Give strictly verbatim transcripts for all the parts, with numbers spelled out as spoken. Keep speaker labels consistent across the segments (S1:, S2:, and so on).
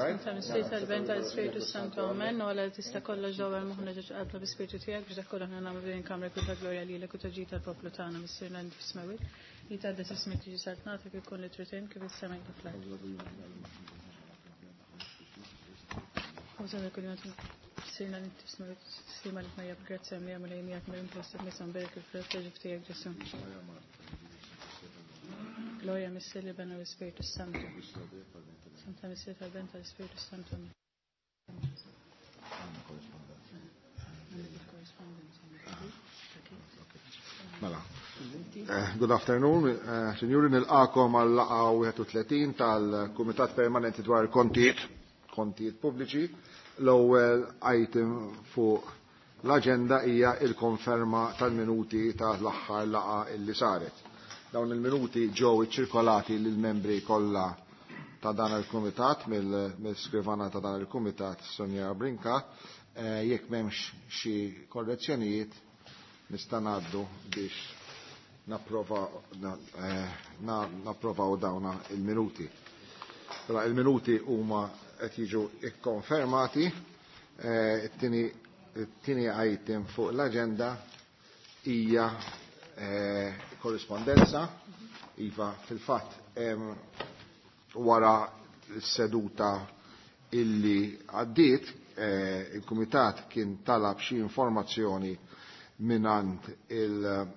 S1: Right?
S2: Ta' Missier tal-Ben tal-Ispirtu Santu Amen, u għala tista' kollox ġewwa l-moħħna ġeġ qalbna bi-Spirtu tiegħek biex dak kollu aħna nagħmlu din il-kamra kull ta' glorja lilek u ta' ġid tal-poplu tagħna Missierna li fis-smewwiet. Li tgħaddes ismek tiġi saltnatek ikun li trid int kif is-sema kif fl-art. U sa kull jum Missierna li fis-smewwiet, slima li tmajja b'grazzja mlija Mulej miegħek mill-impost nisa mberek il-frott ta' ġuf tiegħek Ġesù. Gloria Missier li Bena u Spiritu Santu. Santa Missier tal-Ben tal-Spiritu Santu.
S1: Mela. Eh, Good afternoon, eh, Sinjuri, nilqakom għal laqgħa wieħed u tletin tal-Kumitat Permanenti dwar il-Kontijiet, Kontijiet Pubbliċi. L-ewwel item fuq l-aġenda hija il-konferma tal-minuti tal-aħħar laqgħa illi saret. Dawn il-minuti ġew iċċirkolati lill-membri kollha ta' dan il-kumitat mill-skrivana ta' dan il-kumitat Sonja Brinka. Eh, jekk m'hemmx xi korrezzjonijiet nista' ngħaddu biex napprova, na, eh, na, napprovaw dawna il-minuti. Mela, il-minuti huma qed jiġu ikkonfermati. Eh, it-tieni, it-tieni item fuq l-aġenda hija, eh, korrispondenza. Iva, fil-fatt, em, wara s-seduta illi għaddiet, eh, il-Kumitat kien talab xi informazzjoni minant il-Chief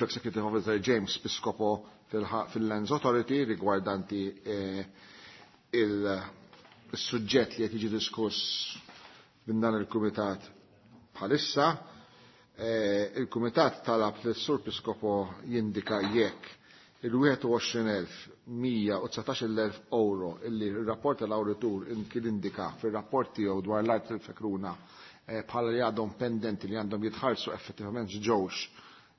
S1: Executive Officer James Piscopo fil-ħa-, fil-Lands Authority rigwardanti, eh, il-suġġett li qed jiġi diskuss minn dan il-Kumitat bħalissa. Eh, il-Kumitat talab li s-Sur Piscopo jindika jekk il-wieħed u għoxrin elf mija u dsatax-il elf euro illi r-rapport tal-awditur kien indika fir-rapport tiegħu dwar l-art tal-Fekruna, eh, bħala li għadhom pendenti li għandhom jitħallsu effettivament ġewx,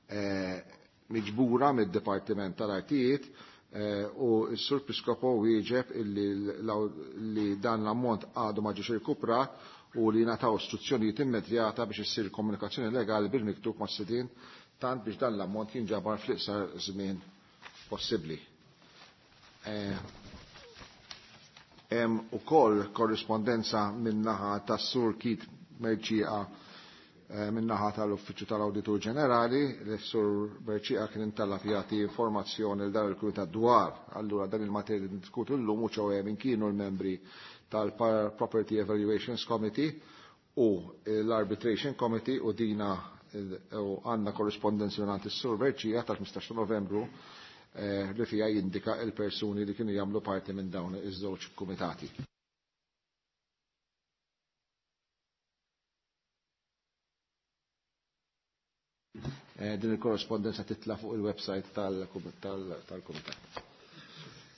S1: eh, miġbura mid-Dipartiment tal-Artijiet, eh, u s-Sur Piscopo wieġeb illi l-, li dan l-ammont għadu ma ġiex irkuprat u li ngħataw istruzzjonijiet immedjata biex issir komunikazzjoni legali bil-miktub mas-sidien tant biex dan l-ammont jinġabar fl-iqsar żmien possibbli. Eh, hemm ukoll korrispondenza min-naħa tas-Sur Keith Mercieca, eh, min-naħa tal-Uffiċċju tal-Awditur Ġenerali, li s-Sur Mercieca kien intalab jagħti informazzjoni l dan il-Kumitat dwar allura dan il-materja li ndiskutu llum u ċoħe minn kienu l-membri tal-Property Evaluations Committee u l-Arbitration Committee u dina u għandna korrispondenza minn is-Sur Mercieca tal-ħmistax ta' Novembru, eh, li fija jindika il-persuni li kienu jagħmlu parti minn dawn iż-żewġ kumitati. Eh, din il-korrespondenza titla' fuq il-website tal-, tal-kumitat.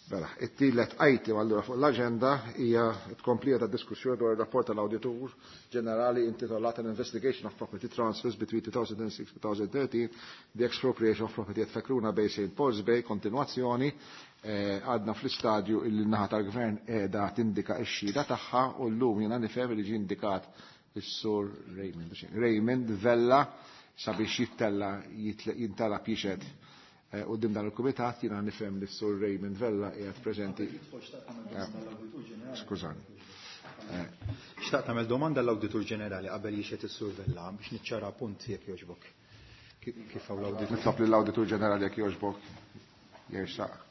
S1: Mela, it-tielet item allura fuq l-aġenda hija tkomplija ta' diskussjoni dwar ir-rapport tal-Awditur Ġenerali intitolat An Investigation of Property Transfers between two thousand and six and two thousand thirteen, the Expropriation of Property at Fekruna Bay Saint Paul's Bay, kontinuazzjoni. Eh, għadna fl-istadju illi n-naħa tal-gvern qiegħda tindika x-xhieda tagħha u llum jiena nifhem li ġie indikat is-Sur Raymond, Raymond Vella sabiex jittella, jitle-, jintala jixhed, eh, quddiem dan il-kumitat. Jiena nifhem li s-Sur Raymond Vella qiegħed preżenti. Eh, skużani. Eh.
S3: Xtaqt nagħmel domanda l-Awditur Ġenerali qabel jixhed is-Sur Vella biex niċċara punt jekk jogħġbok. Ki-, kif hawn l-Awditur?
S1: Nitlob lill-Awditur Ġenerali jekk jogħġbok jersaq.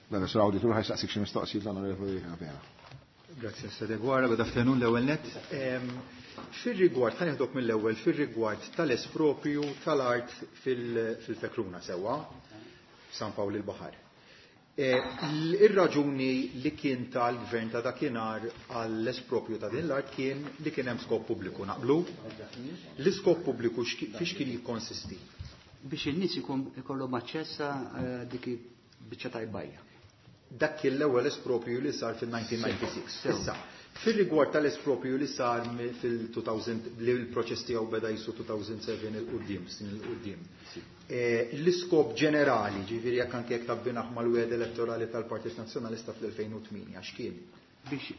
S1: Mela, Sur Awditur ħa jsaqsik xi mistoqsijiet l-Onorevoli Abela.
S3: Grazie, Sir Deguara, good afternoon l-ewwel net. Ehm, fir-rigward, ħa nieħdok mill-ewwel, fir-rigward tal-espropju tal-art fil-, fil-Fekruna sewwa, San Pawl il-Baħar. Eh, ir-raġuni li kien tal-gvern ta' dakinhar għall-espropju ta' din l-art kien li kien hemm skop pubbliku, naqblu? L-iskop pubbliku x'ki-, fiex kien jikkonsisti?
S4: Biex in-nies ikun ikollhom aċċess għal dik biċċa tajbajja.
S3: Dak kien l-ewwel espropju li sar fil-elf disa' mija u disgħa u disgħin. Issa, fil-rigward tal-espropju li sar fil-elfejn, li l-proċess tiegħu beda jisu elfejn u sebgħa 'il quddiem, snin 'il quddiem. L-iskop ġenerali, ġifieri jekk anke jekk tabbinaħ mal-wegħda elettorali tal-Partit Nazzjonalista fl-elfejn u tmienja, x'kien?
S4: Biex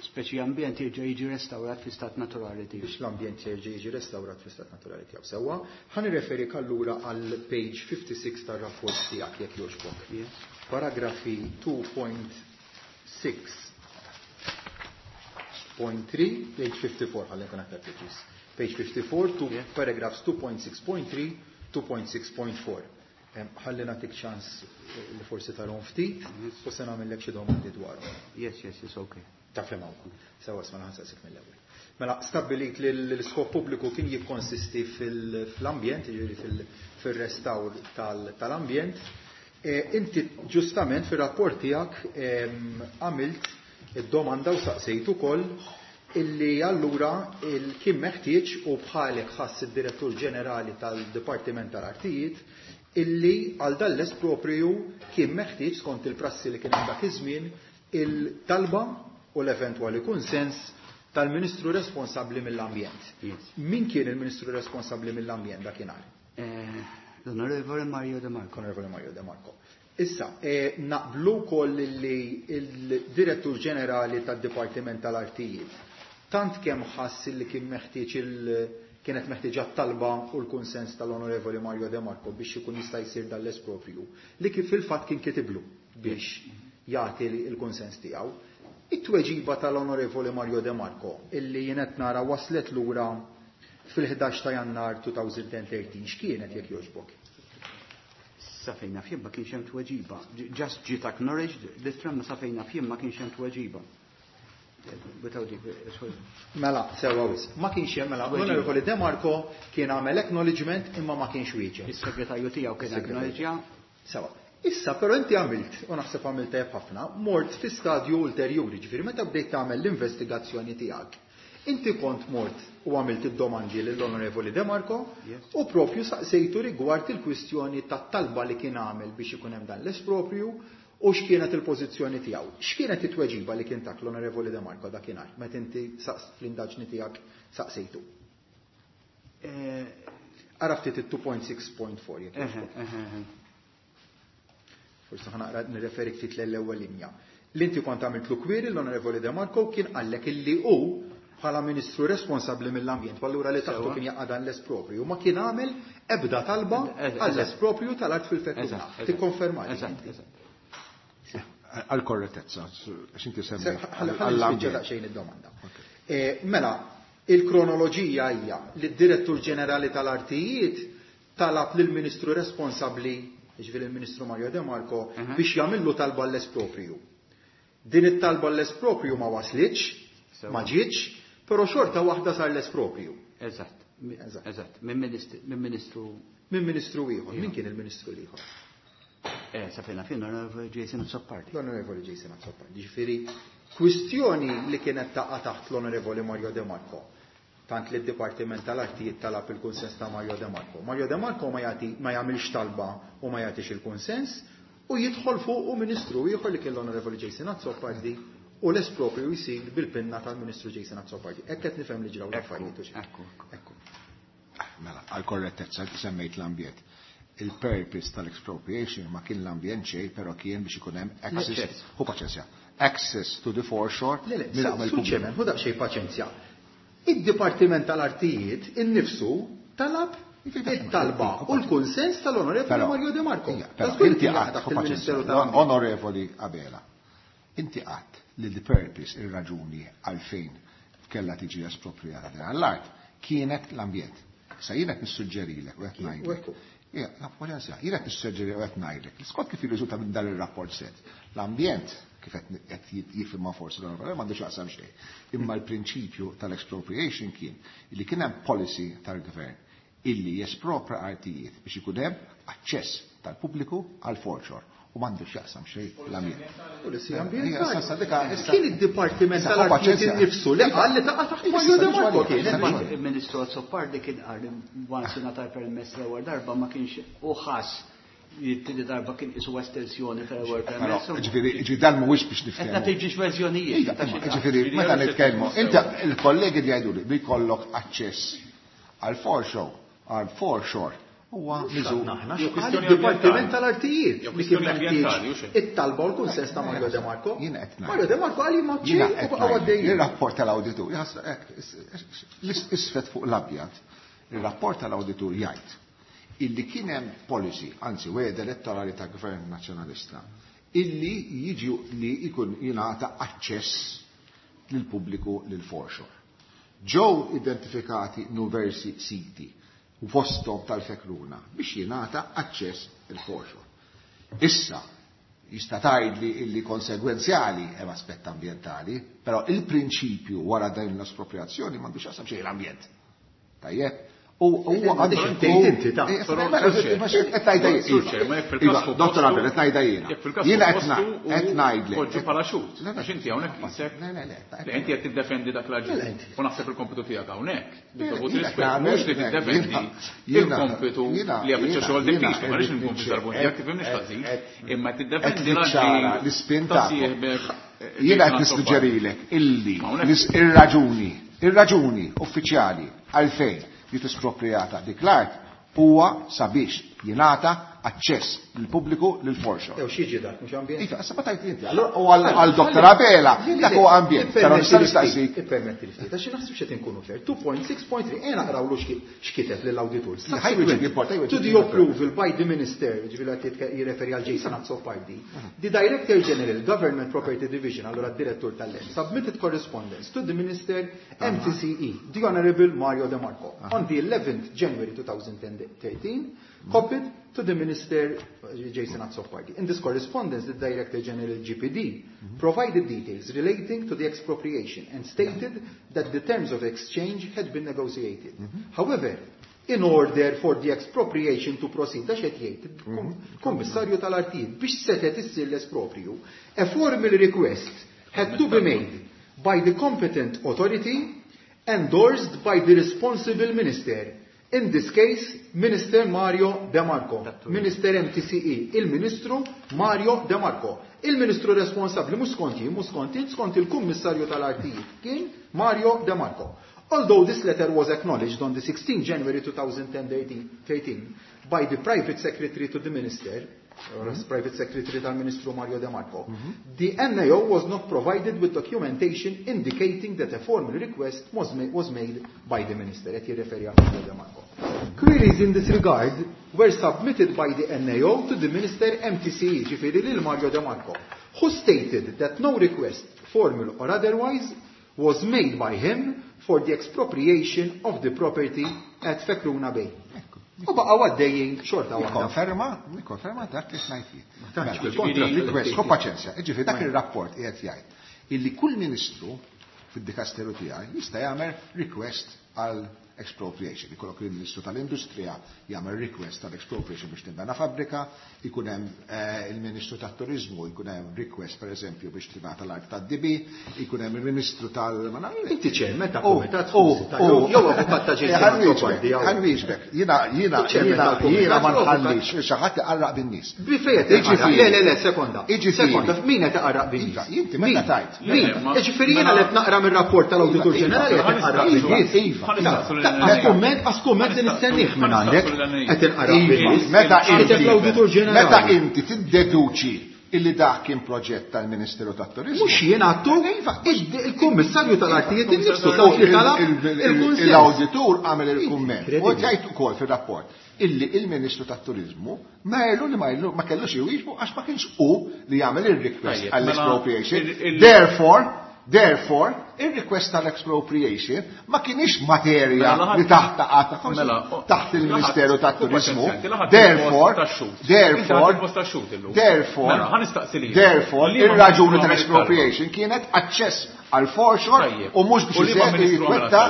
S4: speċi ambjent jerġa' jiġi restawrat fi stat naturali tiegħu.
S3: Biex l-ambjent jerġa' jiġi restawrat fi stat naturali tiegħu. Sewwa, ħa nirreferik allura għal page fifty-six tar-rapport tiegħek, jekk jogħġbok. Paragrafi two point six point three, page fifty-four, ħalli nkun aktar preċiż. Page fifty-four, two, paragraphs two point six point three, two point six point four. Ħalli nagħtik ċans li forsi tarhom ftit u se nagħmellek xi domandi dwarhom.
S4: Yes, yes, it's okay.
S3: Taf li hawn. Sewwa, isma', ħa nsaqsik mill-ewwel. Mela, stabbilit li l-iskop pubbliku kien jikkonsisti fil-ambjent, jiġifieri fil-restawr tal-ambjent. Inti ġustament fir-rapport tiegħek għamilt id-domanda u saqsejt ukoll illi allura kien meħtieġ, u bħalek ħass id-Direttur Ġenerali tal-Dipartiment tal-Artijiet, illi għal dan l-espropriju kien meħtieġ, skont il-prassi li kien hemm dak iż-żmien, il-talba u l-eventwali kunsens tal-Ministru responsabbli mill-ambjent. Min kien il-Ministru responsabbli mill-ambjent dakinhar?
S4: L-Onorevole Mario De Marco.
S3: Onorevole Mario De Marco. Issa, naqblu wkoll li il-Direttur Ġenerali tad-Dipartiment tal-Artijiet tant kemm ħass li kien meħtieġ il kienet meħtieġa talba u l-kunsens tal-Onorevoli Mario De Marco biex ikun jista' jsir dan l-espropriju, li kif fil-fatt kien kitiblu biex jagħti l-kunsens tiegħu. It-tweġiba tal-Onorevoli Mario De Marco, illi jien qed nara waslet lura fil-ħdax ta' Jannar elfejn u tlettax, x'kienet, jekk jogħġbok?
S4: Sa fejn naf jien ma kienx hemm tweġiba. Just ġiet acknowledged l-ittra, ma sa fejn naf jien ma kienx hemm tweġiba.
S3: Mela, sewwa wisq. Ma kienx hemm, mela, l-Onorevoli De Marco kien għamel acknowledgement imma ma kienx wieġeb.
S4: Is-segretarju tiegħu kien acknowledġja.
S3: Sewwa. Issa, però inti għamilt, u naħseb għamilt tajjeb ħafna, mort fi stadju ulterjuri, ġifieri meta bdejt tagħmel l-investigazzjoni tiegħek. Inti kont mort u għamilt id-domandi lill-Onorevoli De Marco u propju saqsejtu rigward il-kwistjoni tat-talba li kien għamel biex ikun hemm dan l-espropriju u x'kienet il-pożizzjoni tiegħu. X'kienet it-tweġiba li kien tak l-Onorevoli De Marco dakinhar meta inti saqs fl-indaġni tiegħek saqsejtu? Ara ftit it-two point six point four, jekk. Forsi ħa naqra nirreferi ftit l-ewwel linja. L-inti kont għamilt l query l-Onorevoli De Marco, kien qallek illi hu bħala ministru responsabbli mill-ambjent, allura li taħtu kien jaqa' dan l-espropriju, ma kien għamel ebda talba għall-espropriju tal-art fil-Fekruna. Tikkonferma?
S4: Eżatt, eżatt.
S1: Għal-korrettezza, għax inti semmi.
S3: Għall-ambjent. Daqsxejn id-domanda. Mela, il-kronoloġija hija li d-Direttur Ġenerali tal-Artijiet talab lill-Ministru responsabbli, ġifieri il-Ministru Mario De Marco, biex jagħmillu talba l-espropriju. Din it-talba l-espropriju ma waslitx, ma ġietx, però xorta waħda sar l-espropriju.
S4: Eżatt. Eżatt. Minn ministru.
S3: Minn ministru ieħor. Min kien il-ministru l-ieħor?
S4: Eh, sa fejn naf jien, l-Onorevoli Jason Azzopardi.
S3: L-Onorevoli Jason Azzopardi. Ġifieri, kwistjoni li kienet taqa' taħt l-Onorevoli Mario De Marco, tant li d-Dipartiment tal-Artijiet talab il-kunsens ta' Mario De Marco. Mario De Marco ma jagħti, ma jagħmilx talba u ma jagħtix il-kunsens u jidħol fuq u ministru ieħor li kien l-Onorevoli Jason Azzopardi u l-espropriju jsir bil-pinna tal-Ministru Jason Azzopardi. Hekk qed nifhem li ġraw l-affarijiet.
S4: Ekku.
S3: Ekku.
S1: Mela, għal-korrettezza, inti semmejt l-ambjent. Il-purpose tal-expropriation ma kien l-ambjent xejn, però kien biex ikun hemm access, hu paċenzja, access to the foreshore.
S3: Le, le, suċċemen, hu daqsxejn paċenzja. Id-Dipartiment tal-Artijiet innifsu talab it-talba u l-kunsens tal-Onorevoli Mario De Marco.
S1: Però inti għadt, Onorevoli Abela, inti għadt li the purpose, il-raġuni għalfejn kella tiġi espropriata din l-art kienet l-ambjent. Sa jiena qed nissuġġerilek u qed ngħidlek. Jiena qed nissuġġeri u qed ngħidlek. Skont kif jirriżulta minn dan ir-rapport set, l-ambjent kif qed jifhimha forsi l-onorevoli m'għandux jaqsam xejn. Imma l-prinċipju tal-expropriation kien li kien hemm policy tal-gvern illi jespropra artijiet biex ikun hemm aċċess tal-pubbliku għal foreshore u m'għandux jaqsam xejn l-ambjent.
S3: Policy ambjentali. Kien id-Dipartiment tal-Artijiet innifsu li qal li taqa' taħt Mario De Marco kien.
S4: Il-Ministru Azzopardi kien qal li once ngħata permess l-ewwel darba ma kienx u ħass Jittini darba kien isu estensjoni tal-ewwel permess.
S1: Ġifieri dan mhuwiex biex niftehmu.
S4: Qed nagħti verżjonijiet.
S1: Ġifieri meta nitkellmu, inti il-kollegi li jgħiduli li jkollok aċċess għal foreshore, għal foreshore huwa miżur.
S3: Il-Dipartiment tal-Artijiet li kien meħtieġ it-talba u l-kunsens ta' Mario De Marco. Mario De Marco għal ma ċej u baqgħu għaddejjin.
S1: Ir-rapport tal-awditur isfed fuq l-abjad. Ir-rapport tal-awditur jgħid illi kien hemm policy, anzi wegħda elettorali ta' Gvern Nazzjonalista, illi jiġi li jkun jingħata aċċess lill-pubbliku lil foreshore. Ġew identifikati nuversi siti u fosthom tal-Fekruna biex jingħata aċċess il-foreshore. Issa, jista' tgħidli illi konsegwenzjali hemm aspett ambjentali, però il-prinċipju wara din l-espropriazzjoni m'għandux x'jaqsam xejn l-ambjent. Tajjeb? U huwa għandu
S3: inti ta'
S1: Dottor Abel, qed ngħidha jiena. Jiena qed ngħidlek.
S5: Poġġu bħala xhud. Għax inti hawnhekk qisek. Le inti qed tiddefendi dak l-aġir. U naħseb il-kompitu tiegħek hawnhekk. Bit-dovut rispett mhux li tiddefendi il-kompitu li hija biċċa xogħol diffiċli, ma rridx nkun fi jekk tifhimniex ħażin, imma tiddefendi l-aġir
S1: l-ispinta. Jiena qed nissuġġerilek illi ir-raġuni, ir-raġuni uffiċjali għalfejn li tispropriata dik l-art huwa sabiex jingħata aċċess lill-pubbliku lil foreshore.
S3: Jew xi dak mhux ambjent.
S1: Iva, issa ma tajt inti. Allura u għal Dottor Abela dak huwa ambjent. Però nista' nistaqsik.
S3: Ippermetti li ftit, għax naħseb x'qed inkunu fair. two point six point three ejja naqrawlu x'kiteb lill-awditur. To the approval by the minister, ġifieri qed jirreferi għal Jason Azzopardi. The Director General Government Property Division, allura d-direttur tal-Land, submitted correspondence to the Minister M T C E, the Honorable Mario De Marco, on the eleventh January two thousand thirteen, copied to the Minister Jason Azzopardi. In this correspondence, the Director General G P D mm-hmm. provided details relating to the expropriation and stated yeah. that the terms of exchange had been negotiated. Mm-hmm. However, in order for the expropriation to proceed, da xed jgħid, Kummissarju tal-Artijiet, biex setet issir l-espropriju, a formal request had to be made by the competent authority endorsed by the responsible minister. In this case, Minister Mario De Marco, Minister M T C E, il-Ministru Mario De Marco. Il-Ministru responsabli, mhux skont jien, mhux skont jien, skont il-Kummissarju tal-Artijiet kien Mario De Marco. Although this letter was acknowledged on the sixteenth January two thousand thirteen by the private secretary to the minister, or as private secretary tal-Ministru Mario De Marco, mm-hmm. the N A O was not provided with documentation indicating that a formal request was, ma- was made by the minister. Qed jirreferi għal Mario De Marco. Queries in this regard were submitted by the N A O to the Minister M T C E, ġifieri lil Mario De Marco, who stated that no request, formal or otherwise, was made by him for the expropriation of the property at Fekruna Bay. U baqgħu għaddejjin xorta waħda.
S1: Nikkonferma, nikkonferma dak li smajt jien. Request, ħu paċenzja, jiġifieri dak ir-rapport qiegħed jgħid illi kull ministru fid-dikasteru tiegħi jista' jagħmel request għal expropriation. Ikollok il-Ministru tal-Industrija jagħmel request tal expropriation biex tinbena fabbrika, ikun hemm il-Ministru tat-Turiżmu jkun hemm request pereżempju biex tingħata l-art tad-D B, ikun hemm il-Ministru tal
S3: Inti ċermen ta' kumitat jew avukat ta' Jason Azzopardi.
S1: Ħanwieġbek, jiena jiena jiena jiena ma nħallix xi ħadd iqarraq bin-nies.
S3: Le le le sekonda. Sekonda, min qed iqarraq bin-nies?
S1: Inti meta tajt.
S3: Min? Jiġifieri jiena qed naqra mir-rapport tal-Awditur Ġenerali qed iqarraq bin-nies.
S1: Iva.
S3: Għas-kumment, għas-kumment li nistennieh minn għandek, qed inqara
S1: Meta inti meta inti tiddeduċi illi dak kien proġett tal-Ministeru tat-Turiżmu.
S3: Mhux jien għattu, il-Kummissarju tal-Artijiet innifsu taf li talab il-kunsens.
S1: L-awditur għamel il-kumment. U jgħid ukoll fir-rapport illi il-Ministru tat-Turiżmu ma jellu li ma jellu ma kellux iwieġbu għax ma kienx hu li jagħmel ir-request għall-expropriation. Therefore, Therefore, il-request tal-expropriation ma kienix materja li taħt taħt il-Ministeru tat-Turizmu. Therefore, therefore, therefore, therefore, il-raġuni tal-expropriation kienet aċċess għal foreshore u mhux biex jitwetta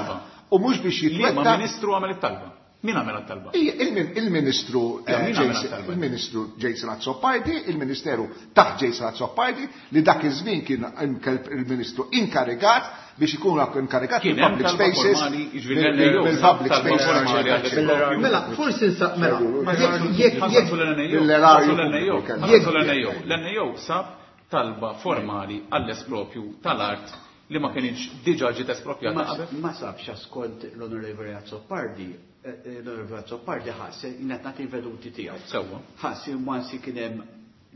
S1: u mhux biex jitwetta.
S5: Liema ministru għamel it-talba? Min għamel talba?
S1: Il-Ministru il-Ministru Jason Azzopardi, il-Ministeru taħt Jason Azzopardi, li dak iż-żmien kien il-Ministru inkarigat biex ikun inkarigat mill-public spaces. Mill-public spaces.
S3: Mela, forsi nsaq mela.
S5: L-N A O sab talba formali għall-espropju tal-art li ma kienx diġà ġiet espropjata qabel.
S4: Ma sabx skont l-Onorevoli Azzopardi, l-Onorevoli Azzopardi ħass jien qed nagħti veduti tiegħu.
S5: Sewwa.
S4: Ħass once kien hemm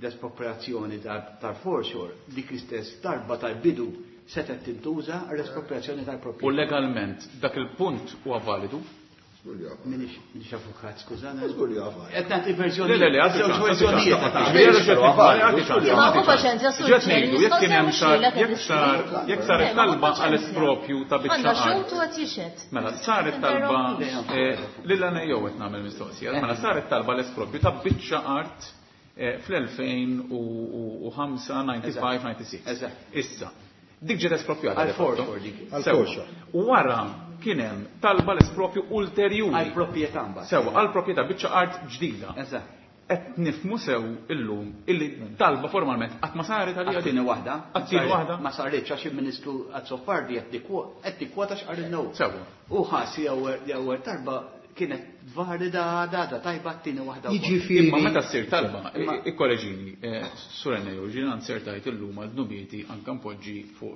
S4: l-espropriazzjoni tal-foreshore, dik l-istess darba tal-bidu setgħet tintuża l-espropriazzjoni tal-proprjetà.
S5: U legalment dak il-punt huwa validu?
S4: Minix avukat, skużana.
S1: Żgur li huwa validu.
S4: Qed nagħti verżjoni.
S5: Le, le, le,
S4: żewġ verżjonijiet.
S2: Ma paċenzja,
S5: Ġed ngħidu, jekk kien hemm sar, jekk sar, jekk saret talba għall-espropju ta' biċċa
S6: Għandha
S5: art.
S6: xhud u qed jixhed.
S5: Mela, saret talba lil N A O qed nagħmel mistoqsija. Mela, saret talba l-espropju ta' biċċa art fl-elfejn u ħamsa, ninety-five, ninety-six. Issa, dik ġiet espropjata.
S4: Għal-foreshore dik.
S3: Għal-foreshore.
S5: U wara kien hemm talba l-espropju ulterjuri.
S4: Għal-proprjetà mbagħad.
S5: Sewwa, għal-proprjetà biċċa art ġdida.
S4: Eżatt.
S5: Qed nifhmu sew illum illi talba formalment qatt ma saret għalija
S4: Għat-tieni waħda.
S5: Għat-tieni waħda.
S4: Ma saritx għax il-Ministru Azzopardi qed tikkwota x'qal il-no.
S5: Sewwa.
S4: U ħass li ewwel talba kienet valida data tajba t-tieni waħda wkoll.
S3: Jiġifieri.
S5: Imma meta ssir talba, ikkoreġini, Sur N A O, ġiena nsertajt illum għal dnubieti anke npoġġi fuq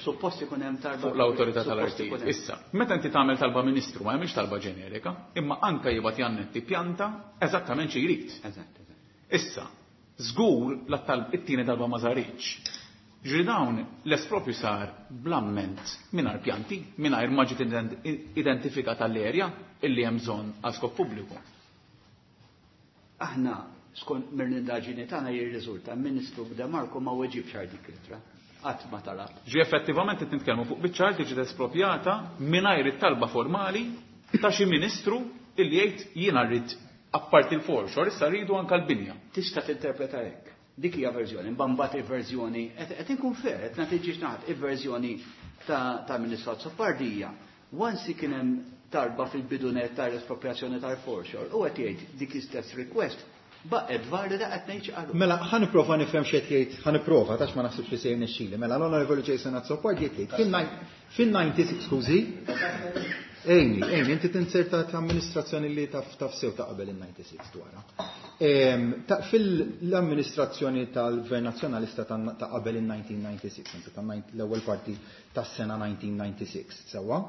S4: Suppost ikun hemm talba
S5: fuq l-awtorità
S4: suppost
S5: tal-artijiet.
S4: ikun hemm.
S5: Issa, meta inti tagħmel talba ministru ma hemmx talba ġenerika, imma anke jibgħat jannetti pjanta eżattament xi jrid.
S4: Eżatt, eżatt.
S5: Issa, żgur la talb it-tieni talba ma saritx. Ġri dawn l-espropju sar bl-amment mingħajr pjanti, mingħajr ma ġiet identifikata l-erja illi hemm bżonn għal skop pubbliku.
S4: Aħna skont mill-indaġini tagħna jirriżulta Ministru De Marco ma weġibx għal dik l-ittra. Qatt ma talab.
S5: Ġi effettivament qed nitkellmu fuq biċċa art li ġiet espropjata mingħajr it-talba formali ta' xi ministru illi jgħid jiena rrid apparti l-foreshore, issa rridu anke l-binja.
S4: Tista' tinterpreta hekk. Dik hija verżjoni, mbagħad il-verżjoni, qed inkun fair, qed nagħti naħat il-verżjoni ta' Ministru Azzopardi hija. Once kien hemm talba fil-bidunet tal-espropriazzjoni tal-foreshore, u qed jgħid dik l-istess request baqgħet valida qed ngħid x'qalu.
S3: Mela, ħa nipprova nifhem x'qed jgħid, ħa nipprova, tax ma naħsibx li se jirnexxili. Mela l-Onorevoli Jason Azzopardi qed jgħid fil-ninety-six, skużi. Ejni, ejni, inti tinserta ta' amministrazzjoni li taf, taf sew ta' qabel il-ninety-six dwarha. Ehm, ta' fil-amministrazzjoni tal-Gvern Nazzjonalista ta', ta' qabel il-nineteen ninety-six, anzi ta' l-ewwel parti tas-sena nineteen ninety-six, sewwa?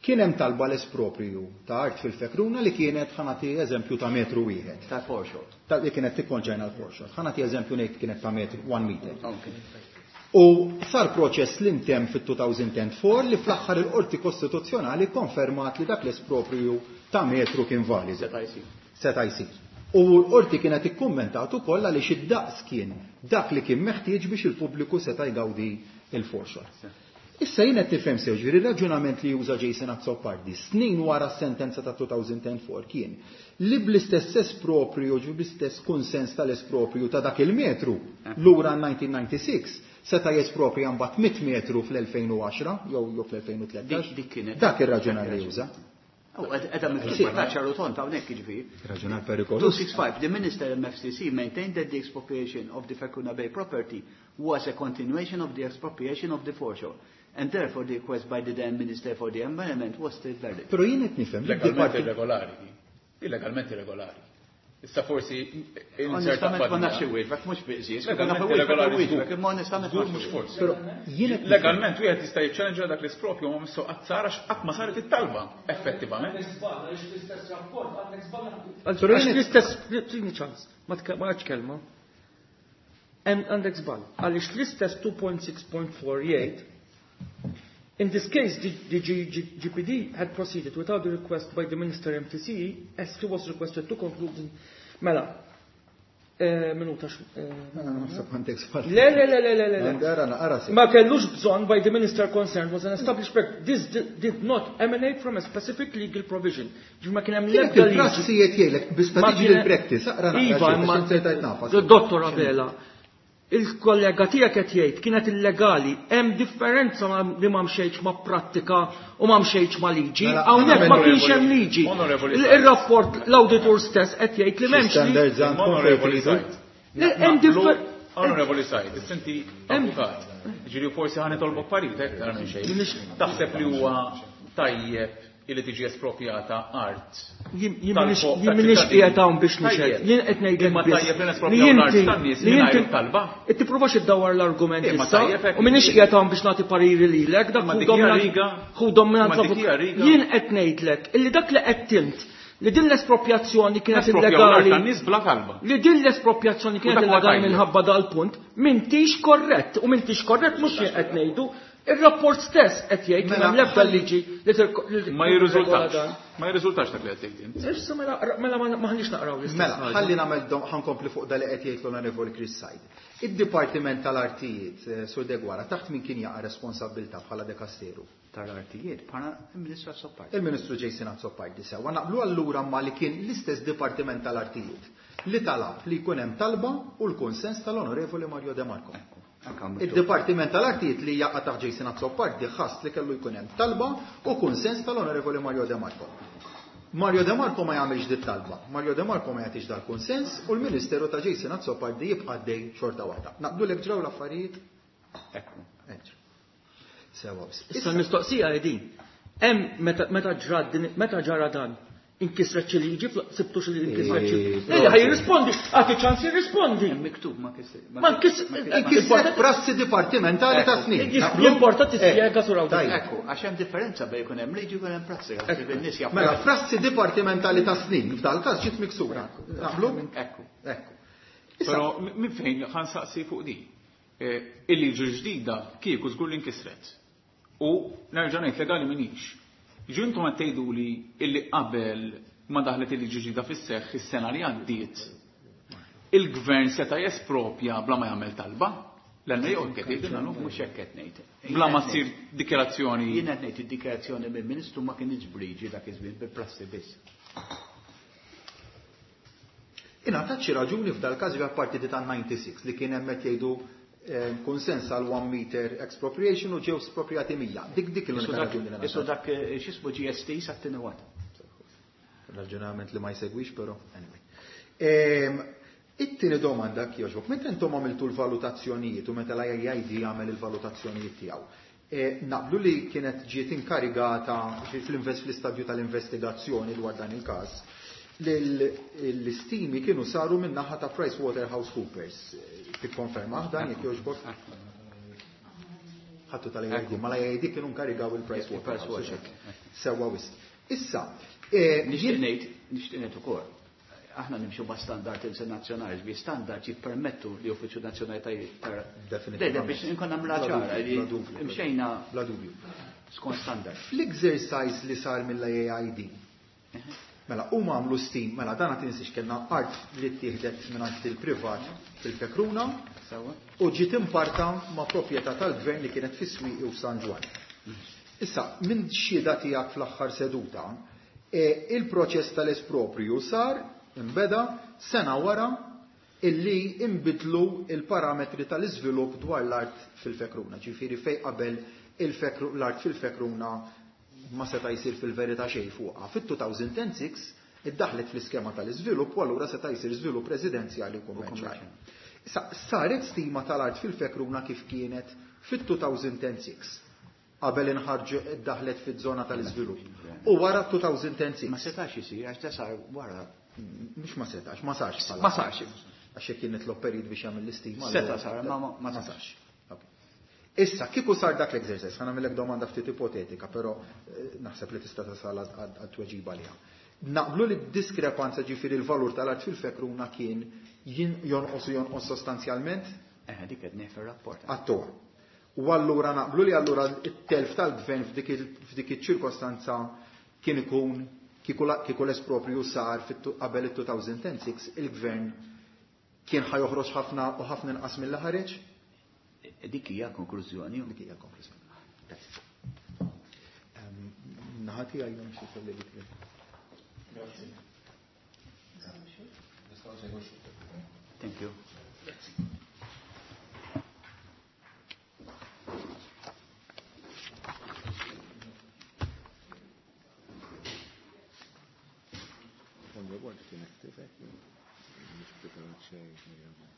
S3: Kien hemm talba l-espropriju ta' art fil-Fekruna li kienet, ħa nagħti eżempju, ta' metru wieħed.
S4: Ta' foreshore.
S3: Ta' li kienet tikkonċerna l-foreshore. Ħa nagħti eżempju ngħid kienet ta' metru, one meter.
S4: Okay.
S3: U sar proċess li ntemm fit-two thousand and four li fl-aħħar il-Qorti Kostituzzjonali konfermat li dak l-espropriju ta' metru kien validu.
S4: Seta' jsir.
S3: Seta' jsir. U l-Qorti kienet ikkummentat ukoll għaliex id-daqs kien dak li kien meħtieġ biex il-pubbliku seta' jgawdi il-foreshore. Issa jien qed tifhem sew, ġifieri ir-raġunament li juża Jason Azzopardi snin wara s-sentenza ta' two thousand and four kien li bl-istess espropriju, ġifieri bl-istess kunsens tal-espropriju ta' dak il-metru lura nineteen ninety-six seta' jesproprija mbagħad mitt metru fl-elfejn u għaxra jew jew fl-elfejn u tlettax.
S4: Dik, dik kienet.
S3: Dak ir-raġunar li juża.
S4: U edha miktuba ta' ċaru tont hawnhekk jiġifieri.
S3: Raġunar perikoluż.
S4: two six five, the Minister M F C C maintained that the expropriation of the Fekruna Bay property was a continuation of the expropriation of the foreshore, and therefore the request by the then Minister for the Environment was still valid.
S3: Però jien qed nifhem li
S5: Legalment
S3: d-diparti-
S5: irregolari. Illegalment irregolari. Issa forsi inserta
S4: Onestament ma
S5: fadda.
S4: nafx iwieġbek, mhux biqżies, kif
S5: Legalment
S4: naf iwieġbek,
S5: irregolari
S4: iwieġbek,
S5: żgur.
S4: imma onestament
S5: Żgur
S4: ma
S5: mhux
S4: nafx
S5: forsi.
S3: Però jien qed nifhem-
S5: Legalment wieħed jista' jiċċellenġa dak l-ispropju ma missu qatt sar għax qatt ma saret it-talba, effettivament.
S3: Però jien
S7: Għax
S3: qed-
S7: l-istess, tini ċans, ma tke-, ma għadx kelma. Għandek żball, għaliex l-istess two point six point four jgħid, in this case, the, the G, G, G P D had proceeded without the request by the Minister M T C as he was requested to conclude in... Mela, eh, minuta x-, eh,
S3: Mela, naħseb għandek żball.
S7: Le, le, le, le, le, le, le.
S3: Għandi ara, ara se.
S7: Ma kellux bżonn by the minister concerned was an established practice. This di-, did not emanate from a specific legal provision. Ġifieri ma kien hemm
S3: Kienet
S7: l-ebda liġi.
S3: il-prassi qed jgħidlek biex
S7: Ma
S3: tiġi
S7: kien-
S3: l-practice, aqra naqra
S7: Iva,
S3: xi,
S7: imma
S3: biex insertajt nafas.
S7: Dottor Abela, Il-kollega tiegħek qed jgħid kienet illegali, hemm differenza li ma mxejtx ma' prattika u ma mxejtx ma' liġi,
S3: Mela,
S7: hawnhekk ma kienx hemm liġi.
S5: Onorevoli
S7: Il-rapport l-awditur stess qed jgħid li m'hemmx liġi.
S3: Standards għandkom fejn
S5: Onorevoli
S3: tridu.
S5: Said.
S7: Le, hemm differ-
S5: Onorevoli Said, inti avukat. Ġiri forsi ħa nitolbok parir, aktar minn xejn. Taħseb li huwa tajjeb illi tiġi espropjata art.
S7: Jien m'iniex jien m'iniex qiegħed hawn biex nixhed. Jien qed ngħidlek
S5: Imma
S7: biss
S5: tajjeb li
S7: li
S5: nesproprjaw l-art
S7: inti
S5: tan-nies
S7: li
S5: mingħajr
S7: inti
S5: talba.
S7: Qed tipprovax iddawwar l-argument
S5: Imma
S7: issa
S5: tajjeb hekk.
S7: u m'iniex qiegħed hawn biex nagħti pariri lilek, dak
S5: Imma
S7: hu
S5: dik hija
S7: dominant
S5: riga.
S7: hu dominant
S5: Imma dik hija riga.
S7: Jien qed ngħidlek illi dak li qed tint li din l-espropjazzjoni kienet
S5: Nesproprjaw l-art
S7: illegali
S5: tan-nies bla talba.
S7: li din l-espropjazzjoni kienet
S5: U dak huwa
S7: illegali
S5: tajjeb.
S7: minħabba dal-punt, m'intix korrett u m'intix korrett mhux jien qed ngħidu, ir-rapport stess qed jgħid li
S3: Mela,
S7: m'hemm l-ebda liġi li tirko- li
S5: Ma
S7: tirregola
S5: jirriżultax.
S7: dan.
S5: Ma jirriżultax dak li qed tgħid int.
S7: Issa mela mela ma maħniex naqraw l-istess
S3: Mela,
S7: ħaġa.
S3: ħalli nagħmel dom ħankompli fuq da li qed jgħid l-Onorevoli Chris Said. Id-Dipartiment tal-Artijiet, eh, Sur Degwara, taħt min kien jaqa' responsabbiltà bħala dekasteru?
S4: Tal-artijiet bħala il-Ministru Azzopardi.
S3: Il-Ministru Jason Azzopardi sewwa naqblu allura ma li kien l-istess Dipartiment tal-Artijiet li talab li jkun hemm talba u l-konsens tal-Onorevoli Mario De Marco. Il-Dipartiment tal-Artijiet li jaqa' taħt Jason Azzopardi ħass li kellu jkun hemm talba u konsens tal-Onorevoli Mario De Marco. Mario De Marco ma jagħmilx dit talba. Mario De Marco ma jagħtix dal-konsens u l-Ministeru ta' Jason Azzopardi jibqa' għaddej xorta waħda. Naqblu lek ġraw l-affarijiet?
S4: Ekku.
S3: Ekku. Sewa biss.
S7: Issa l-mistoqsija hi din. Hemm meta meta ġrat din meta ġara dan inkisret xi liġi, fl- sibtu xi inkisret xi.
S3: Eh,
S7: Le, ħaj jirrispondi, għati ċans jirrispondi.
S4: Hemm miktub ma kisser.
S7: Ma nkis-
S3: Inkisret prassi dipartimentali ta' snin. Naqblu?
S7: L-importa tispjega sur hawn.
S3: Tajjeb.
S4: Ekku, għax hemm differenza bejn jkun hemm liġi u jkun hemm prassi. għax in-nies jafu.
S3: Mela, prassi dipartimentali ta' snin, f'dal każ ġiet miksura. Naqblu?
S4: Ekku.
S3: Ekku. Issa,
S5: Però minn fejn ħa nsaqsi fuq di. Eh, Il-liġi ġdida kieku żgur li nkisret. U nerġa' ngħid legali minix. Ġu intom qed tgħidu li illi qabel ma daħlet il-liġi ġdida fis-seħħ is-sena li għaddiet il-gvern seta' jespropja bla ma jagħmel talba? L-għanna jew qed jgħidilna no?
S4: Mhux hekk qed ngħid.
S5: Bla ma ssir dikjarazzjoni.
S4: Jien qed ngħid id-dikjarazzjoni mill-Ministru ma kienx bliġi dak iż-żmien bil-prassi biss.
S3: Ingħatat xi raġuni f'dal każ apparti di tan-disgħa u disgħin li kien hemm qed jgħidu eh, konsens għal one meter expropriation u ġew espropriati mija. Dik dik
S4: Isu
S3: l-unika
S4: dak-
S3: raġuni li
S4: Isu
S3: ngħatat.
S4: dak eh, x'ismu G S T sat-tieni watt.
S3: Raġunament li ma jsegwix, però anyway. Ehm, It-tieni domanda kjoġbok, meta intom għamiltu l-valutazzjonijiet u meta l-I A I D għamel il-valutazzjonijiet tiegħu, eh, naqblu li kienet ġiet inkarigata fl-invest fl-istadju tal-investigazzjoni dwar dan il-każ, li l-istimi kienu saru minn naħa ta' PricewaterhouseCoopers. Tikkonferma dan jekk jogħġbok? Ħattu tal-I A I D, ma l-I A I D kienu nkarigaw il-Pricewaterhouse. Sewwa wisq. Issa, eh,
S4: Nixtieq ngħid, nixtieq ngħid ukoll. Aħna nimxu ma' standard internazzjonali, bi standard jippermettu li uffiċċju nazzjonali ta'
S3: Definitivament.
S4: Le, biex inkun nagħmluha
S3: Bla
S4: ċara
S3: dubju,
S4: li
S3: bla dubju.
S4: mxejna
S3: Bla dubju.
S4: skont standard.
S3: Fl-exercise li sar mill-I A I D, mela, huma għamlu stim, mela dan għat tinsiex kellna art li ttieħdet mingħand il-privat fil-Fekruna
S4: Sewwa?
S3: u ġiet imparta ma' proprjetà tal-gvern li kienet fis-Swieqi u San Ġwann. Issa, minn xhieda tiegħek fl-aħħar seduta, e, il-proċess tal-espropriju sar imbeda sena wara illi imbidlu il-parametri tal-iżvilupp dwar l-art fil-Fekruna. Ġifieri fej qabel il-Fekru- l-art fil-Fekruna ma seta' jsir fil-verità xejn fuqha. Fit-elfejn u sitta iddaħlet fl-iskema tal-iżvilupp u allura seta' jsir żvilupp residenzjali u kummerċjali. Issa, saret stima tal-art fil-Fekruna kif kienet fit-elfejn u sitta qabel inħarġu iddaħlet fiż-żona tal-iżvilupp. U wara elfejn u sitta.
S4: Ma setax isir għax da sar wara.
S3: Mhux ma setax, ma sarx bħala.
S4: Ma sarx.
S3: Għax jekk kien nitlob perit biex jagħmel l-istima.
S4: Seta'
S3: allura-
S4: sar, ma- ma- ma
S3: ma
S4: sarx.
S3: sarx. Ok. Issa, kieku sar dak l-exercise, ħa nagħmellek domanda ftit ipotetika, però eh, naħseb li tista' tasal għal tweġiba liha. Naqblu li d-diskrepanza ġifieri il-valur tal-art fil-Fekruna kien jin- jonqos u jonqos sostanzjalment?
S4: Eh, dik qed ngħid fir-rapport.
S3: Għattuha. U allura naqblu li allura it-telf tal-gvern f'dik il- f'dik iċ-ċirkostanza kien ikun kieku la- kieku l-espropriju sar fit- qabel it-elfejn u sitta il-gvern kien ħa joħroġ ħafna u ħafna inqas mill ħareġ?
S4: Dik hija konklużjoni.
S3: Dik hija konklużjoni. Grazzi. Ehm, Naħa tiegħi hemm xi kollegi tiegħi.
S1: Grazzi.
S4: Thank you.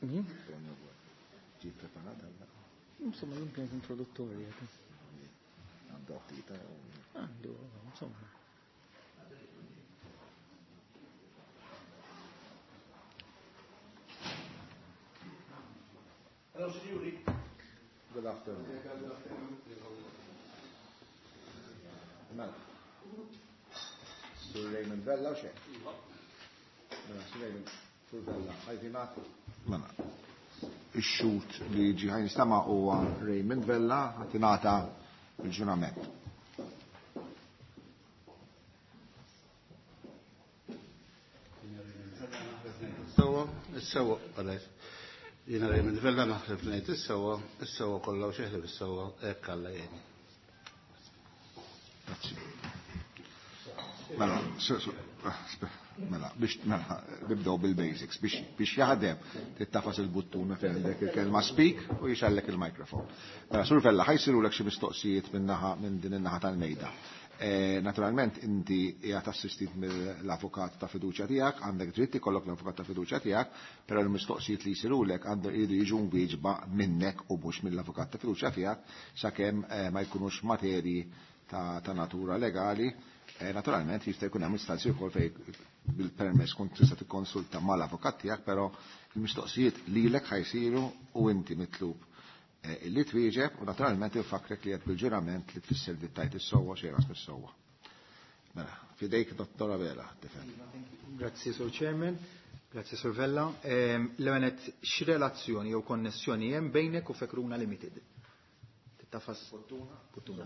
S7: Min? Ġi preparata Insomma, l kienet introduttorja.
S1: Għandu għattita.
S7: Għandu, insomma.
S4: Hello, signori.
S1: Good afternoon. Mela. Sur Raymond Vella u xejn? Mela, Sur Raymond, Sur Vella, ħajtinat. Mela. Ix-xut li ġi ħajn nistama' huwa Raymond Vella ħatinata il-ġurament.
S6: Sewa, is-sewa għalek. Jiena Raymond Vella naħlef ngħid is-sewa, is-sewa kollha u xeħlef is-sewa hekk Alla jgħinni.
S1: Grazzi. Mela, mela, biex mela, nibdew bil-basics, biex biex jaħdem tittafas il-buttuna fejn għandek il-kelma speak u jixallek il-mikrofon. Mela, Sur Vella, ħajsirulek xi mistoqsijiet minn naħa minn din in-naħa tal-mejda. Naturalment inti qiegħed assistit mill-avukat ta' fiduċja tiegħek, għandek dritt ikollok l-avukat ta' fiduċja tiegħek, però l-mistoqsijiet li jsirulek għandhom iridu jiġu mwieġba minnek u mhux mill-avukat ta' fiduċja tiegħek sakemm ma jkunux materji ta', ta natura legali. Naturalment jista' jkun hemm istanzi wkoll fejn bil-permess kont tista' tikkonsulta mal-avukat tiegħek, però il-mistoqsijiet lilek ħajsiru u inti mitlub illi twieġeb u naturalment infakrek li qed bil-ġurament li tfisser li tajt is-sewwa xejn ras mis-sewwa. Mela, fidejk Dottor Abela, tifhem.
S3: Grazzi Sur Chairman, grazzi Sur Vella. L-ewwel x'relazzjoni jew konnessjoni hemm bejnek u Fekruna Limited? Tittafas Puttuna.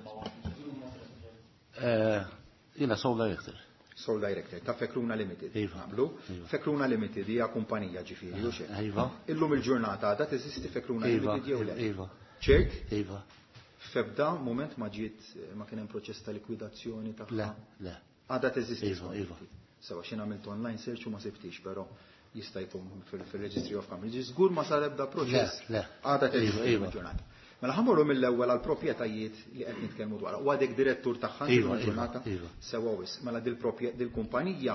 S6: Jiena sole director.
S3: Sole director ta' Fekruna Limited.
S6: Iva.
S3: Naqblu? Fekruna Limited hija kumpanija ġifieri u xejn.
S6: Iva.
S3: Illum il-ġurnata għadha teżisti Fekruna Limited jew le?
S6: Iva.
S3: Ċert?
S6: Iva.
S3: F'ebda mument ma ġiet ma kien hemm proċess ta' likwidazzjoni tagħha?
S6: Le, le.
S3: Għadha teżisti.
S6: Iva, iva.
S3: Sewa xi għamilt online search u ma sibtix, però jista' jkun fil-Registry of Companies. Żgur ma sar ebda proċess.
S6: Le, le.
S3: Għadha teżisti
S6: Iva, iva.
S3: il-ġurnata. Mela ħammorru mill-ewwel għal proprjetajiet li qed nitkellmu dwarha. U għadek direttur tagħha
S6: Iva,
S3: il-ġurnata?
S6: iva, iva.
S3: Sewa wis. Mela dil-kumpanija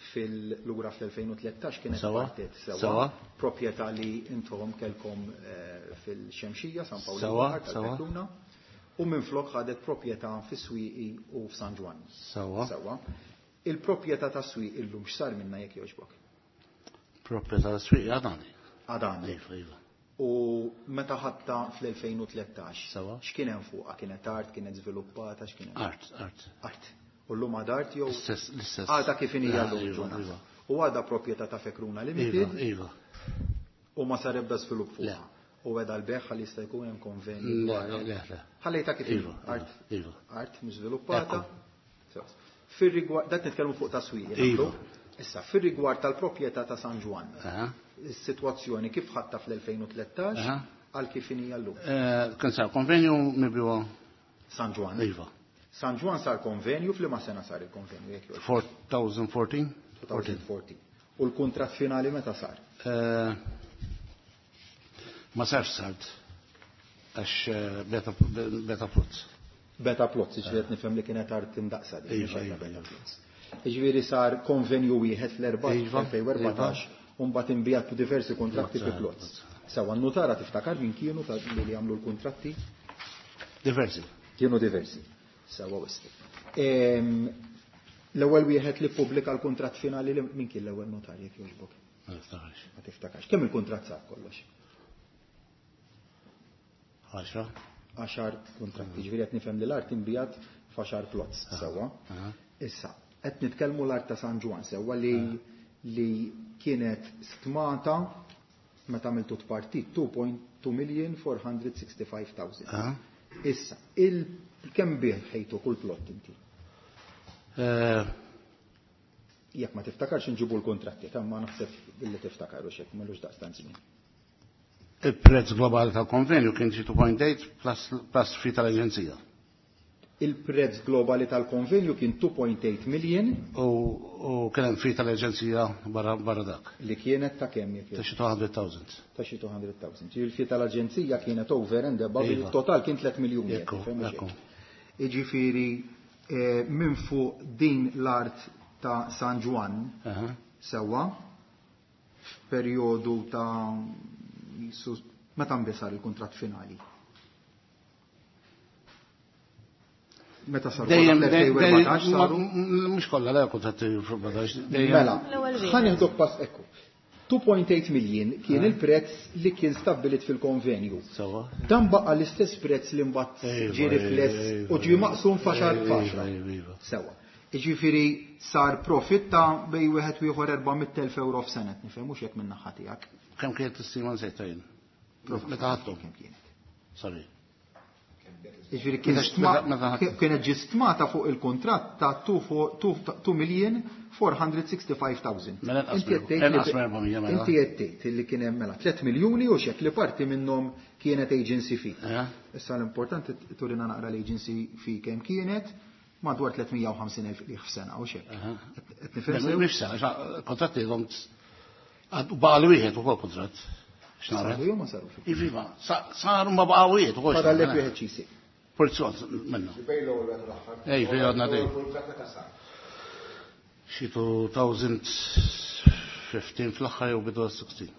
S3: fil-lura fl-elfejn u tlettax kienet
S6: Sewa.
S3: partet sewa.
S6: Sewa.
S3: Proprjetà li intom kelkom fil-Xemxija, San Pawl
S6: Sewa,
S3: il-Baħar tal-Fekruna. U minflok ħadet proprjetà fis-Swieqi u f'San Ġwann.
S6: Sewa.
S3: Sewa. Il-proprjetà ta' Swieqi illum x'sar minnha jekk jogħġbok?
S6: Proprjetà ta' Swieqi għadani.
S3: Għadani.
S6: Iva, iva.
S3: U meta ħadta fl-elfejn u tlettax,
S6: Sewa.
S3: x'kien hemm fuqha? Kienet art, kienet żviluppata, x'kien hemm?
S6: Art, art.
S3: Art. U llum għad art jew
S6: L-istess, l-istess.
S3: Għadha kif inhija llum
S6: Iva,
S3: ġurnata.
S6: iva.
S3: U għadha proprjetà ta' Fekruna Limited.
S6: Iva, iva.
S3: U ma sar ebda żvilupp fuqha.
S6: Le.
S3: U għedha l-beħ ħalli jista' jkun hemm konvenju.
S6: Le, le, le, le.
S3: Ħallejta kif
S6: Iva,
S3: inhi. Art.
S6: iva.
S3: Art mhux żviluppata.
S6: Ekku.
S3: Fir-rigward, dat nitkellmu fuq ta' Swieqi,
S6: Iva.
S3: naqblu? Issa, fir-rigward tal-proprjetà ta' San Ġwann.
S6: Aha.
S3: Is-sitwazzjoni kif ħadta fl-elfejn u tlettax
S6: Aha.
S3: għal kif inhi llum.
S6: Kien sar konvenju mibjuha
S3: San Ġwann.
S6: Iva.
S3: San Ġwann sar konvenju, f'liema sena sar il-konvenju jekk jogħġbok?
S6: twenty fourteen?
S3: twenty fourteen. U l-kuntratt finali meta sar?
S6: Ma sarx sart għax beta, beta plots.
S3: Beta plots, ġifieri qed nifhem li kienet art imdaqsa din,
S6: Iva,
S3: mhux
S6: iva,
S3: beta
S6: iva.
S3: plots. Ġifieri sar konvenju wieħed fl-erba'
S6: Iva,
S3: elfejn u erbatax,
S6: iva.
S3: u mbagħad inbijat diversi kontratti fi
S6: Iva,
S3: plots.
S6: iva.
S3: Sewa n-nutara tiftakar min kienu ta' li li għamlu l-kontratti?
S6: Diversi.
S3: Kienu diversi. Sewa wisq. Ehm, L-ewwel wieħed li ppubblika l-kuntratt finali li min kien l-ewwel notar jekk jogħġbok?
S6: Ma niftakarx.
S3: Ma tiftakarx. Kemm il-kuntratt sar kollox?
S6: Għaxra.
S3: Għaxar kuntratti. Ġifieri qed nifhem li l-art inbijat f'għaxar plots, sewwa.
S6: Aha.
S3: Issa, qed nitkellmu l-art ta' San Ġwann sewwa li li kienet stmata meta għamiltu tpartit two point two million four hundred sixty-five thousand.
S6: Aha.
S3: Issa, il kemm bih ħejtu kull plot inti?
S6: Eh,
S3: Jekk ma tiftakarx inġibu l-kontratti, ta' ma naħseb billi tiftakar u xek, m'ilux daqstant żmien.
S6: Il-prezz globali tal-konvenju kien xi two point eight plus, plus fee tal-aġenzija.
S3: Il-prezz globali tal-konvenju kien two point eight million.
S6: U, u kien hemm fee tal-aġenzija barra, barra dak.
S3: Li kienet ta' kemm jekk
S6: Ta' xi two hundred thousand.
S3: Ta' xi two hundred thousand. Ġifieri il-fee tal-aġenzija kienet over and above,
S6: Iva.
S3: il-total kien tliet miljuni, jekk
S6: Ekku,
S3: tifhem u xek.
S6: ekku.
S3: Jiġifieri, eh, minn fuq din l-art ta' San Ġwann
S6: Aha.
S3: Sewwa f'perjodu ta' meta nbisar il-kuntratt finali. Meta saru fl-elfejn u erbatax saru?
S6: Mhux kollha le kuntratti fl-erbatax.
S3: Mela, ħa nieħdok pass ekku. two point eight million kien il-prezz li kien stabbilit fil-konvenju. Dan baqa l-istess prezz li mbagħad ġie rifless u ġie maqsum f'għaxar f'għaxra. Sewwa. Jiġifieri sar profit ta' bej wieħed u ieħor erba' mitt elf euro f'sena, nifhem mhux hekk min-naħa tiegħek.
S6: Kemm kienet tistima nsejt jien? Meta ħadthom?
S3: Kemm kienet?
S6: Sorry.
S3: Jiġifieri kienet ġi stmata fuq il-kuntratt ta' two million four hundred sixty-five thousand.
S6: Mela
S3: Inti qed tgħid
S6: inqas minn erba' mija, mela.
S3: Inti qed tgħid li kien hemm mela tliet miljuni u xek li parti minnhom kienet agency fee. Issa l-importanti turina naqra l-agency fee kemm kienet, madwar tliet mija u ħamsin elf liħ f'sena u xek. Qed nifhem sew?
S6: Mhux f'sena, kontratti għom baqa' li wieħed ukoll kuntratt. X'nara?
S3: Saru jew ma sarux?
S6: Iva, saru ma baqa' wieħed ukoll.
S3: Fadallek wieħed xi jsir.
S6: Porzjon minnu. Ej, fej għadna dej. Xi two thousand fifteen fl-aħħar jew bidu sixteen.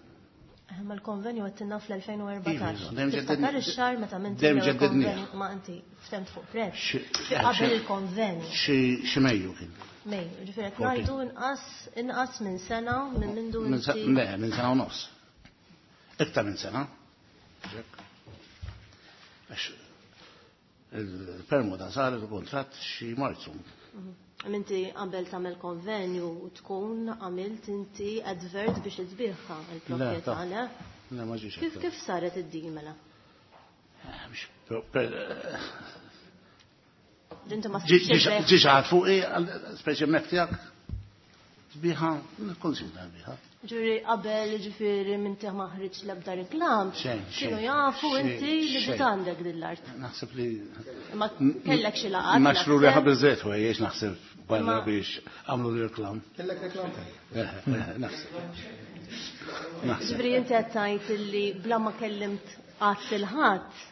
S8: Ma l-konvenju għattinna fl-elfejn u erbatax.
S6: Iva, dejjem
S8: Tiftakar
S6: ġeddedni.
S8: ix-xahar meta minn
S6: Dejjem
S8: l-ewwel
S6: ġeddedni.
S8: konvenju ma inti ftemt fuq prezz.
S6: Xi-
S8: Qabel
S6: xi-
S8: il-konvenju.
S6: Xi-, xi Mejju kien.
S8: Mejju, ġifieri qed
S6: Fourteen.
S8: ngħidu inqas, inqas minn sena minn mindu
S6: Minn sa-
S8: inti.
S6: Le, minn sena u nofs. Iktar minn sena. Għax il-permuta sar il-kontratt xi Marzu.
S8: Inti qabel tagħmel konvenju u tkun għamilt inti advert biex tbieħha il-proprjetà,
S6: Le,
S8: le?
S6: Le, ma ġiex
S8: Kif,
S6: advert.
S8: kif saret id-deal mela?
S6: Biex per-, per-,
S8: Inti ma
S6: Ġi-,
S8: sibx
S6: ġi-,
S8: il-beħ.
S6: ġi xi ħadd fuqi, speċi hemmhekk tiegħek, tbiħa, nikkonsidra tbiħa.
S8: Ġifieri qabel, ġifieri minn tiegħek ma ħriġ l-ebda reklam,
S6: Xejn,
S8: kienu
S6: xejn,
S8: jafu
S6: xejn,
S8: inti li
S6: xejn.
S8: ġiet għandek din l-art.
S6: Naħseb li
S8: Ma kellek xi laqgħat,
S6: Maxru li
S8: naħseb.
S6: ħabel żejt u jgħix naħseb barra
S8: Ma-
S6: biex għamlu li reklam.
S3: Kellek reklam tajjeb.
S6: Eh, eh, naħseb. Naħseb.
S8: Ġifieri inti qed tgħid illi bla ma kellimt qatt il-ħadd,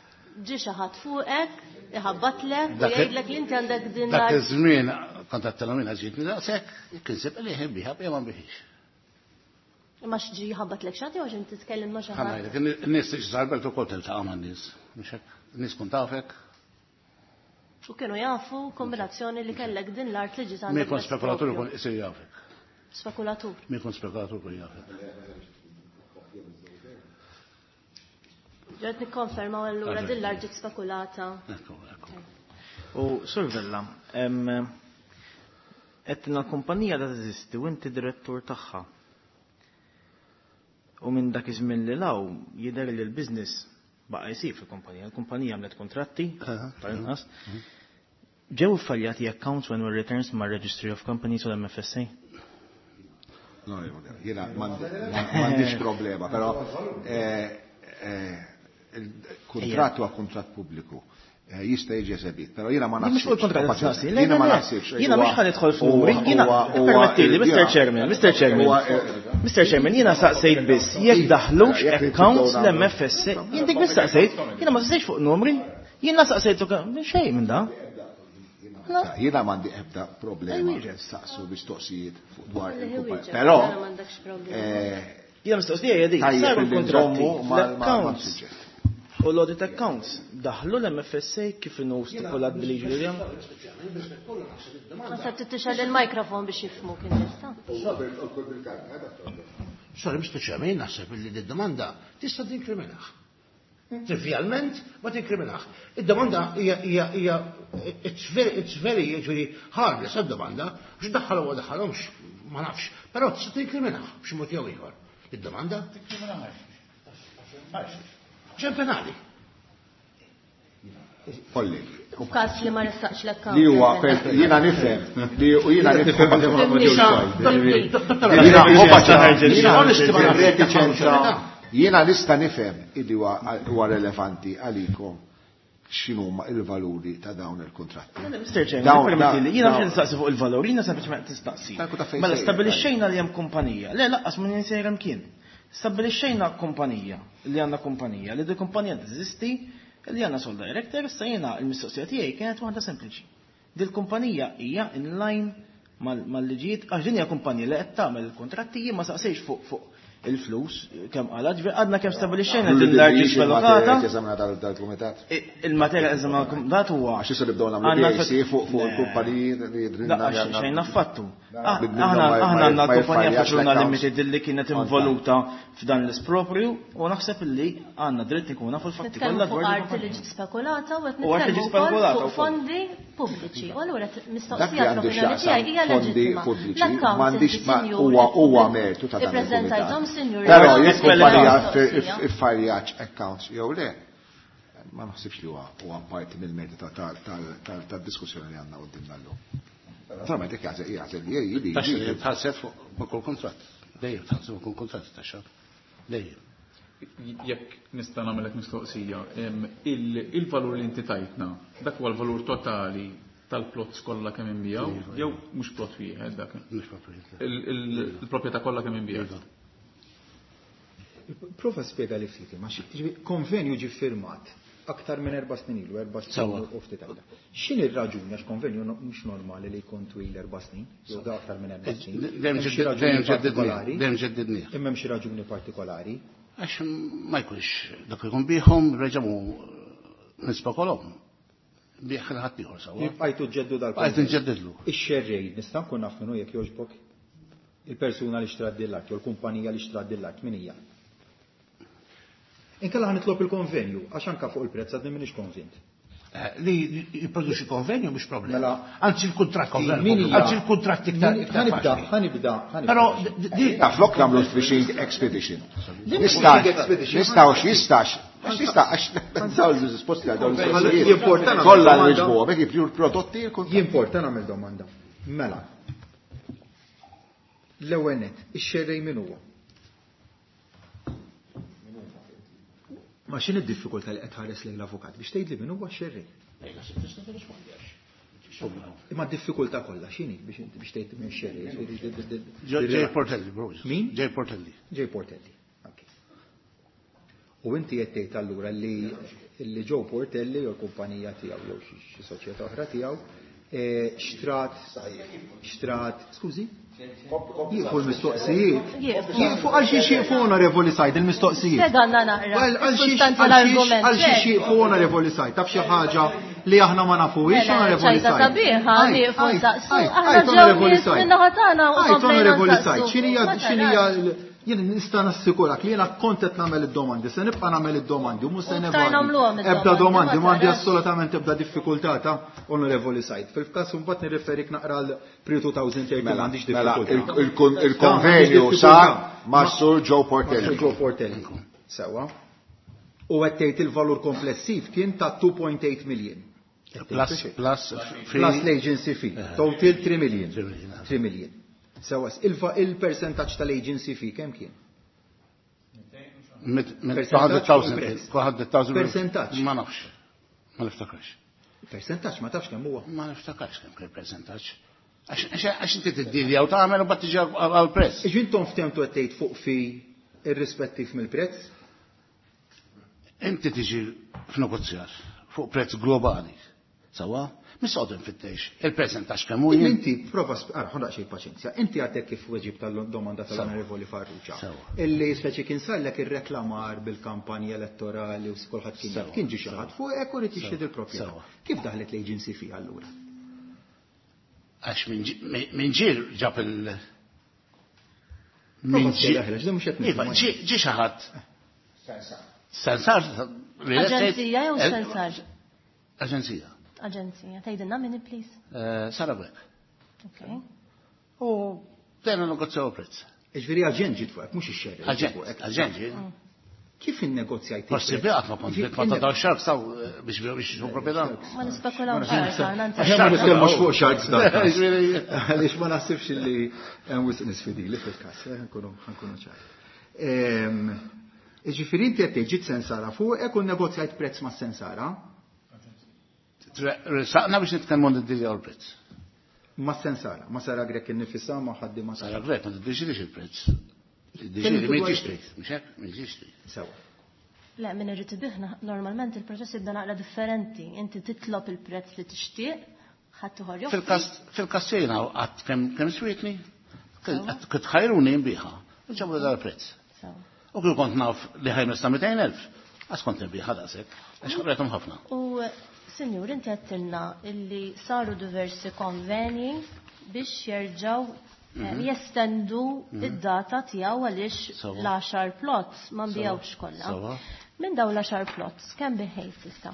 S8: ġie xi ħadd fuqek, iħabbatlek u
S6: Dak il-
S8: jgħidlek li inti għandek din
S6: Dak
S8: l-art.
S6: iż-żmien kont għedtilhom jiena ġietni daqshekk, kien sib li ħin biha, jew ma biħix.
S8: Ma x'ġi ħabbatlek xi ħadd jew x'inti titkellem ma' xi ħadd?
S6: Ħa ngħidlek, in-nies li x'żarbelt ukoll tiltaqa' man-nies, mhux hekk? In-nies kun tafek.
S8: U kienu jafu kombinazzjoni li kellek din l-art li ġiet
S6: Min
S8: għandek
S6: jkun
S8: best
S6: spekulatur
S8: propju.
S6: ikun isir jafek.
S8: Spekulatur.
S6: Min jkun spekulatur ikun jafek.
S8: Ġed nikkonfermaw allura
S6: Għaġeb.
S8: din l-art ġiet spekulata.
S6: Ekku, ekku.
S9: U Sur Vella, em, qed l-kumpanija da teżisti u inti direttur tagħha. U minn dak iż-żmien li law jidher li l-business baqa' jsir fil-kumpanija. Il-kumpanija għamlet kontratti
S6: Aha.
S9: tal-inqas. Ġew iffaljati accounts when were returns ma' Registry of Companies u l-M F S A?
S1: No, jiena m'għandix problema, però, eh, eh, il-kuntratt huwa kuntratt pubbliku. Eh, jista' jiġi esebit, però jiena ma
S9: Jien mhux fuq
S1: naħsibx.
S9: il-kuntratt qed nistaqsi. Le,
S1: Jiena
S9: le,
S1: ma
S9: le.
S1: naħsibx.
S9: Jiena mhux ħa nidħol f'numri,
S1: Huwa-
S9: jiena
S1: huwa- huwa-
S9: permettili, Mister
S1: jiena-
S9: Chairman, Mister Chairman.
S1: huwa- eh,
S9: Mister Chairman, jiena saqsejt biss jekk daħlux
S1: Jekk li
S9: accounts
S1: tibdew
S9: l-M F S A. Jien dik biss saqsejt, jiena ma saqsejtx fuq numri, jiena saqsejt ukoll xejn minn da.
S1: Jiena m'għandi ebda problema
S9: Ej, wieġeb.
S1: saqsu mistoqsijiet fuq dwar
S8: Li
S1: il-kumpanija.
S8: wieġeb,
S1: Però,
S8: jiena m'għandekx problema.
S1: eh,
S9: Jiena mistoqsija hija dik,
S1: tajjeb
S9: saru
S1: li
S9: l-kontratti,
S1: nżommu mal- mal-
S9: l-accounts.
S1: mal-suġġett.
S9: U l-audit accounts daħlu l-M F S A kif inhu stipulat bil-liġi li hemm?
S8: Ma sa tixgħel il-mikrofon biex jifhmu kien nista'.
S6: Sorry, Mister Chairman, jien naħseb li d-domanda tista' tinkriminah. Trivialment ma tinkriminah. Id-domanda hija hija hija it's very it's very jiġifieri harmless id-domanda, biex daħħalhom u daħħalhomx ma nafx, però tista' tinkriminah b'xi mod jew ieħor. Id-domanda
S5: Tinkriminah.
S6: Ġen penali.
S1: Kollegi.
S8: F'każ li ma ressaqx l-account.
S1: Li huwa per jiena nifhem li u jiena nifhem
S6: Jiena
S1: reticenza jiena nista' nifhem illi huwa huwa relevanti għalikom x'inhuma il-valuri ta' dawn il-kuntratti.
S9: Mister Chairman,
S1: Dawn-
S9: permettili, jiena
S1: dawn-
S9: mhux nistaqsi fuq il-valur, jiena sempliċement tistaqsi.
S1: Tanku ta' fejn
S9: Mela
S1: sejjer,
S9: stabilixxejna li hemm kumpanija. Le laqqas ma ninsejra mkien. Stabilixxejna kumpanija li għandna kumpanija li di kumpanija teżisti li għandna sole director, issa jiena l-mistoqsija tiegħi kienet waħda sempliċi. Dil kumpanija hija in line mal-liġijiet, għax din hija kumpanija li qed tagħmel il-kontratti, jien ma saqsejx fuq fuq il-flus kemm qala, ġifieri għadna kemm stabilixxejna din l-art spekulata.
S1: Dal-kumitat.
S9: Il-materja eżaminata dal-kumitat huwa.
S1: Għax issa nibdew nagħmlu P A C fuq fuq il-kumpaniji li jidrinna.
S9: Xejn affattu. Aħna għandna l-kumpanija Fekruna Limited li kienet involuta f'dan l-isproprju u naħseb illi għandna dritt ikun nafu l-fatti kollha
S8: dwar art li ġiet spekulata u qed nitkellmu wkoll fuq fondi pubbliċi. U allura mistoqsija tal-opinjoni tiegħi hija leġittima.
S1: M'għandix huwa huwa mertu ta' dan il-kumitat. Però jekk kumpanija iffarjax accounts jew le, ma naħsibx li huwa parti mill-mertu tad-diskussjoni li għandna qudiemna llum. Naturalment jekk jagħżel jagħżel li li.
S6: Taxxa tħallset fuq kull kuntratt. Dejjem tħallset fuq kull kuntratt taxxa. Dejjem.
S5: Jekk nista' nagħmellek mistoqsija, il-valur li inti tajtna, dak huwa l-valur totali tal-plots kollha kemm inbijaw, jew mhux plot wieħed dak?
S6: Mhux plot wieħed.
S5: Il-proprjetà kollha kemm inbijat.
S3: Prova spjega li ftit, ma konvenju ġie firmat aktar minn erba' snin ilu, erba' snin u ftit aktar. X'inhi r-raġuni għax konvenju mhux normali li jkun twil erba' snin, jew da aktar minn erba' snin.
S6: Dejjem ġeddidnieh.
S3: Imma hemm xi raġuni partikolari?
S6: Għax ma jkunx dak ikun bihom reġgħu nispekolhom. Bih ħadd ieħor sewwa.
S3: Bqajtu ġeddu dal.
S6: Bqajtu nġeddidlu.
S3: Ix-xerrej nista' nkun naf minnu jekk jogħġbok? Il-persuna li xtrat din l-art jew l-kumpanija li xtrat din l-art min hija? Inkella ħa nitlob il-konvenju, għax anka fuq il-prezz għadni m'iniex konvint.
S6: Li jipproduċi konvenju mhux problema.
S3: Mela,
S6: anzi il-kuntratt, anzi il-kuntratt iktar.
S3: Ħanibda, ħanibda, ħanibda.
S6: Però
S1: flok nagħmlu fishing expedition. Nistax, nistgħux, jistax. Għax jista' għax nsaw l-risposti għal dawn il-mistoqsijiet. Kollha nwiġbuhom, hekk jibju l-prodotti l-kuntratt.
S3: Jimporta nagħmel domanda. Mela. L-ewwel nett, ix-xerrej min huwa? Ma x'inhi d-diffikultà li qed tħares lejn l-avukat biex tgħidli min huwa x-xerrej? Imma d-diffikultà kollha x'inhi biex biex tgħid min x-xerrej?
S6: Ġej Portelli, bro.
S3: Min?
S6: Ġej Portelli.
S3: Ġej Portelli. Okay. U inti qed tgħid allura li li Joe Portelli jew l-kumpanija tiegħu jew xi soċjetà oħra tiegħu xtrat xtrat, skużi? Jieqfu l-mistoqsijiet. Jieqfu għal xi jieqfu Onorevoli Said il-mistoqsijiet.
S8: Spjegalna naqra.
S3: Għal xi
S8: Sustanza l-argument.
S3: Għal xi jieqfu Onorevoli Said, taf xi ħaġa li aħna ma nafuhiex Onorevoli
S8: Said.
S3: Said.
S8: Sabiħa, nieqfu nsaqsu. Aħna ġew nies min-naħa tagħna u komplejna
S3: Onorevoli Said, x'inhija x'inhija jien nista' nassikurak li jiena kont qed nagħmel id-domandi, se nibqa' nagħmel id-domandi u mhux se
S8: nagħmluhom
S3: Ebda domandi, m'għandi assolutament ebda diffikultà ta' Onorevoli Said. Fil-każ imbagħad nirreferik naqra l pre twenty thirteen m'għandix diffikultà.
S1: Il-konvenju sar ma' Sur Joe Portelli.
S3: Joe Portelli. Sewa. U qed tgħid il-valur komplessiv kien ta' two point eight million.
S6: Plus, plus,
S3: plus l-agency fee. Total three million. three million. Sewa, il-percentaġġ tal-agency fee kemm kien? Percentaġġ.
S6: Ma nafx. Ma niftakarx.
S3: Percentaġġ ma tafx kemm huwa.
S6: Ma niftakarx kemm kien percentaġġ. Għax inti tiddilja u tagħmel u mbagħad tiġi għall-prezz.
S3: Iġi intom ftehmtu qed tgħid fuq fi irrispettiv mill-prezz?
S6: Inti tiġi f'negozjar fuq prezz globali. Sawa? Mis-soqgħod infittex. Il-percentaġġ kemm hu jien.
S3: Inti prova ara, ħa daqsxejn paċenzja. Inti għadek kif weġib tal-domanda tal-Onorevoli Farrugia. Illi speċi kien sarlek ir-reklamar bil-kampanja elettorali u kulħadd kien jaf. Kien ġie xi ħadd fuq hekk u rid jixtri il-proprjetà. Kif daħlet l-agency fee allura?
S6: Għax minn ġiel ġab il-
S3: Minn ġiel daħlet, mhux qed
S6: Iva, ġie xi ħadd.
S1: Sensar.
S6: Sensar.
S8: Aġenzija jew sensar?
S6: Aġenzija.
S8: Aġenzija. Tgħidilna min please?
S6: Sara Grech.
S8: Okay.
S6: U bdejna negozjaw prezz.
S3: Ġifieri aġent ġiet fuqek, mhux ix-xerrej.
S6: Aġent, aġent ġiet.
S3: Kif innegozjajt?
S6: Forsi biqgħet ma kont vittma ta' dawn sharks saw biex biex jixtru proprjetà.
S8: Ma nispekulawx sharks aħna.
S3: Aħna ma nitkellmux fuq sharks dan. Għaliex ma naħsibx li hemm wisq nies fidili fil-każ, ħankunu ħankunu ċari. Ġifieri inti qed tgħid ġiet sensara fuqek u nnegozjajt prezz ma' sensara?
S6: Saqna biex nitkellmu niddiljaw il-prezz.
S3: Ma' sensara, ma' Sara Grech innifisha, ma' ħaddi ma'
S6: Sara Grech ma tiddeċidix il-prezz. Tiddeċidi min tixtri, mhux hekk, min tixtri.
S3: Sewa.
S8: Le, min irid ibih normalment il-proċess jibda naqra differenti. Inti titlob il-prezz li tixtieq, Ħadd ieħor joffri.
S6: Fil-każ jiena qatt kemm swietni, kont ħajruni nbiħha. Ġabu dal-prezz. U kif kont naf li ħajmesna mitejn elf, għax kont nbiħha daqshekk, għax ħarretom ħafna.
S8: U Sinjur, inti għedtilna illi saru diversi konveni biex jerġgħu jestendu id-data tiegħu għaliex l-għaxar plots ma nbijawx kollha. Minn dawn l-għaxar plots kemm biħejt issa?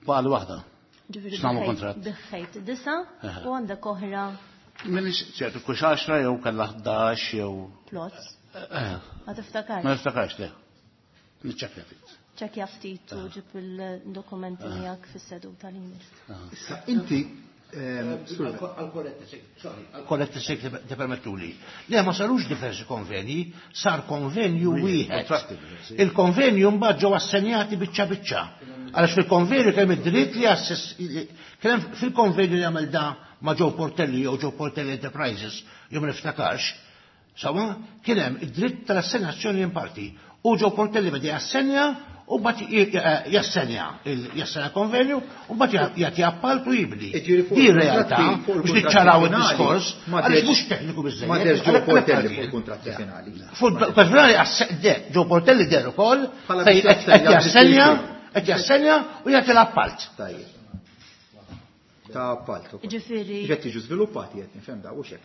S6: Baqgħu waħda. X'nagħmlu kuntratt?
S8: Biħejt disa u għandek oħra.
S6: Minix ċertu kux għaxra jew kellha ħdax jew.
S8: Plots? Ma tiftakarx?
S6: Ma niftakarx le. Niċċekkja ftit.
S8: Ċekkja ftit u ġib il-dokumenti miegħek fis-seduta li jmiss.
S3: Issa inti
S6: Għal-korretta sek ti permettuli. Le ma sarux diversi konvenji, sar konvenju wieħed. Il-konvenju mbagħad ġew assenjati biċċa biċċa. Għaliex fil-konvenju kemm id-dritt li kemm fil-konvenju li għamel da ma' Joe Portelli jew Joe Portelli Enterprises, jew ma niftakarx, sawa kien hemm id-dritt tal-assenjazzjoni in parti. U Joe Portelli beda jassenja u mbagħad jassenja jassenja konvenju u mbagħad jagħti appalt u jibni. Di realtà biex niċċaraw id-diskors għaliex mhux tekniku biżżejjed.
S3: Ma derx Joe Portelli fuq il-kuntratti finali.
S6: Fuq finali Joe Portelli der ukoll qed jassenja qed jassenja u jagħti l-appalt.
S3: Tajjeb. Ta' appalt.
S8: Ġifieri.
S3: Qed jiġu żviluppati qed nifhem da hux hekk.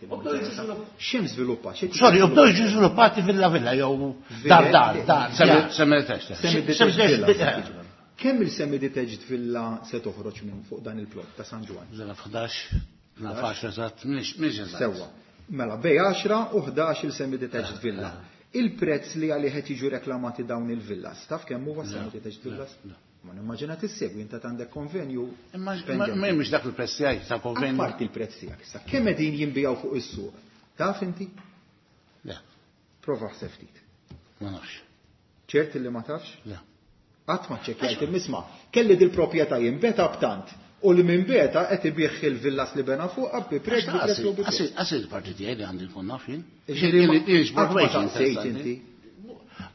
S3: X'hemm żviluppat?
S6: Sorry, bdew jiġu żviluppati villa villa jew dar dar dar. Semi-detached.
S3: Kemm il-semi-detached villa se toħroġ minn fuq dan il-plot ta' San Ġwann?
S6: Zela ħdax, naf għaxra eżatt, mhix eżatt.
S3: Sewwa. Mela bej għaxra u ħdax il-semi-detached villa. Il-prezz li għalih qed jiġu reklamati dawn il-villas, taf kemm huwa semi-detached villas? Ma nimmaġina tissegwi inta għandek konvenju.
S6: Imma mhux dak il-prezz tiegħi ta' konvenju.
S3: Apparti il-prezz tiegħek issa. Kemm qegħdin jinbijaw fuq is-suq? Taf inti?
S6: Le.
S3: Prova ħseb ftit.
S6: Ma nafx.
S3: Ċert li ma tafx?
S6: Le.
S3: Qatt ma ċċekkjajt imma kelli dil-proprjetà jinbeta b'tant u li minn beta qed ibih il-villas li bena fuq bi prezz bi prezz u bi prezz.
S6: Qasi il-parti tiegħi li għandi nkun naf jien.
S3: Qatt ma saqsejt inti.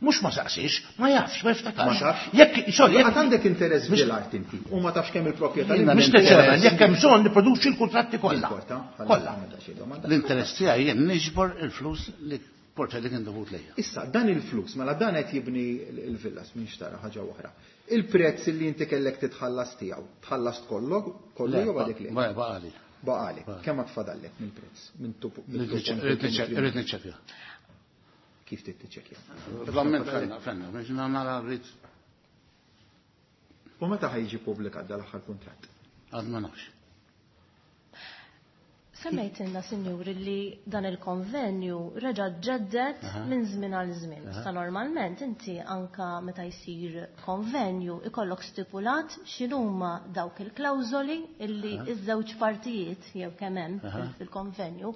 S6: Mhux ma saqsix, ma jafx, ma jiftakarx.
S3: Jekk sorry, jekk għandek interess fil-art inti u ma tafx kemm il-proprjetà li
S6: Mister Chairman, jekk hemm bżonn nipproduċi l-kuntratti kollha. Kollha. L-interess tiegħi jien niġbor il-flus li Portelli kien dovut lejja.
S3: Issa dan il-flus, mela dan qed jibni l-villas minn xtara ħaġa oħra. Il-prezz li inti kellek titħallas tiegħu, tħallast kollok, kollu jew għadek le?
S6: Baqali.
S3: Baqali. Kemm ma tfadallek mill-prezz? Minn
S6: Irrid niċċekkja.
S3: Kif tittiċċekkja?
S6: Flamment fenna, fenna, biex nara rrid.
S3: U meta ħajġi ppubblikat dal-aħħar kuntratt?
S6: Għad ma nafx.
S8: Semmejtilna, sinjuri, li dan il-konvenju reġa' ġeddet minn żmien għal żmien. Issa normalment inti anka meta jsir konvenju ikollok stipulat x'inhuma dawk il-klawżoli illi iż-żewġ partijiet jew kemm hemm fil-konvenju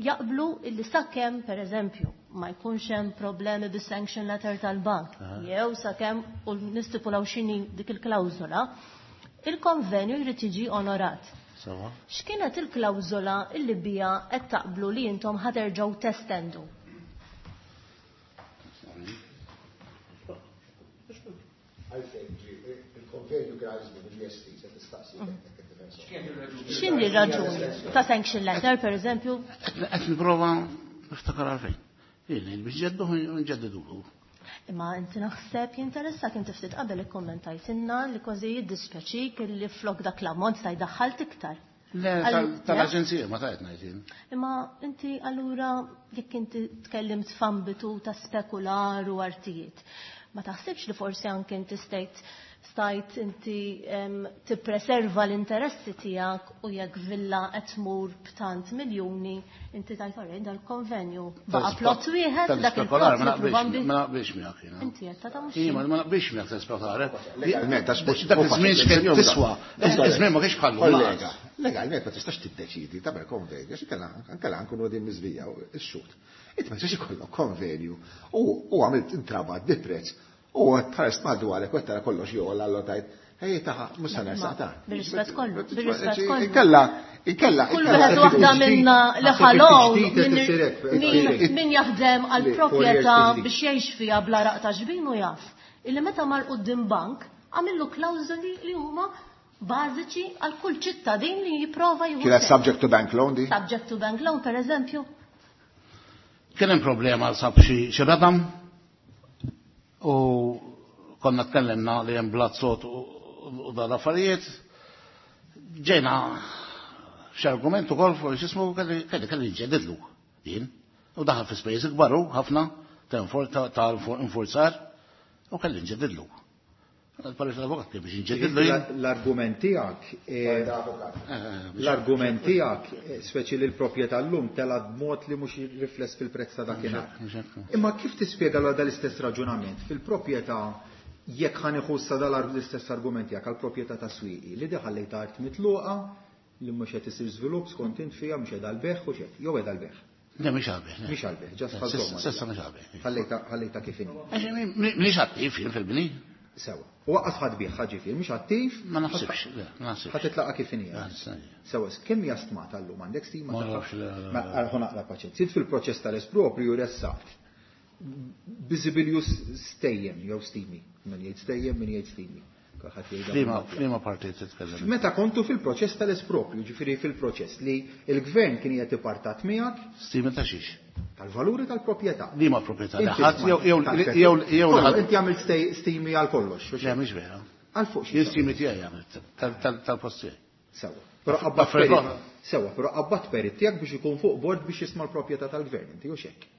S8: jaqblu illi sakemm pereżempju ma jkunx hemm problemi bis-sanction letter tal-bank jew sakemm u nistipulaw x'inhi dik il-klawżola, il-konvenju jrid jiġi onorat. X'kienet il-klawżola illi bija qed taqblu li intom ħaterġgħu testendu?
S1: Il-konvenju kien għal żmien il-L S T se tistaqsi.
S8: X'inhi r-raġuni ta' sanction letter pereżempju?
S6: Qed nipprova niftakar għalfejn. Jien biex ġedduh nġeddiduhu.
S8: Imma inti naħseb jinteressak inti ftit qabel ikkommentajtilna li kważi jiddispjaċik li flok dak l-ammont ta' jdaħħalt iktar.
S6: Le, tal-aġenzija ma tajt ngħid jien.
S8: Imma inti allura jekk inti tkellimt f'ambitu ta' spekular u artijiet, ma taħsibx li forsi anke inti stajt stajt inti tippreserva l-interessi tiegħek u jekk villa qed tmur b'tant miljuni inti tajt orrej dal-konvenju baqa' plot wieħed dak il-plot
S6: ma naqbilx miegħek jiena.
S8: Inti qed ta' mhux.
S6: Jien ma naqbilx miegħek tal-spekular. Dak iż-żmien x'kien tiswa. Iż-żmien ma kienx bħallu.
S1: Kollega, legalment ma tistax tiddeċidi tagħmel konvenju għax inkella nkunu qegħdin miżbija x-xut. Inti ma tistax ikollok konvenju u għamilt intrabat bi prezz u tħares madwarek u tara kollox joqgħod allura tajt ej taħ mhux se nersaq ta'.
S8: Bir-rispett kollu, bir-rispett kollu.
S1: Inkella, inkella.
S8: Kull wieħed waħda minna li ħalow min jaħdem għal proprjetà biex jgħix fiha bla raq ta' ġbin u jaf. Illi meta mar quddiem bank Għamillu klawżoli li huma bażiċi għal kull ċittadin li jipprova jieħu.
S1: Kienet subject to bank loan di?
S8: Subject to bank loan, per eżempju.
S6: Kien hemm problema sab xi radam u konna tkellimna li hemm blazzot u dan affarijiet. Ġejna x'argument ukoll fuq x'ismu kelli kelli nġedidlu jien. U daħal fi spejjeż ikbar hu ħafna ta' infurzar u kelli nġedidlu. L-parir tal-avukat kien biex nġedidlu jien.
S3: L-argument tiegħek l-argument tiegħek speċi li l-proprjetà llum telgħet b'mod li mhux rifless fil-prezz ta' dakinhar. Imma kif tispjega l dal-istess raġunament fil-proprjetà jekk ħa nieħu issa dal-istess argument tiegħek għall-proprjetà ta' Swieqi li diħallejta art mitluqa li mhux qed isir żvilupp skont int fiha mhux qiegħda l-beħ u x'hekk, jew qiegħda l-beħ.
S6: Le, mhix għal-beħ.
S3: Mhix għal-beħ, ġast ħażhom.
S6: Sissa mhix għal-beħ.
S3: Ħallejta ħallejta kif inhi.
S6: Mhix attiv jien fil-bini.
S3: Sewa. U waqqas ħadd bih ġifier, mhux attiv.
S6: Ma naħsibx, le, ma naħsibx.
S3: Ħa titlaqa kif inhi. Sewa, kemm hija stmata llum għandek stima
S6: Ma nafx, le.
S3: Ma ħu naqra paċenzja. Sid fil-proċess tal-espropriju ressaqt. Biżibilju stejjem jew stimi. Min jgħid stejjem, min jgħid stimi. Kulħadd jgħidha
S6: Flima,
S3: bil-Malti.
S6: flima parti titkellem.
S3: Meta kontu fil-proċess tal-espropriju, ġifieri fil-proċess li l-gvern kien qiegħed ipartat miegħek.
S6: Stimi ta' xiex?
S3: Tal-valuri tal-proprjetà.
S6: Liema proprjetà?
S3: Inti
S6: Ħadd jew jew
S3: tal-proprjetà.
S6: jew jew
S3: Kollu,
S6: ħadd.
S3: Inti għamilt stej-, stimi għal kollox, u
S6: Le, mhix vera.
S3: Għal fuq xi
S6: Jien stimi tiegħi għamilt tal-post tiegħi.
S3: Sewa. Però qabbat
S6: Affarijiet
S3: perit.
S6: oħra.
S3: Sewa, però qabbat perit tiegħek biex ikun fuq bord biex jisma' l-proprjetà tal-gvern, inti u x'hekk.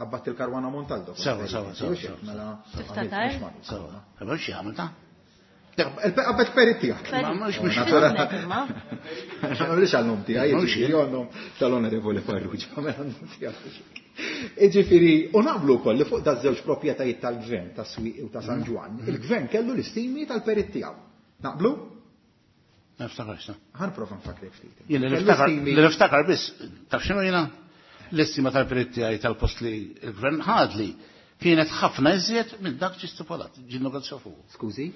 S3: Qabbat il-Karwana Montaldo.
S6: Sewa, sewa, sewa,
S3: Inti u x'hekk,
S6: sewa.
S3: mela
S8: Tiftakar?
S3: għamilt mhux magħruf.
S6: Sewa. Però xi għamilt ta'?
S3: Qabbat perit tiegħek.
S6: Ma mhux mhux
S3: Naturalment.
S8: Imma.
S3: Ma nagħmlix għal-nom tiegħi,
S6: Mhux
S3: jiġifieri għan-nom tal-Onorevoli Farrugia, mela għan-nom tiegħi. Jiġifieri, u naqblu wkoll li fuq daż-żewġ proprjetajiet tal-gvern ta' Swieqi u ta' San Ġwann, il-gvern kellu l-istimi tal-perit tiegħu. Naqblu?
S6: Ma niftakarx, ta.
S3: Ħa nprova nfakrek ftit.
S6: Jien li
S3: Kellu
S6: niftakar,
S3: stimi-
S6: li niftakar biss, taf x'inhu jiena? L-istima tal-perit tiegħi tal-post li l-gvern ħadli kienet ħafna iżjed minn dak ġi stipulat, ġi negozjaw fuq.
S3: Skużi?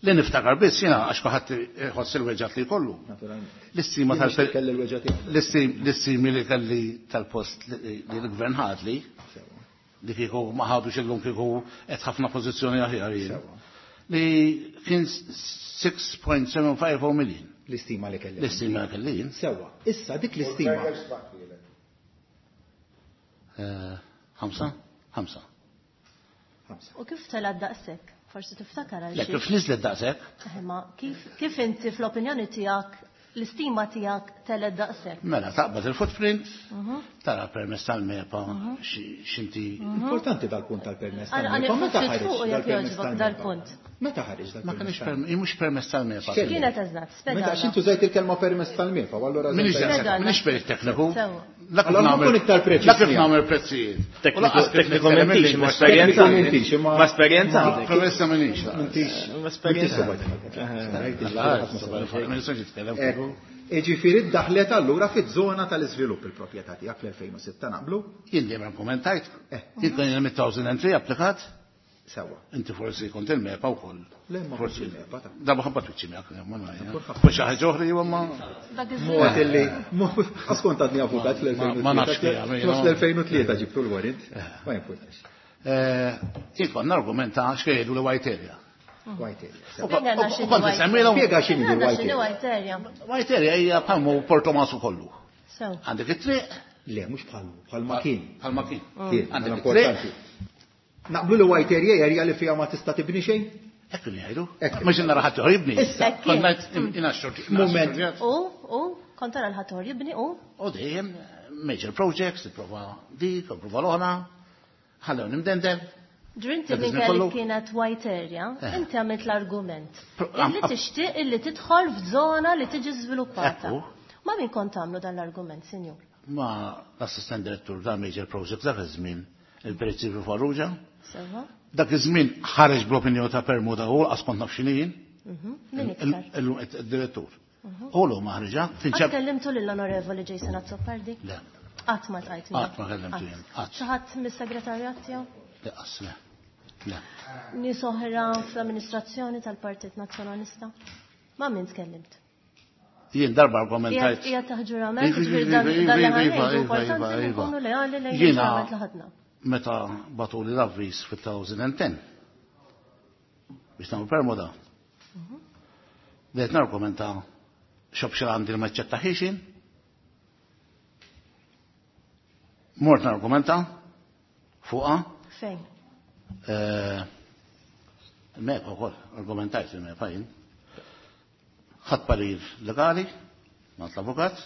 S6: Li niftakar biss jiena għax kulħadd iħoss il-weġgħat li jkollu.
S3: Naturalment.
S6: L-istima
S3: Jien
S6: tal-per-
S3: nixtieq kelli l-weġgħa tiegħi.
S6: l-istim-, l-istimi li kelli tal-post li li l-gvern ħadli,
S3: Sewa.
S6: li kieku ma ħadux illum kieku qed ħafna pożizzjoni aħjar jien.
S3: Sewa.
S6: Li kien six point seven five oh million.
S3: L-istima li kelli.
S6: L-istima li kelli jien.
S3: Sewa. Issa dik l-istima.
S6: Eh, Ħamsa? Ħamsa.
S3: Ħamsa.
S8: U kif tela daqshekk? Forsi tiftakar għal
S6: Le,
S8: xi.
S6: kif niżlet daqshekk?
S8: Eh, ma kif, kif inti fl-opinjoni tiegħek l-istima tiegħek telgħet daqshekk?
S6: Mela, taqbad il-footprint,
S8: Mhm.
S6: tara permess tal-MEPA, xi-, x'inti.
S3: Importanti dal-punt tal-permess
S8: Għal-
S3: tal-MEPA.
S8: għal-
S3: Meta
S8: ftit
S3: ħareġ
S8: fuq jekk
S3: dal-permess
S8: jogħġbok
S3: tal-MEPA?
S8: dal-punt.
S3: Meta ħareġ
S6: Ma
S3: dal-permess
S6: kienx
S3: tal-MEPA?
S6: perm-, mhux permess tal-MEPA.
S3: X'kelli?
S8: Kienet eżatt,
S3: Meta
S8: spjegana.
S3: għax intu żejt il-kelma permess tal-MEPA, u allura
S6: Minix
S3: żejt-
S6: daqshekk,
S8: Spjegana.
S6: minix perit tekniku.
S8: Sewa.
S6: La kif
S3: Allora
S6: nagħmel-
S3: nkun iktar preċiż
S6: La kif
S3: miegħek.
S6: nagħmel prezzijiet. U lanqas kif
S9: Tekniku
S6: nitkellem
S9: mentix,
S6: il-lingwa
S9: ma esperjenza.
S3: Tekniku mentix, imma-
S9: Ma esperjenza għandek.
S6: Promessa minix.
S3: M'intix.
S9: Ma esperjenza.
S6: Ma nistax nitkellem.
S3: Ekku. Iġifieri ddaħlet allura fiż-żona tal-iżvilupp il-proprjetà tiegħek fl-elfejn u sitta naqblu?
S6: Jien dejjem kommentajt.
S3: Eh.
S6: Jien kien hemm two thousand and three applikat.
S3: Sewa.
S6: Inti forsi kont il-MEPA wkoll.
S3: Le, ma
S6: Forsi.
S3: kontx il-MEPA, ta'
S6: Darba ħabba twiċċi miegħek, ma nafx.
S3: Kulħadd.
S6: Forsi xi ħaġa oħra jew ma.
S8: Dak iż-żmien.
S3: Mod illi, mod, għax kont għadni avukat fl-elfejn u tlieta.
S6: Ma nafx kif għamil,
S3: Fl-elfejn
S6: no.
S3: elfejn u tlieta ġibtu l-warrant. Ma jimpurtax.
S6: Eh, jien kont nargumenta x'kejdu li white area.
S3: White area.
S6: U kon-
S8: Fejn għandna
S6: u
S8: x'inhi
S6: kont
S8: white
S6: insemmilhom-
S3: Spjega x'inhi
S8: Fejn għandna
S3: white
S8: x'inhi
S3: area.
S8: white area.
S6: White area hija bħalmu Portomaso kollu.
S8: Sew.
S6: Għandek it-triq.
S3: Le, mhux bħalmu, bħalma kien.
S6: Bħalma kien.
S3: Kien,
S6: Għandek
S3: mela
S6: it-triq.
S3: importanti. Naqblu li white area hija area li fiha ma tista' tibni xejn?
S6: Hekk li jgħidu.
S3: Hekk.
S6: Mhux nara ħadd ieħor jibni.
S3: Issa.
S8: Hekk kien.
S6: Kont ngħid in- in xorti.
S3: Moment.
S8: U, u, kont tara l-ħadd ieħor jibni u
S6: U dejjem major projects, tipprova dik, tipprova l-oħra, ħallew nimdendel.
S8: Ġrinti
S6: Dak
S8: minn
S6: iż-żmien
S8: kelli
S6: kollu?
S8: kienet white area,
S6: Eh.
S8: inti għamilt l-argument.
S6: Pro-
S8: Illi
S6: am-
S8: tixtieq illi tidħol f'żona li tiġi żviluppata.
S6: Ekku.
S8: Ma min kont tagħmlu dan l-argument, sinjur?
S6: Ma l-assistent direttur ta' major projects dak iż-żmien il-Perit Farrugia.
S8: Sewa?
S6: Dak iż-żmien ħareġ bl-opinjoni ta' Permuda u qas kont naf x'inhi jien.
S8: Mhm. Min iktar?
S6: Il-direttur. U l ma ħriġa,
S8: Qatt
S6: finċab.
S8: kellimtu lill-Onorevoli Jason Azzopardi?
S6: Le.
S8: Qatt ma tqajt miegħu.
S6: Qatt ma kellimtu jien, qatt.
S8: Xi ħadd mis-segretarjat tiegħu?
S6: Le, qas, le. Le.
S8: Nies oħra fl-amministrazzjoni tal-Partit Nazzjonalista? Ma min tkellimt?
S6: Jien darba argumentajt.
S8: Hija taħ ġurament,
S6: Iva,
S8: ġifieri
S6: iva,
S8: dan
S6: iva,
S8: dan li
S6: iva,
S8: ħanejdu
S6: iva,
S8: importanti
S6: iva,
S8: li
S6: iva.
S8: nkunu leali lejn
S6: Jiena
S8: il-ġurament li ħadna.
S6: Meta batuli l-avviż fit-two thousand and ten biex nagħmlu permuda, Bdejt nargumenta x'option għandi li ma ċċettaħiex jien. Mort nargumenta fuqha.
S8: Fejn?
S6: Il-MEPA wkoll, argumentajt il-MEPA jien. Ħadd parir legali, mat l-avukat,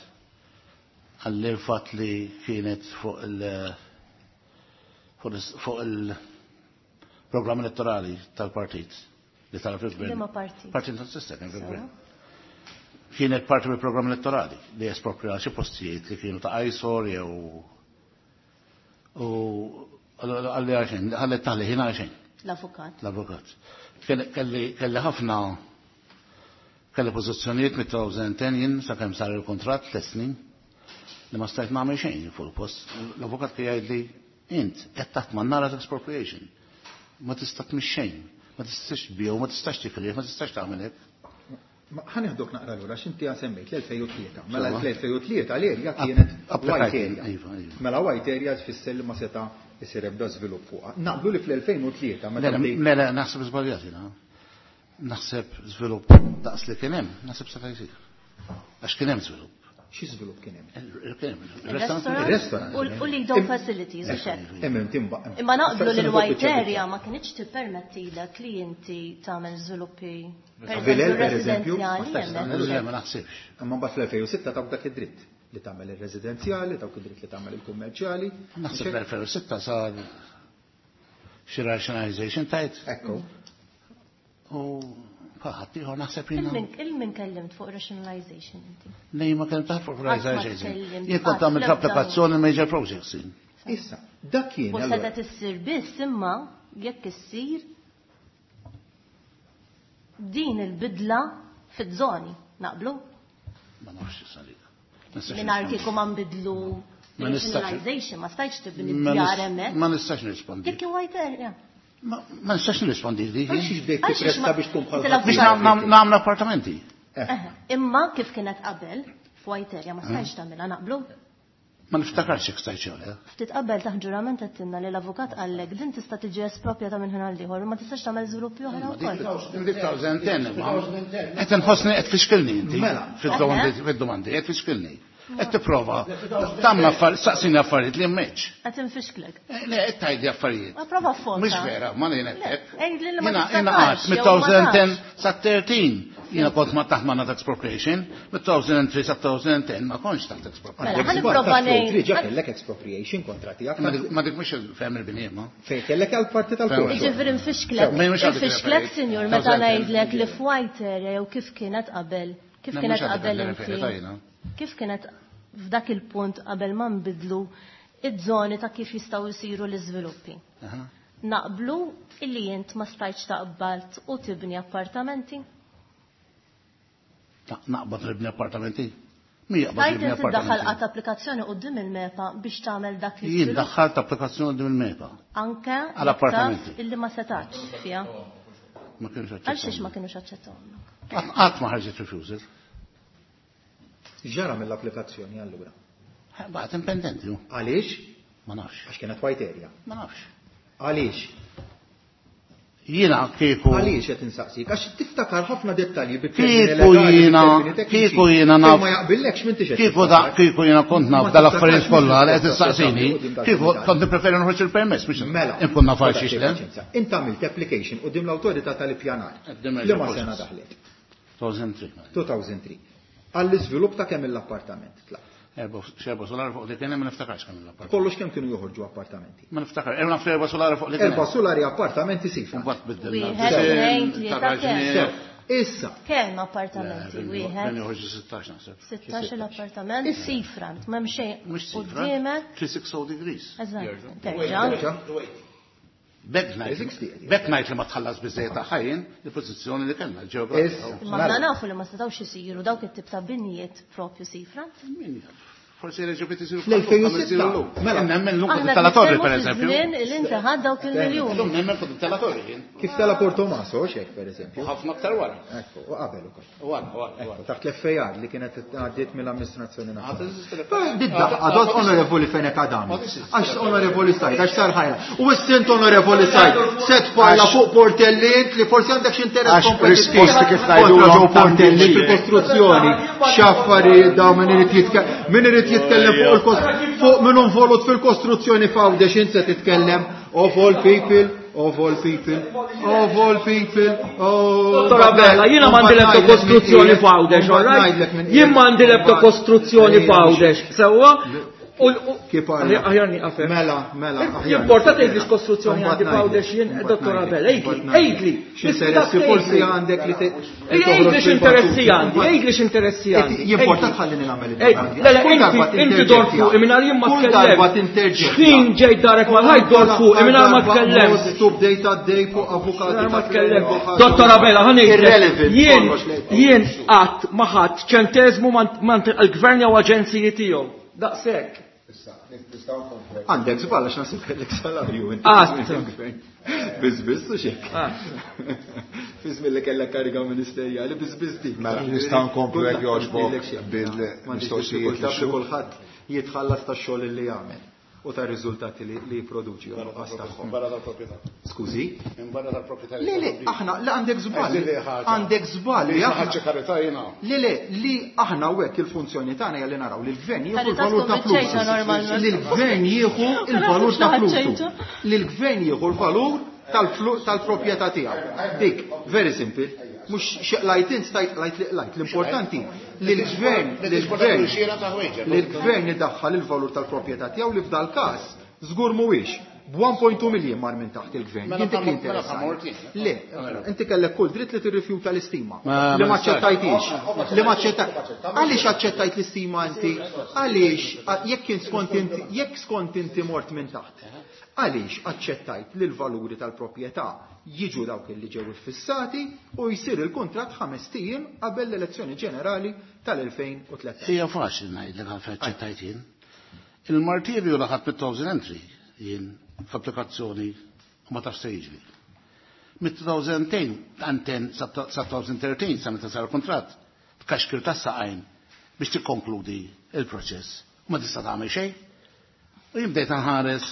S6: għalli l-fatt li kienet fuq il- fuq il-programm elettorali tal-partit li tara fil-gvern.
S8: Liema partit?
S6: Partit Nazzjonalista kien fil-gvern. Kienet parti mill-programm elettorali li espropria xi postijiet li kienu ta' ISOR jew u għalli għaxejn, għalli taħli ħin għaxejn.
S8: L-avukat.
S6: L-avukat. Kelli ħafna kelli pożizzjonijiet mit-elfejn u għaxra jien sakemm sar il-kuntratt tliet snin li ma stajt nagħmel xejn fuq il-post. L-avukat kien jgħidli int qed taħt man-nara expropriation. Ma tista' tmix xejn, ma tistax tbigħu, ma tistax tikrih, ma tistax tagħmel hekk.
S3: Ma ħa nieħdok naqra lura x'inti semmejt l-elfejn u tlieta. Mela l-elfejn u tlieta l-erja kienet white area.
S6: Iva, iva.
S3: Mela white area tfisser li ma seta' isir ebda żvilupp fuqha. Naqblu li fl-elfejn u tlieta meta
S6: Mela,
S3: bdejt
S6: mela naħseb żbaljat jiena. Naħseb żvilupp daqs li kien hemm, naħseb seta' jsir. Għax kien hemm żvilupp.
S3: Xi żvilupp kien hemm?
S6: Il-kien hemm.
S8: Il-restaurant.
S3: Il-restaurant.
S8: U li dawn facilities u xek.
S3: Hemm timba.
S8: Imma naqblu li l-white area ma kienx tippermettilek li inti tagħmel żviluppi per
S3: Vilel,
S8: eżempju
S3: per eżempju, ma
S8: residenzjali
S3: tistax
S8: hemmhekk.
S3: tagħmel.
S6: Le, ma naħsibx.
S3: Imma mbagħad fl-elfejn u sitta tawk dak id-dritt li tagħmel ir-residenzjali, tawk id-dritt li tagħmel il-kummerċjali.
S6: Naħseb fl-elfejn u sitta sar xi rationalization tajt.
S3: Ekku.
S6: U ħadd ieħor naħseb jiena.
S8: Il-min kellimt fuq rationalization inti?
S6: Nej, ma kellimt fuq
S8: Qatt ma
S6: rationalization.
S8: tkellimt
S6: Jien kont
S8: qatt
S6: għamilt
S8: l-ebda
S6: applikazzjoni major projects.
S3: Issa, dak kien
S8: U
S3: allura.
S8: setgħet issir biss imma jekk issir din il-bidla fiż-żoni, naqblu?
S6: Ma nafx issa dik. Ma nistax
S8: Mingħajr
S6: nirrispondi.
S8: kieku ma nbidlu
S6: Ma nistax.
S8: rationalization, ma stajtx tibni
S6: Ma
S8: djar
S6: nis-
S8: hemmhekk.
S6: Ma nistax nirrispondi.
S8: Dik kien white area.
S6: Ma ma nistax nirrispondi dik.
S3: Għaliex bdejt
S8: Għaliex
S3: tippresta
S8: ma-
S3: biex tkun bħal
S8: Inti
S6: Biex
S8: l-avukat.
S6: nam- nagħmlu appartamenti.
S8: Eħe, Imma kif kienet qabel f'white area ma stajtx tagħmilha naqblu?
S6: Ma niftakarx jekk stajt xi le.
S8: Ftit qabel taħt ġurament għedtilna li l-avukat qallek din tista' tiġi espropjata minn ħin għal ieħor u ma tistax tagħmel żviluppi oħra wkoll.
S6: Dik elfejn u għaxra imma. Qed inħossni qed tfixkilni inti.
S3: Mela.
S6: Fid-domandi, fid-domandi, qed tfixkilni. Qed tipprova tagħmel affarijiet, saqsini affarijiet li m'hemmx.
S8: Qed infixklek.
S6: Eh, Le, qed tgħidli affarijiet.
S8: Ma prova fota.
S6: Mhux vera, ma ngħid hekk.
S8: Għidli li ma
S6: Jiena jiena
S8: tiftakarx,
S6: qatt
S8: jew ma
S6: mit-elfejn u għaxra
S8: tafx.
S6: sa tlettax jiena kont ma taħt ma expropriation, mit-elfejn u tlieta sa elfejn u għaxra ma kontx taħt expropriation.
S8: Mela, ħa nipprova ngħid.
S3: Triġa kellek expropriation kontra tiegħek.
S6: Ma dik- Ma dik mhux il-fem il-bini, ma.
S3: Fejn kellek għal parti tal-korso.
S8: Jiġifieri nfixklek.
S6: Ma mhux għal dik
S8: Nfixklek,
S6: il-referej.
S8: sinjur, meta
S6: elfejn u għaxra.
S8: ngħidlek li f'white area jew kif kienet qabel, kif
S6: Le,
S8: kienet
S6: mhux għal dik
S8: qabel
S6: il-referej,
S8: inti.
S6: tajna.
S8: Kif kienet f'dak il-punt qabel ma nbidlu iż-żoni ta' kif jistgħu jsiru l-iżviluppi.
S6: Aha.
S8: Naqblu illi int ma stajtx taqbalt u tibni appartamenti?
S6: Ta- Naqbad nibni appartamenti? Mi jaqbad
S8: Stajt
S6: nibni
S8: inti ddaħħal
S6: appartamenti?
S8: qatt applikazzjoni quddiem il-MEPA biex tagħmel dak
S6: Jien
S8: l-iżvilupp
S6: daħħalt applikazzjoni quddiem il-MEPA.
S8: anke
S6: Għal appartamenti.
S8: jekk taf illi ma setax fiha.
S6: Ma kienux
S8: Għal xiex ma
S6: aċċettawhom.
S8: kienux aċċettawhom.
S6: Qatt qatt ma ħarġet refusal.
S3: Ġara mill-applikazzjoni allura.
S6: Baqgħet impendenti. hu.
S3: Għaliex?
S6: Ma nafx.
S3: Għax kienet white area.
S6: Ma nafx.
S3: Għaliex?
S6: Jiena kieku
S3: Għaliex qed insaqsik? Għax tiftakar ħafna dettalji bit-termini
S6: Kieku
S3: legali,
S6: jiena
S3: bit-termini tekniċi.
S6: kieku jiena
S3: Fejn
S6: naf
S3: Ma jaqbillekx m'intix qed
S6: kieku da
S3: tiftakar.
S6: kieku jiena kont naf
S3: Ma
S6: dal-affarijiet
S3: tiftakarx
S6: kollha li qed
S3: minn
S6: issaqsini,
S3: quddiem
S6: kieku
S3: dal-kumitat.
S6: kont nippreferi noħroġ il-permess biex
S3: Mela,
S6: inkun naf għal
S3: kodak
S6: xiex le.
S3: paċenzja. Int għamilt application quddiem l-awtorità tal-ippjanar.
S6: Quddiem
S3: Li ma
S6: il-process.
S3: sena daħlet?
S6: elfejn u tlieta.
S3: elfejn u tlieta. Għall-iżvilupp ta' kemm l-appartament tlaq.
S6: Erba' xerba solari fuq li kien hemm ma niftakarx kemm l-appartament.
S3: Kollox kemm kienu joħorġu appartamenti.
S6: Ma niftakar, erba' naf erba' solari fuq li kien
S3: Erba'
S6: hemm.
S3: solari appartamenti sifra.
S6: Mbagħad biddilna.
S8: Wieħed, tnejn, tlieta,
S6: Tarraġni.
S3: Sew, Issa,
S8: Kemm appartamenti
S6: Ben
S8: wieħed?
S6: joħorġu sittax naħseb.
S8: Sittax il-appartament sifrant, m'hemm xejn
S6: Mhux sifra.
S8: quddiemek.
S6: three sixty degrees.
S8: Eżatt, terġa'.
S3: terġa',
S6: Bek ngħid, bek ngħid li ma tħallas biżejjed ta' ħajjin il-pożizzjoni li kellna l-ġeografika.
S3: Issa.
S8: Imma aħna nafu li ma setgħux isiru dawk it-tip ta' binjiet propju seafront.
S6: Min jaf?
S10: Forsi reġgħu bdiet isiru
S3: Fl-elfejn u sitta. Mela.
S10: Nemmen l-lum
S8: Aħna
S10: tela torri
S8: nitkellmu
S10: per
S8: fi
S10: eżempju.
S8: żmien li inti ħadd dawk il-miljuni.
S10: Illum nemmen fuq tela torri jien.
S3: Kif tela Portomaso, xek per eżempju.
S10: U ħafna aktar wara.
S3: Ekku, u qabel ukoll.
S10: U wara, wara,
S3: Ekku,
S10: wara.
S3: taħt l-F A R li kienet għaddiet mill-amministrazzjoni nazzjonali.
S10: Għad
S3: Għadot onorevoli Fenech Adami. Għax onorevoli Said, għax sar ħajra. U s-sint onorevoli Said, se tfajla fuq Portelli int li forsi għandek xi interess
S1: Għax
S3: kompetittiv.
S1: risposti kif
S3: Kontra
S1: ngħidulhom
S3: Joe Portelli
S1: tanti.
S3: fil-kostruzzjoni. X'affarijiet dawn min irid jitkellem, min irid jitkellem fuq il-kost-, fuq min involut fil-kostruzzjoni f'Għawdex int se titkellem of all people, of all people, of all people, oh.
S7: Dottor Abela, jiena m'għandi l-ebda kostruzzjoni f'Għawdex, all right? Jien m'għandi l-ebda kostruzzjoni f'Għawdex, sewwa? U u-
S3: Kif għalla?
S7: Aħjar nieqaf hekk.
S3: Mela, mela, aħjar.
S7: Jimporta tgħidli x'kostruzzjoni
S3: Mbagħad
S7: għandi f'Għawdex jien,
S3: ngħidlek,
S7: Dottor
S3: mbagħad
S7: Abela,
S3: ngħidlek,
S7: għidli,
S3: mbagħad
S7: għidli.
S3: X'interessi forsi għandek li te- li
S7: Għidli
S3: toħroġ
S7: x'interessi
S3: fil-battuti.
S7: għandi, għidli x'interessi għandi.
S3: Jimporta
S7: Għidli.
S3: tħallini nagħmel
S7: Ej,
S3: id-domandi.
S7: le, le,
S3: Kull
S7: inti,
S3: darba
S7: inti dor
S3: tinterġettja.
S7: fuq, mingħajr jien ma
S3: Kull
S7: tkellem.
S3: darba tinterġettja.
S7: X'ħin ġejt darek mal-ħajt dor fuq, mingħajr ma tkellem.
S3: Mostru bdejt għaddej fuq avukati.
S7: Mingħajr ma
S3: ta'
S7: tkellem.
S3: Kleriku ħaġa.
S7: Dottor Abela, ħa ngħidlek,
S3: Irrelevant,
S7: jien
S3: kollox lejn.
S7: jien qatt ma ħadd ċenteżmu man il-gvern jew aġenziji tiegħu. Daqshekk.
S1: Issa, nistgħu nkomplu.
S3: Għandek żball għax nasib kellek salarju inti.
S7: Qatt.
S3: Biss biss u xek.
S7: Qatt.
S3: Fi żmien li kellek kariga ministerjali biss biss dik.
S1: Mela, nistgħu nkomplu jekk jogħġbok
S3: bil-mistoqsijiet
S1: bil-mistoqsijiet
S3: li kulħadd jitħallas tax-xogħol li jagħmel u tar-riżultati li li jipproduċi u nuqqas tagħhom.
S10: Barra tal-proprjetà.
S3: Skużi?
S10: Minn barra tal-proprjetà.
S3: Le, le, aħna, le għandek żball.
S10: Għidli ħaġa.
S3: Għandek żball
S10: Li
S3: li aħna.
S10: ħaġa karità jiena.
S3: Le, le, li aħna u hekk il-funzjoni tagħna hija li naraw li l-gvern jieħu
S8: Karità
S3: l-valur ta'
S8: tkun biċ-ċejta
S3: flusu.
S8: normalment.
S3: Li l-gvern jieħu il-valur ta'
S8: Ma nafx
S3: flusu.
S8: ċejta.
S3: Li l-gvern jieħu l-valur tal-flu- tal-proprjetà tiegħu. Dik, very simple. Mhux xeqlajt int stajt lajt li qlajt. L-importanti li l-gvern li l-gvern li l-gvern idaħħal il-valur tal-proprjetà tiegħu li f'dal każ żgur mhuwiex. B'one point two million mar minn taħt il-gvern.
S10: Mela
S3: Jien dik li
S10: ta' mela
S3: interessani.
S10: ta' morti.
S3: Le, inti kellek kull dritt li tirrifjuta l-istima.
S10: Ma-
S3: Li ma
S10: ma nistax.
S3: aċċettajtix. Li ma aċċettaj. Għaliex aċċettajt l-istima inti? Għaliex jekk kien skont inti, jekk skont inti mort minn taħt. Għaliex aċċettajt li l-valuri tal-proprjetà jiġu dawk li ġew iffissati u jsir il-kuntratt ħames ijiem qabel l-elezzjoni ġenerali tal-elfejn u tlettax.
S10: Hija faċli ngħidlek għalfejn aċċettajt jien. Il-martirju li ħadd mit-thousand entry jien f'applikazzjoni u ma tafx se jiġri. Mit-two thousand ten ten sa twenty thirteen sa meta sar kuntratt, tkaxkir tas-saqajn biex tikkonkludi il-proċess. U ma tista' tagħmel xejn. U jien bdejt nħares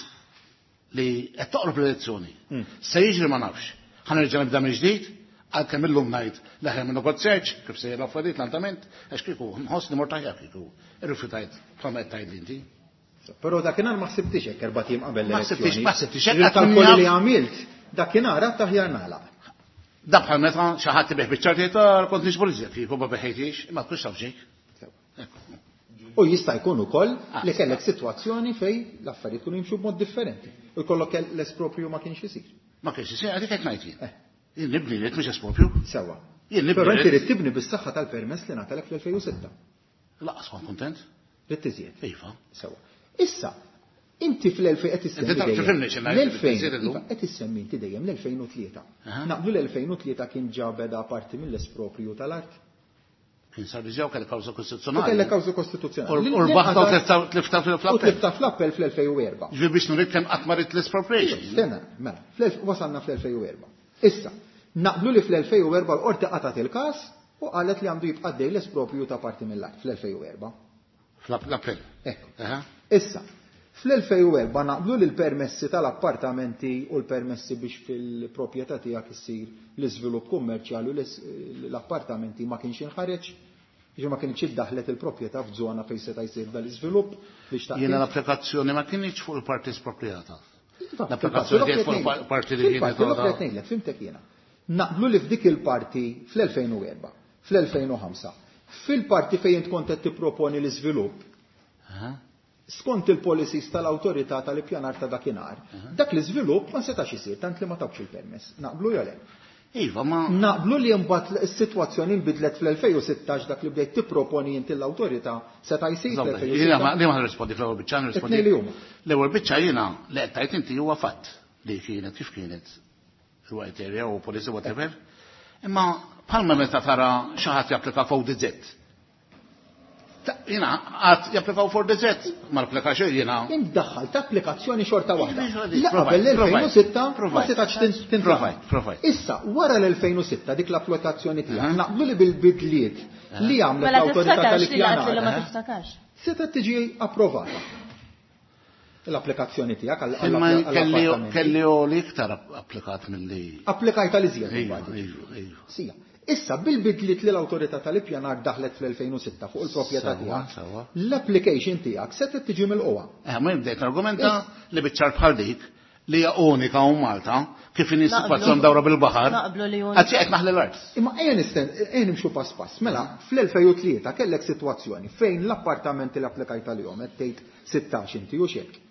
S10: li qed toqrob l-elezzjoni. Se jiġri ma nafx. Ħa nerġa' nibda minn ġdid, għalkemm illum ngħid l-aħjar minn noqgħod search kif se l-affarijiet l-andament, għax kieku nħoss li mort aħjar kieku irrifjutajt bħalma qed tgħid inti.
S3: Però dakinhar ma ħsibtix hekk erba' ijiem qabel
S10: Ma
S3: l-elezzjoni.
S10: ħsibtix, ma ħsibtix hekk,
S3: Il-kalkoli
S10: għad
S3: li għamilt, dakinhar għad aħjar nagħlaq.
S10: Da bħal meta xi ħadd ibih biċ-ċartijiet kont niġbor iżjed kieku ma beħejtix, ma tkunx taf xejn.
S3: U jista' jkun ukoll
S10: Ah,
S3: li kellek sitwazzjoni fej l-affarijiet kienu jimxu b'mod differenti. U jkollok l-espropju ma kienx isir.
S10: Ma kienx isir, għadik qed ngħid jien.
S3: Eh.
S10: Jien nibni li mhux espropju.
S3: Sewwa.
S10: Jien nibni
S3: Però inti
S10: rrid.
S3: rid tibni bis-saħħa tal-permess li ngħatalek fl-elfejn u sitta.
S10: Laqas kont kuntent.
S3: Rid tiżjed.
S10: Iva.
S3: Sewwa. Issa, inti fl-elfejn qed issemmi
S10: Inti taf
S3: dejjem.
S10: tifhimni x'ingħid,
S3: L-elfejn,
S10: tiżjed illum.
S3: iva, qed issemmi inti dejjem l-elfejn u tlieta.
S10: Aha.
S3: Naqblu l-elfejn u tlieta kien ġa beda parti mill-esproprju tal-art.
S10: Kien sar diġà u kellek kawża
S3: U
S10: kostituzzjonali.
S3: kellek kawża kostituzzjonali.
S10: U rbaħta u tlifta tlifta
S3: U
S10: fl-appell.
S3: tlifta fl-appell fl-elfejn u erba'.
S10: Ġifieri biex nurik kemm qatt ma rid l-expropriation.
S3: Stenna, mela, fl-elf-, wasalna fl-elfejn u erba'. Issa, naqblu li fl-elfejn u erba' l-qorti qatgħet il-każ u qalet li għandu jibqa' dej l-esproprju ta' parti mill-art fl-elfejn u erba'.
S10: Fl-appell.
S3: Ekku.
S10: Aha.
S3: Issa, fl-elfejn u erba' naqblu li l-permessi tal-appartamenti u l-permessi biex fil-proprjetà tiegħek issir l-iżvilupp kummerċjali u l-is-, l-appartamenti ma kienx inħareġ, jiġifieri ma kienx iddaħlet il-proprjetà f'żona fejn seta' jsir dal-iżvilupp li xtaqt
S10: Jiena
S3: int.
S10: l-applikazzjoni ma kienx fuq il-parti espropriata.
S3: Iva,
S10: L-applikazzjoni
S3: fil-parti
S10: kienet fuq
S3: l-oħra
S10: il-parti li kienet
S3: Fil-parti l-oħra qed ngħidlek, fimtek jiena. Naqblu li f'dik il-parti fl-elfejn u erba', fl-elfejn u ħamsa, fil-parti fejn int kont qed tipproponi l-iżvilupp,
S10: Aha.
S3: skont il-policies tal-awtorità tal-ippjanar ta' dakinhar, dak l-iżvilupp ma setax isir tant li ma tawx il-permess. Naqblu jew le?
S10: Iva, ma
S3: Naqblu li mbagħad is-sitwazzjoni nbidlet fl-elfejn u sittax dak li bdejt tipproponi inti l-awtorità seta' jsir
S10: Żomma,
S3: fl-elfejn u
S10: jiena ma
S3: sittax.
S10: li ma nirrispondi fl-ewwel biċċa nirrispondi.
S3: It-tnejn li huma.
S10: L-ewwel biċċa jiena li qed tgħid inti huwa fatt li kienet kif kienet il-white area u policy whatever. Imma bħalma meta tara xi ħadd japplika f'O D Z. Jiena għad japplikaw for the Z, ma applikax jiena.
S3: Int daħħalt applikazzjoni xorta waħda. La qabel l-elfejn u sitta ma setax tintlaqa. Issa, wara l-elfejn u sitta dik l-applikazzjoni tiegħek naqblu li bil-bidliet li għamlet l-awtorità tal-ippjanar. Setgħet tiġi approvata l-applikazzjoni tiegħek għall-appartamenti.
S10: Kelli li iktar applikat milli.
S3: Applikajt għal iżjed. Sija. Issa, bil-bidliet li l-awtorità tal-ippjanar daħlet fl-elfejn u sitta fuq il-proprjetà tiegħek, l-application tiegħek setgħet tiġi milqugħa.
S10: Eh, ma bdejt argumenta li biċ-ċar bħal dik li hija unika u Malta, kif inhi sitwazzjoni dawra bil-baħar.
S8: Naqblu li unika.
S10: Għad xi qed naħli l-art.
S3: Imma ejja nisten, ejja nimxu pass pass. Mela, fl-elfejn u tlieta kellek sitwazzjoni fejn l-appartamenti li applikajt għalihom qed tgħid sittax inti u x'hekk.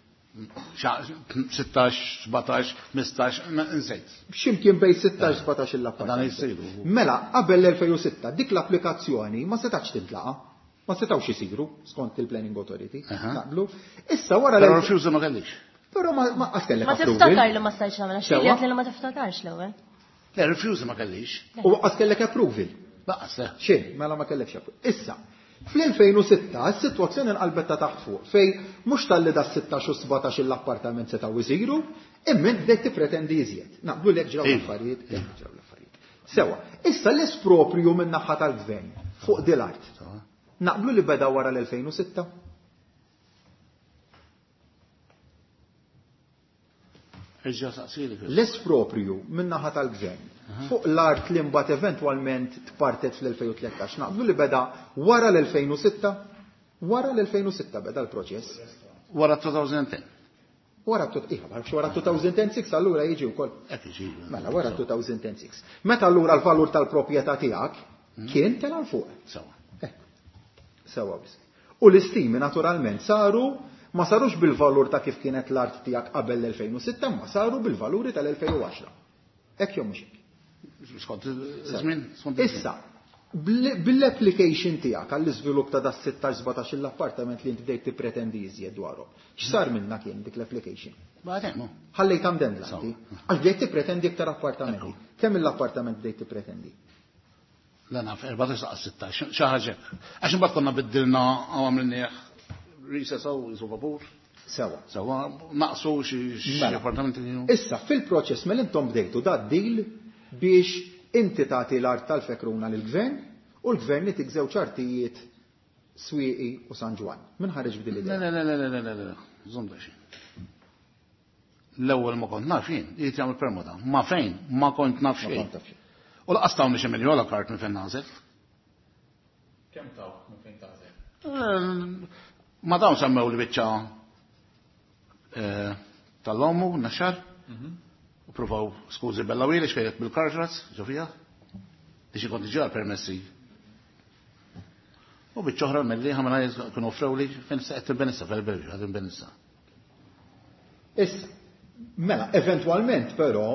S10: sittax, sbatax, ħmistax, nsejt.
S3: X'imkien bejn sittax, sbatax l-appartament.
S10: Dan jsiru.
S3: Mela, qabel l-elfejn u sitta dik l-applikazzjoni ma setax tintlaqa. Ma setgħux isiru skont il-Planning Authority. Naqblu. Issa wara
S10: l Però ma kellix.
S3: Però ma qatt kellek
S8: Ma tiftakar li ma stajtx nagħmel għax li ma tiftakarx l-ewwel.
S10: Le, refuse ma kellix.
S3: U qatt kellek approval.
S10: Laqas le.
S3: Xejn, mela ma kellekx approval. Issa, fl-elfejn u sitta s-sitwazzjoni nqalbet ta' taħt fuq fejn mhux talli da sittax u sbatax l-appartament setgħu jsiru, imma bdejt tippretendi iżjed. Naqblu lek ġraw l-affarijiet, lek ġraw l-affarijiet. Sewa, issa l-esproprju min-naħa tal-gvern fuq dil-art. Naqblu li beda wara l-elfejn u sitta? L-esproprju min-naħa tal-gvern fuq l-art li mbagħad eventwalment tpartet fl-elfejn u tlettax naqblu li beda wara l-elfejn u sitta? Wara l-elfejn u sitta beda l-proċess.
S10: Wara two thousand ten.
S3: Wara wara two thousand six allura jiġi wkoll. Mela wara two thousand six. Meta allura l-valur tal-proprjetà tiegħek kien tela' l fuq.
S10: Sewa.
S3: Sewa biss. U l-istimi naturalment saru ma sarux bil-valur ta' kif kienet l-art tiegħek qabel l-elfejn u sitta, ma saru bil-valuri tal-elfejn u għaxra. Hekk jew mhux hekk. Issa, bil-application tiegħek għall-iżvilupp ta' das sittax sbatax l-appartament li inti bdejt tippretendi iżjed dwarhom. X'sar minna kien dik l-application? Ħallejt għamdendla inti. Għax bdejt tippretendi iktar appartamenti. Kemm l-appartament bdejt tippretendi?
S10: La naf, erbatax saqas sittax, xi ħaġa hekk. Għax imbagħad konna biddilna għamilnieh recess u jisu vapur.
S3: Sewa.
S10: Sewa, naqsu xi appartamenti kienu.
S3: Issa, fil-proċess mela intom bdejtu da deal biex inti tagħti l-art tal-Fekruna lill-gvern u l-gvern itik żewġ artijiet Swieqi u San Ġwann. Min ħareġ b'din l-idea?
S10: Le, le, le, le, le, le, żomm daqsxejn. L-ewwel ma kont naf jien, irid jagħmel permuta. Ma fejn, ma kont naf xejn. U laqas tawni xi miljola kart minn fejn nagħżel.
S5: Kemm tawk minn fejn tagħżel?
S10: Ma dawn semmew li biċċa tal-omu, naxxar. U provaw skużi bella wili xkejjet bil-karġras, ġofija. Biex ikun diġà permessi. U biċċa oħra mill-li ħamela kienu offrew li fejn se qed tinbenissa fil-Belġju, qed tinbenissa.
S3: Issa, mela, eventwalment però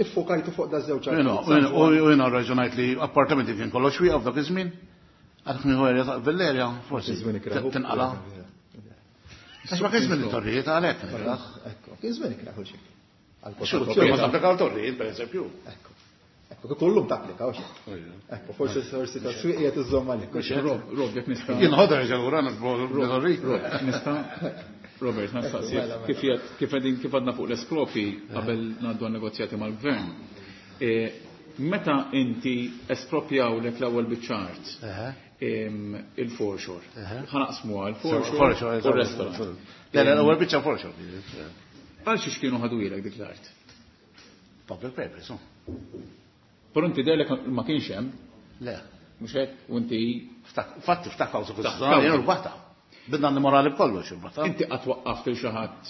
S3: iffokajtu fuq da żewġ
S10: artijiet. U jiena raġunajt li appartamenti kien kollox wieqaf dak iż-żmien. Għadek nieħu erja ta' Villerja, forsi tinqala. Għax ma kien żmien it-torrijiet għalhekk.
S3: Ekku, kien żmien ikraħu xejn.
S10: Ma tapplikaw torrijiet, per eżempju.
S3: Ekku. Ekku, kullum tapplikaw xejn. Ekku, forsi forsi ta' swieq qiegħed iżżomm għalik.
S5: Rob, Rob, jekk nista'.
S10: Jien ħodha ġewra Rob,
S5: nista' Robert, nistaqsi kif kif qegħdin kif għadna fuq l-espropi qabel ngħaddu għan-negozjati mal-gvern. Meta inti espropjawlek l-ewwel biċċa art il-foreshore. Ħanaqsmuha il-foreshore u r-restaurant.
S10: Le, l-ewwel biċċa foreshore.
S5: Għal xiex kienu ħadu ilek dik l-art?
S10: Public purpose.
S5: Però inti dejlek ma kienx hemm.
S10: Le.
S5: Mhux hekk u inti
S10: Fatti ftakkaw su jien rbaħta. Bidna n-morali b'kollox irbaħta.
S5: Inti qatt waqqaft il xi ħadd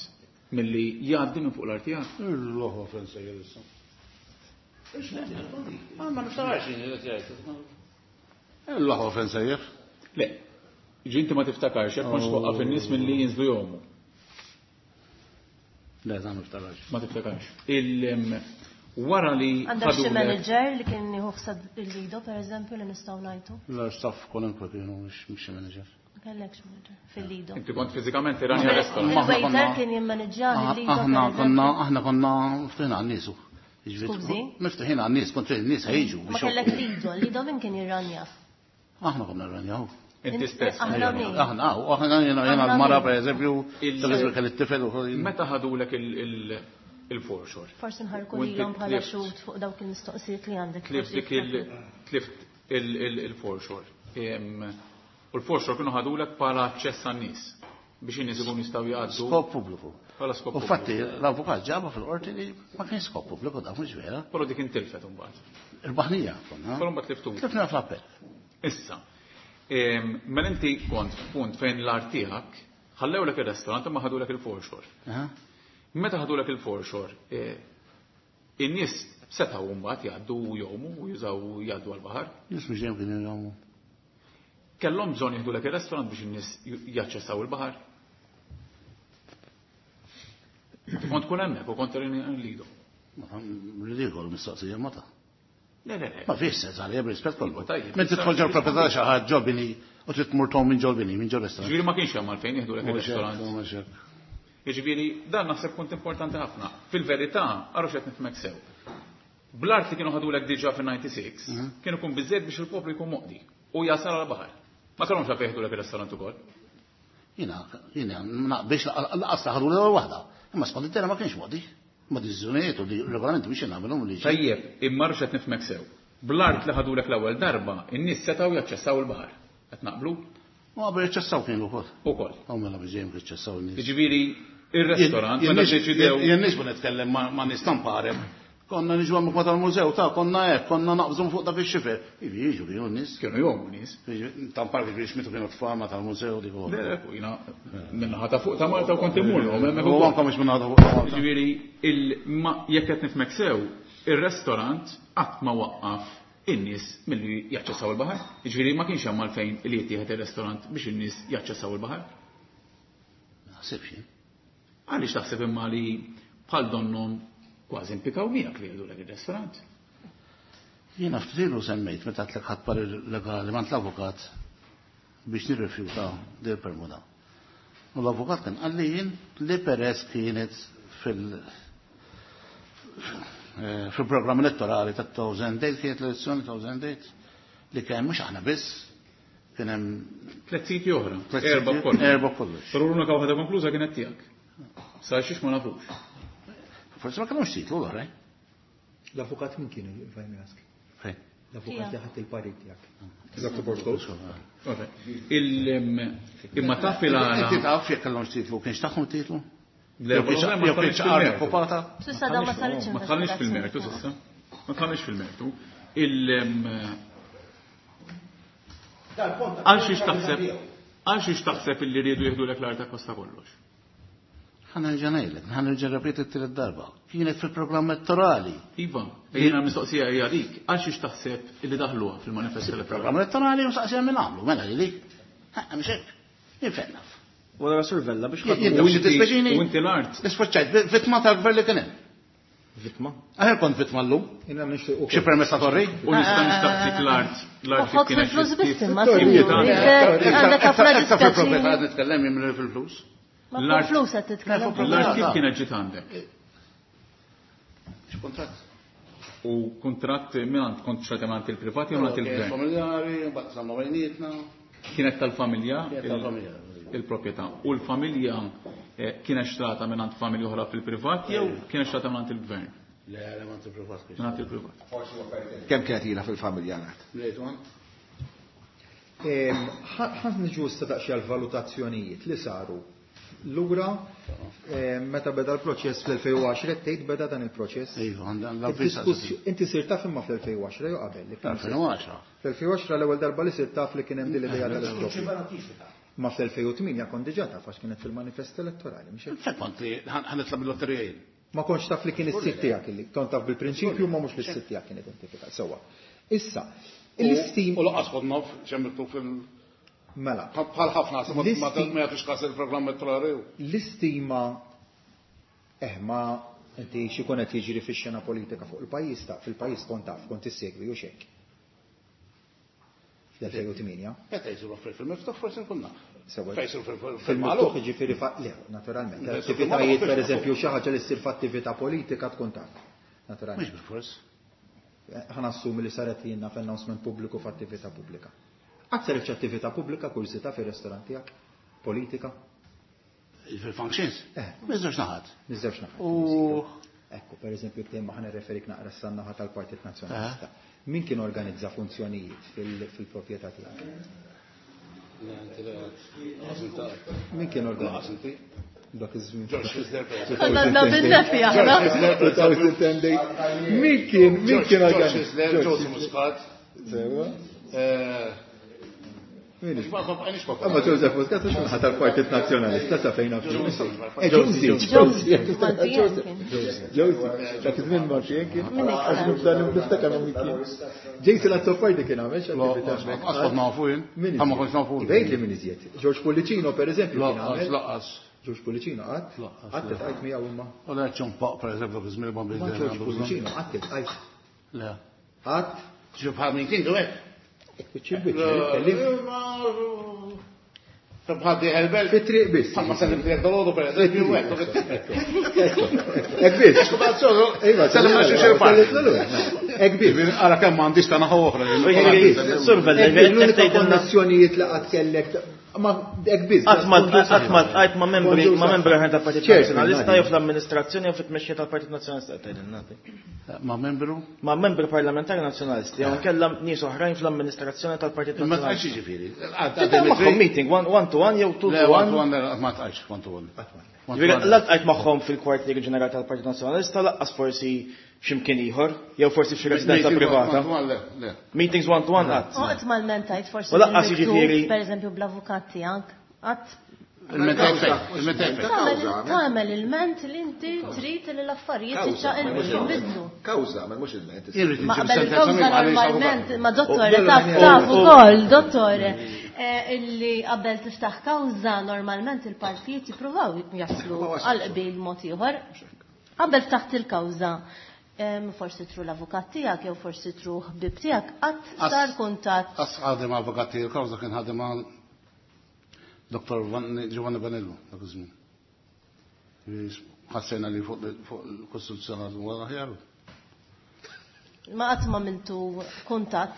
S5: milli jgħaddi minn fuq l-art tiegħek?
S10: Il-loħo fejn sejjer issa. Ma niftakarx jien qed jgħid. Il-loħo fejn sejjer.
S5: Le. Ġi inti ma tiftakarx jekk kontx twaqqaf in-nies milli jinżlu jomu.
S10: Le, ma niftakarx.
S5: Ma tiftakarx. Il wara li
S8: għandek xi manager li kien jieħu ħseb il-lido pereżempju li nistgħu ngħidu?
S10: La staff kwalunkwe kienu mhux xi manager.
S8: Ma kellekx manager fil-lido.
S5: Inti kont fiżikament iranja restaurant.
S8: Il-waiter kien jimmaneġġjah il-lido.
S10: Aħna konna aħna konna miftuħin għan-nies.
S8: Skużi?
S10: Miftuħin għan-nies, kont in-nies ħejġu.
S8: Ma kellek lido, lido min kien jirranja?
S10: Aħna konna rranjaw.
S5: Inti stess.
S8: Aħna min?
S10: Aħna, u aħna jiena jiena l-mara pereżempju, pereżempju kelli t-tifel u
S5: Meta ħadulek il-foreshore?
S8: Forsi nħarku lilhom bħala xhud fuq dawk il-mistoqsijiet li għandek.
S5: Tlift dik il tlift il-foreshore. U l-foreshore kienu ħadulek bħala aċċess għan-nies biex in-nies ikunu jistgħu jgħaddu.
S10: Skop pubbliku.
S5: Bħala skop
S10: U fatti l-avukat ġabha fil-qorti li ma kien skop pubbliku dak mhux vera.
S5: Però dik intilfet imbagħad.
S10: Irbaħnija konna.
S5: Però mbagħad tliftu.
S10: Tlifna fl-appell.
S5: Issa, mela inti kont f'punt fejn l-art tiegħek ħallewlek ir-restaurant imma ħadulek il-foreshore. Meta ħadulek il-foreshore, in-nies setgħu mbagħad jgħaddu u jgħumu u jużaw jgħaddu għall-baħar.
S10: Nies mhux dejjem kienu jgħumu.
S5: Kellhom bżonn jieħdulek ir-restaurant biex in-nies jaċċessaw il-baħar. Kont tkun hemmhekk u kont lido.
S10: Ridikolu mistoqsija ma ta'.
S5: Le, le, le.
S10: Ma fiex sens għalija b'rispett kollu.
S5: Tajjeb.
S10: Minn tidħol ġol proprjetà xi ħadd ġol bini u trid tmur tom minn ġol bini, minn ġol restaurant.
S5: Ġifieri ma kienx hemm għalfejn jieħdulek
S10: Mhux hekk,
S5: ir-restaurant.
S10: mhux hekk.
S5: Jiġifieri dan naħseb punt importanti ħafna. Fil-verità, għarru x'qed nifhmek sew. Bl-art li kienu ħadulek diġà fin-ninety-six, kienu kun biżżejjed biex il-poplu jkun moqdi u jasal għall-baħar. Ma kellhomx għalfejn jieħdulek ir-restaurant ukoll.
S10: Jiena, jiena naqbilx laqas ħadu l-ewwel waħda. Imma skont it-tera ma kienx moqdi. Ma deċiżjonijiet u regolamenti biex nagħmilhom li.
S5: Tajjeb, imma rux qed nifhmek sew. Bl-art li ħadulek l-ewwel darba, in-nies setgħu jaċċessaw il-baħar. Qed naqblu?
S10: Ma qabel jaċċessaw kienu wkoll.
S5: Ukoll.
S10: Hawn mela biex dejjem jaċċessaw in-nies.
S5: Jiġifieri ir-restaurant meta ddeċidew.
S10: Jien nix ma nitkellem ma' nies tamparem. Konna niġu hemmhekk ma tal-mużew ta' konna hekk, konna naqbżu fuq dak ix-xifer. Ivi jiġu kienu n-nies.
S5: Kienu jgħumu nies.
S10: Tampar kif jixmitu kienu tfal ma tal-mużew dik ukoll.
S5: Le, le, jiena minnaħa ta' fuq ta' Malta u kont immur hemmhekk
S10: U
S5: ukoll.
S10: anke mhux minnaħa ta' fuq ta' Malta.
S5: Jiġifieri jekk qed nifhmek sew, ir-restaurant qatt ma waqqaf in-nies milli jaċċessaw il-baħar. Jiġifieri ma kienx hemm għalfejn li jittieħed ir-restaurant biex in-nies jaċċessaw il-baħar.
S10: Naħsibx jien.
S5: Għaliex taħseb imma li bħal donnhom kważi impikaw miegħek li jgħidulek ir-restaurant?
S10: Jiena ftit ilu semmejt meta għedtlek ħadd parir legali mant l-avukat biex nirrifjuta dil permuta. U l-avukat kien qalli jien li peress kienet fil- fil-programm elettorali ta' two thousand eight, kienet l-elezzjoni two thousand eight, li kien mhux aħna biss, kien hemm
S5: tliet siti oħra,
S10: tliet
S5: erba'
S10: siti,
S5: kollox.
S10: Erba' kollox.
S5: Però l-unika waħda konkluża kienet tiegħek. Sa xiex ma nafux.
S10: Forsi ma kellhomx titlu l-oħra.
S3: L-avukat min kienu, if I may ask?
S10: Fejn?
S3: L-avukat li ħadd il-parir tiegħek.
S5: Doctor Borgo. Imma taf il-għala.
S10: Inti taf jekk kellhomx titlu, kienx tagħhom titlu?
S5: Le,
S10: Jew kienx
S5: ma
S10: jew kienx
S5: tħallix
S10: art
S5: fil-mertu.
S10: okkupata?
S8: S'issa dawn ma saritx
S5: Ma tħallix fil-mertu s'issa. Ma tħallix fil-mertu. Il għal xiex taħseb għal xiex taħseb illi riedu jieħdulek l-art akkosta kollox?
S10: Ħa nerġa' ngħidlek, ħa nerġa' rrepeti t-tielet darba. Kienet fil-programm elettorali.
S5: Iva, jiena mistoqsija hija dik, għal xiex taħseb illi daħluha fil-manifest elettorali?
S10: Programm elettorali u saqsija minn għamlu, mela li dik. Ha, mhux hekk. Jien fejn naf.
S9: Wara Sur Vella biex
S10: Jien
S9: ħadmu.
S10: taf xi tispeċini?
S5: U inti l-art.
S10: Isfaċċajt, vittma tal-gvern li kien hemm.
S9: Vittma?
S10: Aħjar kont vittma llum.
S3: Jiena nixtieq ukoll.
S10: Xi permess ta' torri?
S5: U nista' nistaqsik l-art. L-art
S8: Ħodd
S5: kienet
S8: fil-flus biss imma,
S5: Iktar
S8: sinjuri. Għandek ħafna
S10: Iktar fil-proprjetà
S8: dispjaċini.
S10: qed nitkellem jien minn fil-flus.
S8: Ma fuq flus qed titkellem.
S5: L-art kif kienet ġiet għandek?
S10: X'kuntratt?
S5: U kuntratt minn kont xrajt minn il-privati jew minn il-gvern?
S10: Familjari, mbagħad samna bejnietna.
S5: Kienet tal-familja?
S10: Kienet tal-familja.
S5: Il-proprjetà. U l-familja kienet xtrata minn familja oħra fil-privat jew kienet xtrata minn il-gvern?
S10: Le, le, minn il-privat.
S5: Minn il-privat.
S1: Kemm kienet ilha fil-familja l-art?
S10: Lejt one.
S3: Ħa niġu issa daqsxejn għal-valutazzjonijiet li saru lura meta beda l-proċess fl-elfejn u għaxra, tgħid beda dan il-proċess?
S10: Iva, għandha l-avviż
S3: Id-diskussju-, inti sirt taf imma fl-elfejn u għaxra jew qabel li kien
S10: Fl-elfejn u għaxra.
S3: Fl-elfejn u għaxra l-ewwel darba li sirt taf li kien hemm din l-idea tal-iskopju. Ma fl-elfejn u tmienja kont diġà taf għax kienet fil-manifest elettorali, mhux hekk?
S10: Fejn kont li ħa nitla' bil-lotterija jien?
S3: Ma kontx taf li kien is-sitt tiegħek illi kont taf bil-prinċipju ma mhux li s-sitt tiegħek kien identifikat. Sewwa. Issa, l-istim
S10: U lanqas kont naf x'hemm miktub fil-
S3: Mela.
S10: Bħal ħafna, ma
S3: L-istim
S10: ma jagħtux każ il-programm elettorali.
S3: L-istima eh, ma inti xi jkun qed jiġri fix-xena politika fuq il-pajjiż ta' fil-pajjiż kont taf, kont issegwi u x'hekk. Fl-elfejn u tmienja.
S10: Meta jsiru affarijiet fil-miftuħ forsi nkun naf.
S3: Sewwa.
S10: Fejn jsiru fil-magħluq.
S3: Fil-miftuħ jiġifieri fa-, le, naturalment.
S10: Meta jsiru
S3: Attivitajiet,
S10: fil-magħluq,
S3: per eżempju, xi ħaġa li ssir f'attività politika tkun taf. Naturalment.
S10: Mhux bil-fors.
S3: Ħa nassumi li saret jiena f'announcement pubbliku f'attività pubblika. Qatt saret xi attività pubblika kursità fir-restorant tiegħek? Politika?
S10: Fil-functions?
S3: Eh.
S10: Miż-żewġ naħat.
S3: Miż-żewġ naħat.
S10: U
S3: Ekku, per eżempju, tema ħa nirreferik naqra s-naħa tal-Partit Nazzjonalista. Min kien organizza funzjonijiet fil-proprjetà tiegħek? Min kien organizza? Dak iż-żmien.
S8: Konna għandna bin-nefi aħna.
S3: Min kien min kien organizza?
S10: Joseph Muscat.
S3: Sewa.
S10: Amma
S3: Joseph Muscat mhux minħa tal-Partit Nazzjonalista sa fejn naf.
S8: Josie.
S3: Josie. Josie. Dak iż-żmien ma xejn kien. Għax nibda niftakar min kien. Jason Azzopardi kien għamel xi attività hemmhekk.
S10: Qatt nafu jien. Ma kontx nafu.
S3: Bejt li min iżjed. George Pullicino pereżempju kien għamel.
S10: Laqqas.
S3: George Pullicino qatt? Qatt iltqajt miegħu imma.
S10: U le ċompaq pereżempju dak iż-żmien
S3: Ma George Pullicino qatt iltqajt.
S10: Le.
S3: Qatt?
S10: Ġib bħal min kien hekk.
S3: Biċċi biċċi, kellim.
S10: Bħal diħel
S3: Fit-triq biss.
S10: Bħal ma sellim tiegħek dolodu pereżempju hekk.
S3: Hekk biss.
S10: Iva, sellim ma xi park.
S3: Hekk biss.
S10: Ara kemm m'għandix ta' naħa oħra.
S9: Sur Vella,
S3: L-unika konnessjonijiet li qatt kellek ma hekk biss.
S9: Qatt ma qatt ma tqajt ma' membri ma' membri oħrajn tal-Partit Nazzjonalista jew fl-amministrazzjoni jew fit-tmexxija tal-Partit Nazzjonalista tgħidilna.
S10: Ma' membru?
S9: Ma' membri parlamentari nazzjonalisti jew inkella nies oħrajn fl-amministrazzjoni tal-Partit
S10: Ma tqajtx
S9: Nazzjonalista.
S10: jiġifieri.
S9: Tiltaqa' magħhom meeting one one to one jew two
S10: Le,
S9: to
S10: one to
S9: one.
S10: one ma tqajtx one to one.
S9: Ġifieri la tqajt magħhom fil-kwartieri ġenerali tal-Partit Nazzjonalista laqqas forsi x'imkien ieħor jew forsi f'xi residenza privata.
S10: Le, le.
S9: Meetings one to one qatt.
S8: U qatt mal-mentajt forsi
S9: U laqqas
S8: bil-miktub,
S9: jiġifieri-
S8: per eżempju bl-avukat tiegħek. Qatt
S10: Il-mentajt fejn, il-mentajt fejn.
S8: tagħmel tagħmel il-ment li inti trid li l-affarijiet jinbidlu.
S1: Kawża, ma mhux il-ment.
S10: Irrid
S8: Ma
S10: inġib
S8: qabel
S10: sentenza
S8: il-kawża
S10: minn għaliex
S8: normalment,
S10: avukat.
S8: ma dottore,
S3: U-
S8: taf
S3: u-
S8: taf
S9: u-
S8: ukoll, dottore, eh, illi qabel tiftaħ kawża normalment il-partijiet jippruvaw jaslu għal qbil mod ieħor. Qabel ftaħt il-kawża, em, forsi tru l-avukat tiegħek jew forsi tru ħbib tiegħek, qatt
S10: As-
S8: sar kuntatt
S10: As ħadem avukati il-kawża kien ħadem għal Dottor Giovanni Vanello dak iż-żmien. Ħassejna li fuq fuq il-Kostituzzjonali huwa aħjar.
S8: ma qatt ma mintu kuntatt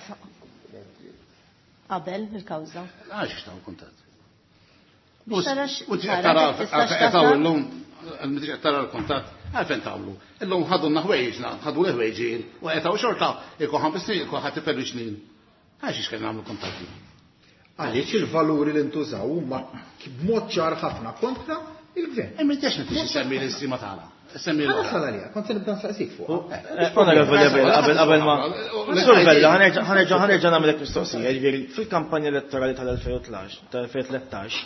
S8: qabel il-kawża.
S10: Għax taw kuntatt.
S8: Biex tara x-
S10: U
S8: tara
S10: tara
S8: kif tistax
S10: qed
S8: tasal.
S10: illum mhux qed tara l-kuntatt, għalfejn tagħmlu. Illum ħadu ħwejġna, ħadu l-ħwejġin u qed xorta ikun ħames snin, ikun ħadd iperri snin. Għax ix nagħmlu kuntatti.
S3: Għaliex il-valuri li ntużaw huma b'mod ċar ħafna kontra il-gvern.
S10: Imma intix m'intix semmi l-istima tagħna. Semmi
S3: Ħa
S10: l-oħra.
S3: nasal għalija, kont se nibda nsaqsik fuq.
S9: Onorevoli Abela, qabel qabel ma. Sur Vella, ħanerġa' ħanerġa' ħanerġa' nagħmlek mistoqsija, jiġifieri fil-kampanja elettorali tal-elfejn u tlettax,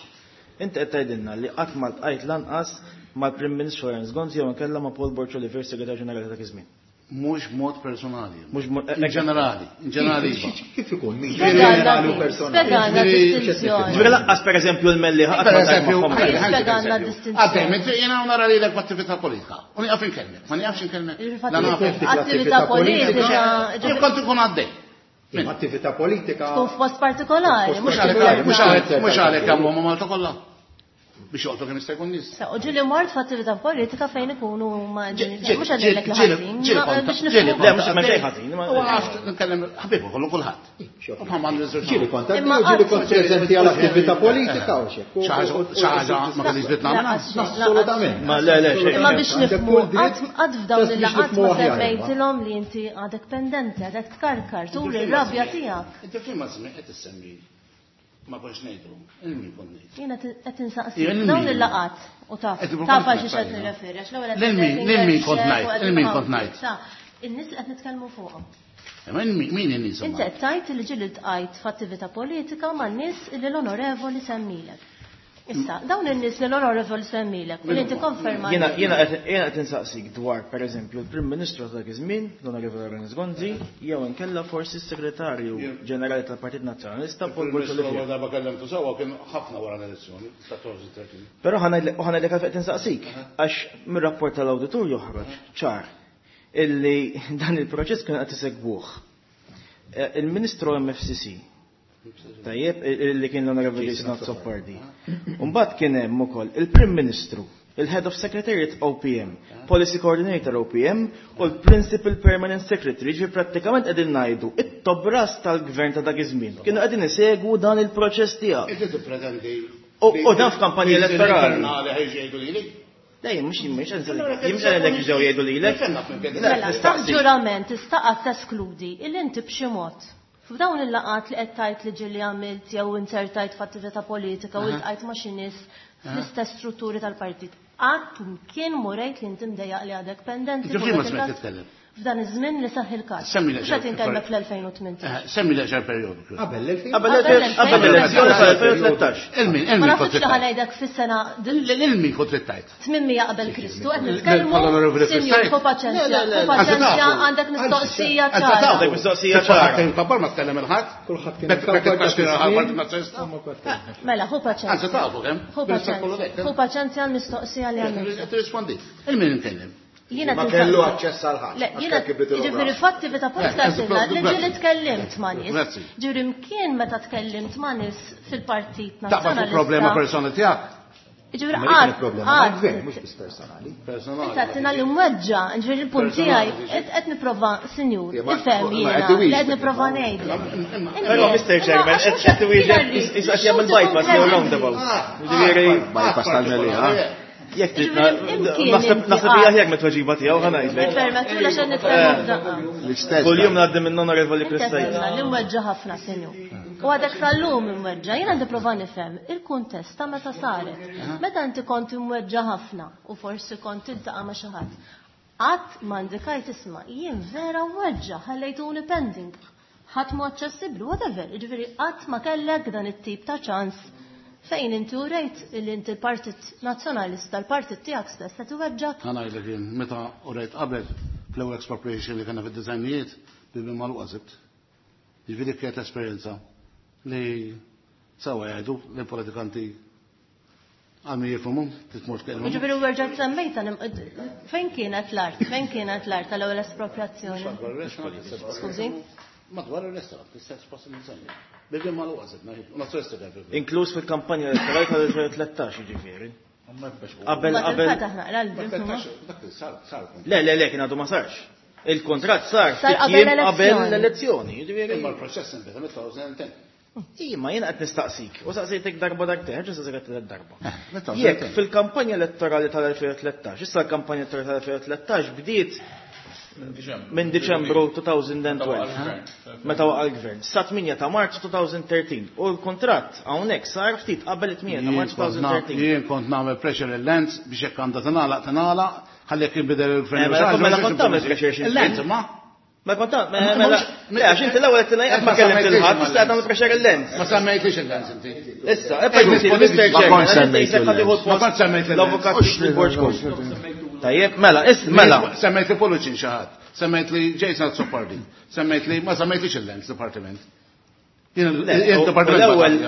S9: inti qed tgħidilna li qatt ma ltqajt lanqas mal-Prim Ministru Lawrence Gonzi jew inkella ma' Paul Borg Olivier, Segretarju Ġenerali ta' dak iż-żmien.
S10: Mhux mod personali.
S9: Mhux mod-
S10: In ġenerali, in ġenerali. iva.
S3: Kif ikun min
S8: Spjegalna
S3: ġenerali u
S8: din,
S3: personali?
S8: spjegalna
S10: Ġifieri-
S8: distinzjoni.
S9: Ġifieri lanqas pereżempju l-Melli ħadd
S10: Per
S9: ma ltqajt
S10: eżempju,
S9: magħhom.
S10: ħalli, ħalli,
S8: Spjegalna
S10: eżempju.
S8: distinzjoni.
S10: Għaddej, minn jiena nara lilek b'attività politika. U nieqaf inkellmek, ma nieqafx inkellmek.
S8: Il-fatt
S10: La naf.
S8: attività politika
S10: Jien kont ikun għaddej.
S3: Imma attività politika.
S8: tkun f'post partikolari, mhux
S10: Mhux għalhekk mhux għalhekk mhux għalhekk jagħmlu ma' Malta kollha. Biex joqgħdu kemm jista' jkun nies.
S8: Sa, u ġieli mort f'attività politika fejn ikunu ma
S10: Ġieli-
S8: mhux għadilek li
S10: ġieli-
S8: ħażin,
S10: ġieli
S8: ma-
S10: kont-
S8: biex
S10: ġieli
S8: nifhmu.
S9: Le, mhux ma xejn ħażin. ma-
S10: U għaft nkellem ħbibu kollu kulħadd. U bħal m'għandu żewġ
S3: Ġieli kont għaddej
S8: Imma
S3: u ġieli
S8: qatt-
S3: kont preżenti għal attività politika u xek.
S10: Xi ħaġa xi ħaġa ma kellix dritt nagħmilha.
S8: Laqas xejn, laqas
S3: Assolutament.
S9: Ma le, le, xejn.
S8: Imma biex
S3: Għandek
S8: nifhmu,
S3: kull dritt,
S8: qatt qatt f'dawn
S3: just biex
S8: il-laqgħat
S3: nifhmu
S8: ma
S3: aħjar, imma.
S8: semmejtilhom li inti għadek pendenti, għadek tkarkar, turi r-rabja tiegħek.
S10: Inti fim żmien qed issemmi ma kontx ngħidu, il-min kont ngħid.
S8: Jiena qed insaqsi
S10: Jien
S8: dawn
S10: min?
S8: il-laqgħat u taf
S10: Qed
S8: taf għal
S10: kont
S8: xi qed
S10: ngħid.
S8: nirreferi għax l-ewwel qed
S10: Lil min-
S8: ngħid
S10: lil min kont
S8: xek u
S10: ngħid,
S8: qed
S10: lil min
S8: nħabb.
S10: kont ngħid.
S8: Sa, in-nies li qed nitkellmu fuqhom.
S10: Imma min min in-nies
S8: Inti qed tgħid li ġieli ltqajt f'attività politika man nies li l-onorevoli semmilek. Issa, dawn in-nies li l-onorevoli semmilek u li inti konferma.
S9: Jiena jiena qed jiena qed insaqsik dwar pereżempju l-Prim Ministru ta' dak iż-żmien, l-Onorevoli Lawrence Gonzi, jew inkella forsi s-Segretarju Ġenerali tal-Partit Nazzjonalista Paul Borg
S10: Il-Ministru
S9: Olivier.
S10: l-ewwel darba kellemtu sewwa kien ħafna wara l-elezzjoni, ta' tlettax.
S9: Però ħa ngħidlek għalfejn qed insaqsik, għax mir-rapport tal-awditur joħroġ ċar illi dan il-proċess kien qed isegwuh. Eh, Il-Ministru M F C C, tajjeb, illi kien l-Onorevoli Jason Azzopardi. Mbagħad kien hemm ukoll il-Prim Ministru, il-Head of Secretariat O P M, Policy Coordinator O P M u l-Principal Permanent Secretary, ġi prattikament qegħdin ngħidu it-top brass tal-gvern ta' dak iż-żmien. Kienu qegħdin isegwu dan il-proċess tiegħek.
S10: Inti tippretendi.
S9: U dan f'kampanja elettorali.
S10: Internali ħa jgħidu lili?
S9: Dejjem mhux mhux jien mhux ġew jgħidu lilek.
S8: Mela, taħt ġurament tista' qatt teskludi illi inti b'xi mod f'dawn il-laqgħat li qed tgħid li ġieli għamilt jew insertajt f'attività politika u iltqajt ma' xi nies fl-istess strutturi tal-partit, qatt kien murejt li inti mdejjaq li għadek pendenti
S10: Ġifieri
S8: fuq
S10: ma
S8: dak
S10: smajt
S8: il-każ?
S10: titkellem.
S8: F'dan iż-żmien li seħħ il-każ.
S10: Semmi
S8: Mhux qed inkellmek fl-elfejn u tmintax.
S10: Semmi l-eqsar perjodu.
S3: Qabel l-elfejn.
S9: Qabel qabel l-elezzjoni tal-elfejn u tlettax.
S10: Il-min,
S8: Ma
S10: il-min
S8: naħsibx
S10: kont
S8: li
S10: trittajt.
S8: ħa ngħidlek fis-sena
S10: Il-min kont trittajt.
S8: tmienmija qabel Kristu, qed nitkellmu,
S10: L-Onorevoli
S8: sinjur,
S10: Kristajt.
S8: ħu paċenzja, ħu paċenzja, għandek mistoqsija ċara.
S9: Għandek mistoqsija ċara.
S10: Kabbar ma tkellem il-ħadd.
S3: Kulħadd kien
S10: Bekk
S3: ikabbar
S10: bekk
S3: dak iż-żmien.
S10: Nazzjonalista.
S8: Mela, ħu
S10: Anzi
S8: paċenzja.
S10: tafu kemm.
S8: Ħu paċenzja. Ħu paċenzja għall-mistoqsija li għamilt.
S10: Tirrispondi. Il-min inkellem.
S8: Jiena
S1: Ma
S8: tinsaqsi-
S1: kellu aċċess għal ħadd.
S8: Le, jiena ġifieri f'attività politika
S10: Eh,
S8: għedtilna li
S10: grazzi.
S8: ġieli tkellimt ma' nies.
S10: Grazzi.
S8: Ġifieri mkien meta tkellimt ma' nies fil-Partit
S10: Taqbad fuq problema
S8: Nazzjonalista.
S10: personali tiegħek.
S8: Ġifieri
S3: Ma dik kienet
S8: qatt,
S3: problema
S8: qatt.
S3: mal-gvern, mhux biss personali.
S10: Personali.
S8: Inta għedtilna li mweġġa', ġifieri il-punt tiegħi qed nipprova, sinjur,
S1: Ma-
S8: ifhem
S1: ma
S8: jiena
S1: qed iwieġbek.
S8: li qed nipprova ngħidlek.
S9: Però Mister Chairman, qed qed iwieġeb qed jagħmel bypass jew roundabout. Ġifieri
S1: Bypass tal-Mellieħa.
S9: Jekk trid
S8: Ġifieri imkien
S9: naħseb
S8: inti
S9: naħseb hija
S8: qatt.
S9: aħjar mit-tweġiba tiegħu ħa ngħidlek.
S8: Permettu għax nitkellmu f'daqqa.
S1: L-istess.
S9: Kuljum ngħaddi minn Onorevoli
S8: Inti
S9: Kristajt.
S8: għedtilna li mweġġa' ħafna, sinjur. U għadek sal-lum imweġġa', jiena nipprova nifhem il-kuntest ta' meta saret. Meta inti kont imweġġa' ħafna u forsi kont tiltaqa' ma' xi ħadd, qatt ma indikajt isma' jien vera mweġġa' ħallejtuni pending. Ħadd mu aċċessibbli, whatever. Jiġifieri qatt ma kellek dan it-tip ta' ċans fejn inti urejt li inti l-Partit Nazzjonalista, l-partit tiegħek stess qed iweġġak.
S10: Ħa ngħidlek jien, meta urejt qabel fl-ewwel expropriation li kellna fid-disgħinijiet, bibi magħluqa sibt. Jiġifieri kienet esperjenza li sewa jgħidu li politikanti għal min jifhimhom, titmur tkellmhom.
S8: Jiġifieri u rġajt semmejta fejn kienet l-art? Fejn kienet l-art tal-ewwel espropriazzjoni? Skużi?
S10: Madwar il-restaurant, l-istess post li nsemmi. Bibi magħluqa sibna, u nazzjonalisti kien fil-
S9: Inkluż fil-kampanja elettorali tal-elfejn u tlettax jiġifieri. Qabel
S8: Ma
S9: qabel
S8: tinfetaħ naqra l-bib.
S10: Dak li sar, sar.
S9: Le, le, le, kien għadu ma sarx. Il-kontrat sar
S8: Sar
S9: ftit
S8: qabel
S9: jiem qabel
S8: l-elezzjoni.
S9: l-elezzjoni. Jiġifieri.
S10: Imma l-proċess inbeda mit-elfejn u għaxra.
S9: Ija, jiena qed nistaqsik. U saqsejtek darba darbtejn, ġa saqsejtek tliet darba.
S10: Eh,
S9: Jekk fil-kampanja elettorali tal-elfejn u tlettax, issa l-kampanja elettorali tal-elfejn u tlettax bdiet minn Diċembru elfejn u tnax, meta waqa' l-gvern, sa tmienja ta' Marzu elfejn u tlettax. U l-kontratt hawnhekk sar ftit qabel it-tmienja ta' Marzu elfejn u tlettax.
S10: Jien kont nagħmel pressure il-Lands biex jekk għandha tingħalaq tingħalaq, ħalli jekk jinbidel il-gvern.
S9: Eh, mela mela kont tagħmel pressure xi
S10: Il-Lands ma.
S9: Ma kont mela mela le, għax inti l-ewwel qed tgħid ma kellimt il-ħadd, issa qed tagħmel pressure il-Lands.
S10: Ma semmejtix il-Lands inti.
S9: Issa, e permetti, Mister
S1: Ma
S9: Chairman,
S1: kont semmejt il-Lands.
S10: Ma kont semmejt il-Lands.
S9: L-avukat il-Borg. Tajjeb, mela, is mela.
S10: Semmejt li Poluċin xi ħadd, semmejt li Jason Azzopardi, semmejt li ma semmejtlix il-Lands Department. Jien il-Department.
S9: L-ewwel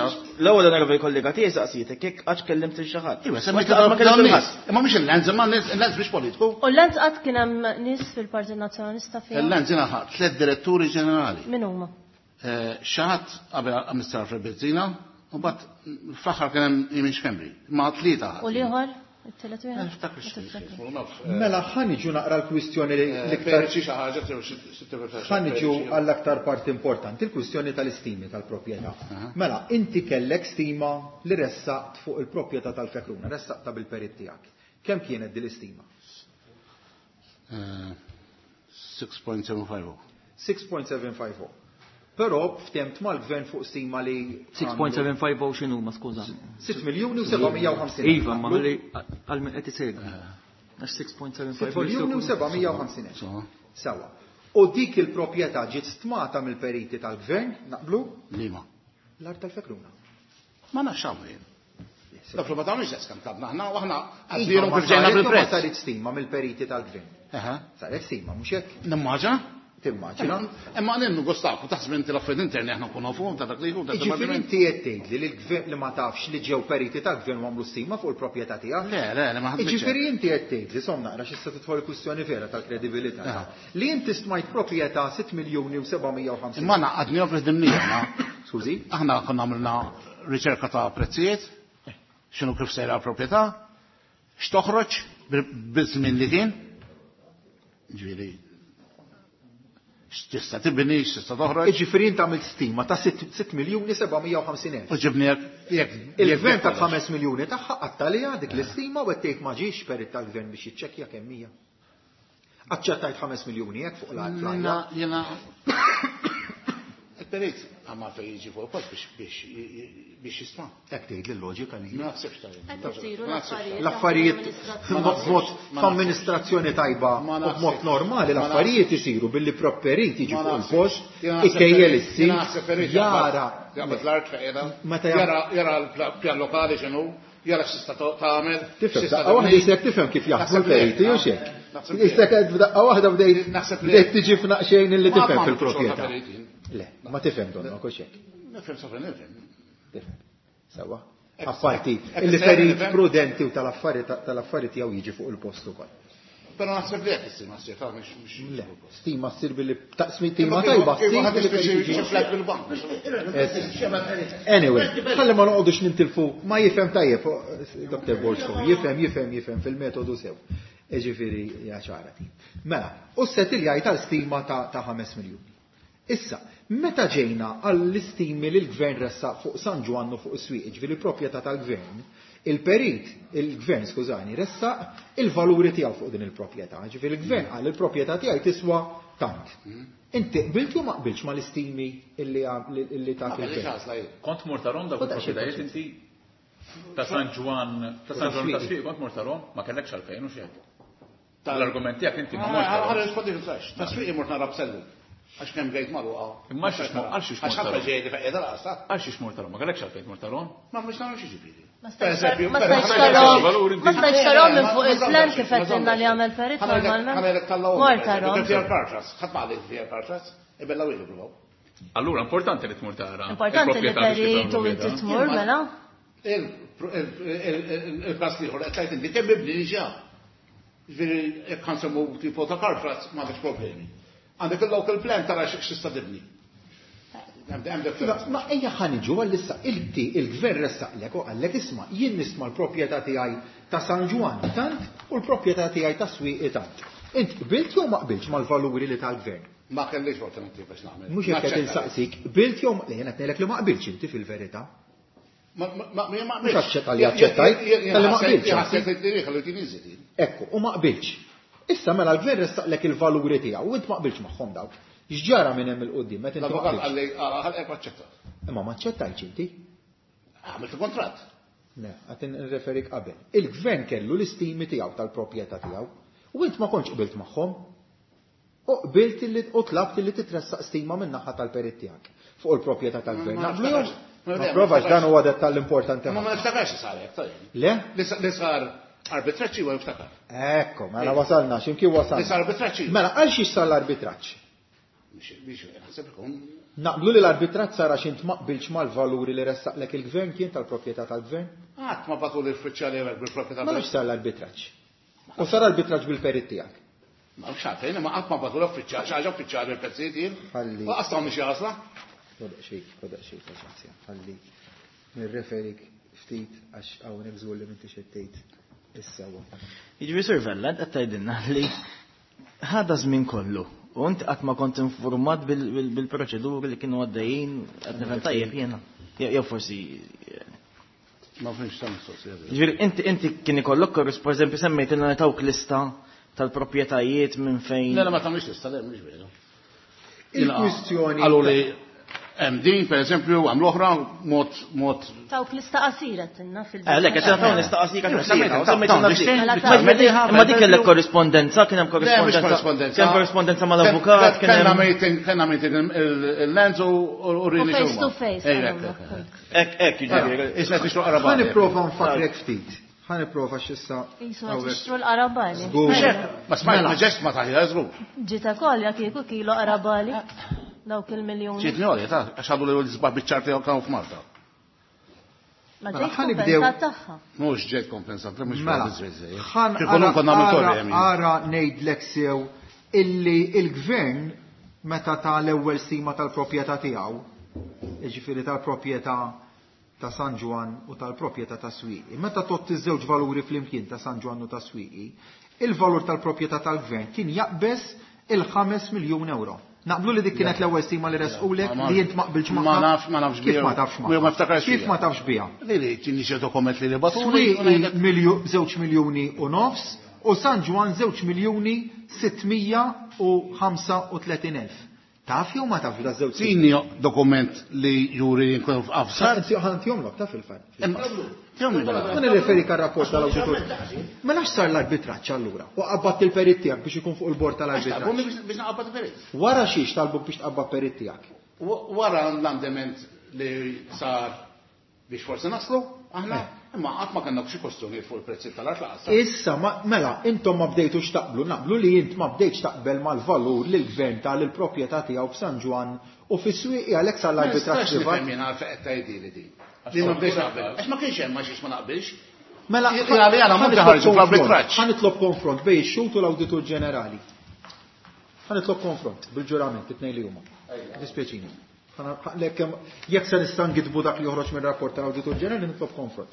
S9: l-ewwel onorevoli kollega tiegħi saqsitek jekk qatt kellimt il xi ħadd.
S10: Iva, semmejt
S9: Ma
S10: li
S9: kellimt
S10: dawn
S9: il-ħadd.
S10: Imma mhux il-Lands, imma il-Lands biex politiku.
S8: U l-Lands qatt kien hemm nies fil-Partit Nazzjonalista fiha?
S10: Il-Lands jiena ħadd tliet diretturi ġenerali.
S8: Min huma?
S10: Xi ħadd qabel Mister Alfred Bezzina, u bat fl-aħħar kien hemm Imin Schembri. Ma tlieta
S8: U l-ieħor? It-tielet wieħed?
S10: Niftakar x'ismu, naf.
S3: Mela ħa niġu naqra l-kwistjoni li l-iktar
S10: Xi ħaġa xi
S3: ħa niġu għall-aktar parti importanti, il-kwistjoni tal-istimi tal-proprjetà. Mela, inti kellek stima li ressaqt fuq il-proprjetà tal-Fekruna, ressaqta bil-perit tiegħek. Kemm kienet din l-istima?
S10: sitta punt seba' ħamsa.
S3: sitta punt seba' ħamsa. Però ftemt mal-gvern fuq stima li
S7: sitta punt seba' ħamsa x'inhu ma skuża.
S3: sitt miljuni u sebgħamija u ħamsin.
S7: Iva, ma ħalli għal min qed isegwi. Għax sitta punt seba' ħamsa
S3: sitt miljuni u sebgħamija u ħamsin. Sawa. U dik il-proprjetà ġiet stmata mill-periti tal-gvern, naqblu?
S10: Liema.
S3: L-art tal-Fekruna.
S10: Ma nafx hawn jien. Dak li ma tagħmilx qed tlabna aħna u aħna
S3: Iva,
S10: għaddilhom
S3: ma
S10: kif ġejna
S3: saret- ma
S10: bil-prezz.
S3: saret stima mill-periti tal-gvern.
S10: Aha.
S3: Saret stima, mhux hekk?
S10: Nimmaġina?
S3: Timmaġina.
S10: Imma għalin gustaku, taħseb inti l-affarijiet interni aħna nkunu nafuhom ta' dak li jkun ta'
S3: Jiġifieri
S10: dipartiment.
S3: inti qed tgħidli li l-gvern li ma tafx li ġew periti tal-gvern u għamlu stima fuq il-proprjetà tiegħek?
S10: Le, le, le, ma ħadmitx.
S3: Jiġifieri inti qed tgħidli, som naqra x'issa tidħol il-kwistjoni vera tal-kredibilità.
S10: Aha.
S3: Li inti stmajt proprjetà sitt miljuni u sebgħamija u ħamsin.
S10: Imma naqadni kif ħdimnija, aħna.
S3: Skużi?
S10: Aħna konna għamilna riċerka ta' prezzijiet, x'inhu kif sejra l-proprjetà, X'toħroġ biż-żmien li kien? Ġifieri x'tista' tibni, x'tista' toħroġ.
S3: Jiġifieri int għamilt stima ta' sitt miljuni seba' mija u ħamsin elf.
S10: U ġibni jekk
S3: Il-gvern ta' ħames miljuni tagħha qattalija dik l-istima u qed tgħid ma ġiex perit tal-gvern biex jiċċekkja kemm hija. Aċċettajt ħames miljuni hekk fuq l-art.
S10: Jiena il-perit għamma fejn jiġi fuq il-post biex biex jisma'.
S3: Hekk tgħid l-loġika li.
S10: Ma naħsibx tajjeb.
S8: Qed isiru l-affarijiet.
S3: L-affarijiet b'mod f'amministrazzjoni tajba u b'mod normali l-affarijiet isiru billi properit jiġi fuq il-post, ikejjel is-sit, jara.
S10: Jaqbad l-art fejn jara jara l-pjan lokali x'inhu, jara x'tista' tagħmel.
S3: Tifhem, daqqa waħda isek tifhem kif jaħdmu l-periti u x'hekk. Isek f'daqqa waħda bdejt tiġi f'naqxejn illi tifhem fil-proprjetà. Le, ma tifhem donna, kux hekk.
S10: Nifhem sofra nifhem.
S3: Tifhem. Sewa. Apparti, illi perit prudenti u tal-affari tiegħu jiġi fuq il-post ukoll.
S10: Però naħseb li hekk issir ma ssir, mhux mhux.
S3: Le, stima ssir billi taqsmi tima tajba ssir billi perit
S10: flat bil-bank.
S3: Anyway, ħalli ma noqogħdux nintilfu, ma jifhem tajjeb, Doktor Borg, jifhem, jifhem, jifhem fil-metodu sew. Ġifieri hija ċara ti. Mela, u s-setilja tal-stima ta' ħames miljuni. Issa, meta ġejna għall-istimi li l-gvern ressaq fuq San Ġwann u fuq is-swieq, ġifieri proprjetà tal-gvern, il-perit, il-gvern, skużani, ressaq il-valuri tiegħu fuq din il-proprjetà. Ġifieri il-gvern qal il-proprjetà tiegħi tiswa tant. Inti qbilt jew ma qbiltx mal-istimi illi ta' il-gvern?
S5: Kont mort tarahom dawk il-proprjetajiet inti ta' San Ġwann, ta' San Ġwann ta' Swieq, kont mort tarahom, ma kellekx għalfejn u xejn. L-argument tiegħek inti ma mortx tarahom.
S10: Ħa nirrispondi fil-flash. Ta' Swieq mort nara b'sellu. Għax kemm gejt magħluqa.
S5: Imma għal xiex mort, għal xiex mort
S10: Għax ħafna
S5: tarahom?
S10: ġejjed fejn qiegħda laqas, ta?
S5: Għal xiex mort tarahom? Ma kellekx għalfejn mort tarahom?
S10: Ma mhux nagħmel xi ġifieri.
S8: Ma
S10: Per eżempju,
S8: stajtx
S10: per
S8: tarahom.
S10: eżempju,
S8: Ma stajtx tarahom minn fuq
S10: ma
S8: il-plan
S10: żammx,
S8: kif
S10: ma
S8: qed
S10: żammx.
S8: li għamel perit
S10: Ħa ngħidlek-
S8: normalment.
S10: ħa ngħidlek tal-lawm,
S8: Mort
S10: per eżempju,
S8: tarahom.
S10: kif fiha l-kartras, ħadd ma qalli fiha l-kartras, ibella wieħed provaw.
S5: Allura importanti li tmur tara.
S8: Importanti li
S5: il-proprjetà biex
S8: perit
S5: tifhem
S8: u inti
S5: l-proprjetà.
S8: tmur mela.
S10: Il-każ ieħor qed tgħid inti kemm mibni diġà. Ġifieri jekk ħansemmu tipo ta' kartras m'għandekx problemi. Għandek il-local plan tara x'tista' tibni.
S3: Ma ejja ħa niġu għall-issa inti il-gvern ressaqlek u qallek isma' jien nisma' l-proprjetà tiegħi ta' San Ġwann tant u l-proprjetà tiegħi ta' Swieqi tant. Int qbilt jew ma qbiltx mal-valuri li tal-gvern?
S10: Ma kellix alternativa biex nagħmel.
S3: Mhux hekk qed insaqsik, qbilt jew ma le, jien qed ngħidlek li ma qbiltx inti fil-verità.
S10: Ma ma ma ma
S3: Mhux aċċetta li aċċettajt, tal-li ma qbiltx.
S10: Jien ħassejt li tiri li tiri.
S3: Ekku, u ma qbiltx. Issa mela l-gvern ressaqlek il-valuri tiegħu u int ma qbiltx magħhom dawk. X'ġara minn hemm il-qudiem meta inti ma
S10: L-avukat
S3: qbiltx?
S10: qalli ħalqek aċċetta.
S3: Imma ma aċċettajtx inti.
S10: Għamilt il-kontratt.
S3: Le, qed nirreferik qabel. Il-gvern kellu l-istimi tiegħu tal-proprjetà tiegħu u int ma kontx qbilt magħhom. U qbilt illi u tlabt illi titressaq stima minn naħa tal-perit tiegħek fuq il-proprjetà tal-gvern.
S10: Ma
S3: Naqblu jew?
S10: niftakarx. Ma
S3: Ma provax dan huwa dettall importanti
S10: Ma ma
S3: ħafna.
S10: niftakarx li sar hekk, tajjeb.
S3: Le?
S10: Li sar arbitraġġ huwa niftakar.
S3: Ekko, mela wasalna, x'imkien wasalna.
S10: Li sar arbitraġġ.
S3: Mela għal xiex sar l-arbitraġġ?
S10: Biex naħseb ikun.
S3: Naqblu li l-arbitraġġ sar għax int ma qbiltx mal-valuri li ressaqlek il-gvern kien tal-proprjetà tal-gvern?
S10: Qatt ma bagħtu l-uffiċjali hekk bil-proprjetà.
S3: Ma nafx sar l-arbitraġġ. U sar arbitraġġ bil-perit tiegħek.
S10: Ma nafx għalfejn, ma qatt ma bagħtu l-uffiċjali, xi ħaġa uffiċjali bil-prezzijiet jien.
S3: Ħalli.
S10: U qas tawni xi għażla.
S3: Kodaq xejn, kodaq xejn, paċenzja. Ħalli nirreferik ftit għax hawnhekk żgur li m'intix qed tgħid is-sewwa.
S9: Jiġifieri Sur Vella, qed tgħidilna li ħada żmien kollu u int qatt ma kont informat bil-proċeduri li kienu għaddejjin, qed nifhem tajjeb jiena. Jew forsi
S10: Ma fimx ta' mistoqsija.
S9: Jiġifieri inti inti kien ikollok korris, per eżempju semmejt ilna tawk lista tal-proprjetajiet minn fejn.
S10: Le, le, ma tagħmilx lista, le, mhux veru.
S3: Il-kwistjoni.
S10: Qalu li hemm din, per eżempju, hemm l-oħra, mod mod.
S8: Tawk lista qasira tinna fil-
S9: Eh, lek, qed tagħmel lista qasira
S10: Ija,
S9: kif
S10: semmejt,
S9: semmejt,
S10: ta'
S9: semmejt,
S10: ta'
S9: semmejt,
S8: ta'
S9: semmejt,
S10: ta'
S9: imma dik kellek korrispondenza, kien hemm
S10: Le, mhux
S9: korrispondenza.
S10: korrispondenza.
S9: Kien korrispondenza mal-avukat, kien
S10: Kellna
S9: hemm
S10: meeting, kellna meeting il-Lenz u u Rini
S8: Face to face.
S10: Ejja,
S9: Ek, ek, jiġifieri.
S10: Isna tixtru
S3: Ħa
S10: qarabani.
S3: nipprova nfakrek ftit. Ħa nipprova x'issa.
S8: Jisu qed tixtru l-qarabali.
S3: Żgur.
S10: Ma smajt, ma ġest ma taħja, żgur.
S8: Ġita kolja kieku kilo qarabali. Dawk il-miljoni.
S10: Ġietni għolja, ta' għax għadu li l-żbaħ biċ-ċarti kienu f'Malta.
S8: Ma
S3: Mela,
S8: ġejt
S3: ħa nibdew.
S8: kompensat tagħha.
S10: Mhux ġejt kompensat, mhux
S3: Mela,
S10: biżżejjed.
S3: ħan
S10: Kif konna konna nagħmlu
S3: ara
S10: torri, hemm.
S3: ara ngħidlek sew illi il-gvern meta ta' l-ewwel stima tal-proprjetà tiegħu, jiġifieri tal-proprjetà ta' San Ġwann u tal-proprjetà ta' Swieqi, meta tgħodd iż-żewġ valuri flimkien ta' San Ġwann u ta' Swieqi, il-valur tal-proprjetà tal-gvern kien jaqbeż il-ħames miljun euro. Naqblu li dik kienet l-ewwel stima li resqulek li int ma qbilx magħha.
S10: Ma nafx, ma nafx
S3: Kif ma tafx magħha?
S10: Ma niftakarx
S3: Kif ma tafx biha?
S10: Li li tieni xi dokument li li batuli.
S3: Swieqi żewġ miljuni u nofs u San Ġwann żewġ miljuni sittmija u ħamsa u tletin elf. Taf jew ma tafx da żewġ?
S10: Tini dokument li juri li nkun f'afsar.
S3: Ħantihomlok taf il-fatt. Ma nirreferi kar rapport tal-awditur. Mela x'sar l-arbitraġġ allura? U qabbadt il-perit tiegħek biex ikun fuq il-bord tal-arbitraġġ.
S10: Biex naqabbad il-perit.
S3: Wara xiex talbuk biex tqabbad perit tiegħek?
S10: Wara l-andament li sar biex forsi naslu, aħna, imma qatt ma kellna xi kwestjoni fuq il-prezzi tal-art laqas.
S3: Issa, mela, intom ma bdejtux taqblu, naqblu li int ma bdejtx taqbel mal-valur li l-gvern tal il-proprjetà tiegħu f'San Ġwann u fis-Swieqi għalhekk sar l-arbitraġġ privat.
S10: Ma nistax nifhem jien għalfejn qed tgħidili din. Li ma bdejtx naqbel. Għax ma kienx hemm għax ma naqbilx.
S3: Mela,
S10: Jien għalija ma ħarġu fl-arbitraġġ.
S3: Ħa nitlob konfront bejn ix-xhud u l-Awditur Ġenerali. Ħa nitlob konfront bil-ġurament it-tnejn li huma. Dispjaċini. Jekk se nista' ngidbu dak li joħroġ mir-rapport tal-Awditur Ġenerali nitlob konfront.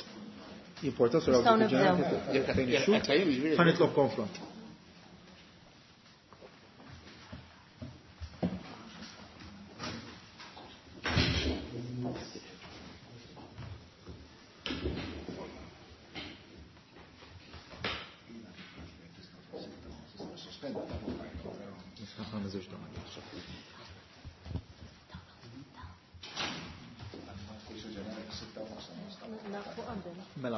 S3: Jimporta sur l-Awditur Ġenerali. Ħa nitlob konfront. Mela,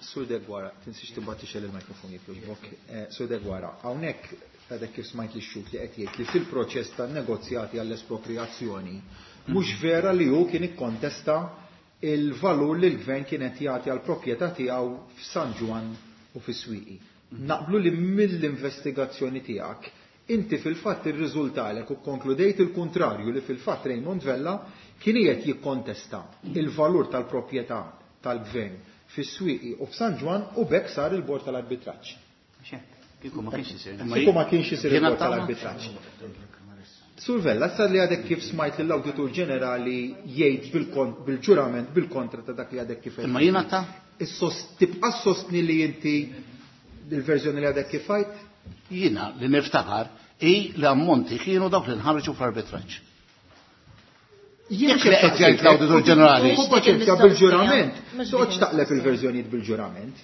S3: Sur Deguara, tinsiex tibgħat tixgħel il-mikrofon jekk jogħġbok. Sur Deguara, hawnhekk għadek kif smajt li x-xhud li qed jgħid li fil-proċess tan-negozjati għall-espropriazzjoni mhux vera li hu kien ikkontesta il-valur li l-gvern kien qed jagħti għall-proprjetà tiegħu f'San Ġwann u fis-Swieqi. Naqblu li mill-investigazzjoni tiegħek inti fil-fatt irriżultalek u konkludejt il-kontrarju li fil-fatt Raymond Vella kien qiegħed jikkontesta il-valur tal-proprjetà tal-gvern fis-Swieqi u f'San Ġwann u b'hekk sar il-bord tal-arbitraġġ.
S4: Kieku ma kienx isir.
S3: Kieku ma kienx isir il-bord tal-arbitraġġ. Sur Vella, sar li għadek kif smajt lill-Awditur Ġenerali jgħid bil-ġurament bil-kontra ta' dak li għadek kif
S10: Imma jiena ta'
S3: Tibqa' sostni li inti il-verżjoni li għadek kif għidt?
S10: Jiena li niftakar hi li ammonti kienu dawk li nħarġu fl-arbitraġġ.
S3: Jien
S10: Jekk li qed jgħid l-Awditur Ġenerali.
S3: Hu paċenzja bil-ġurament, toqgħodx taqleb il-verżjonijiet bil-ġurament.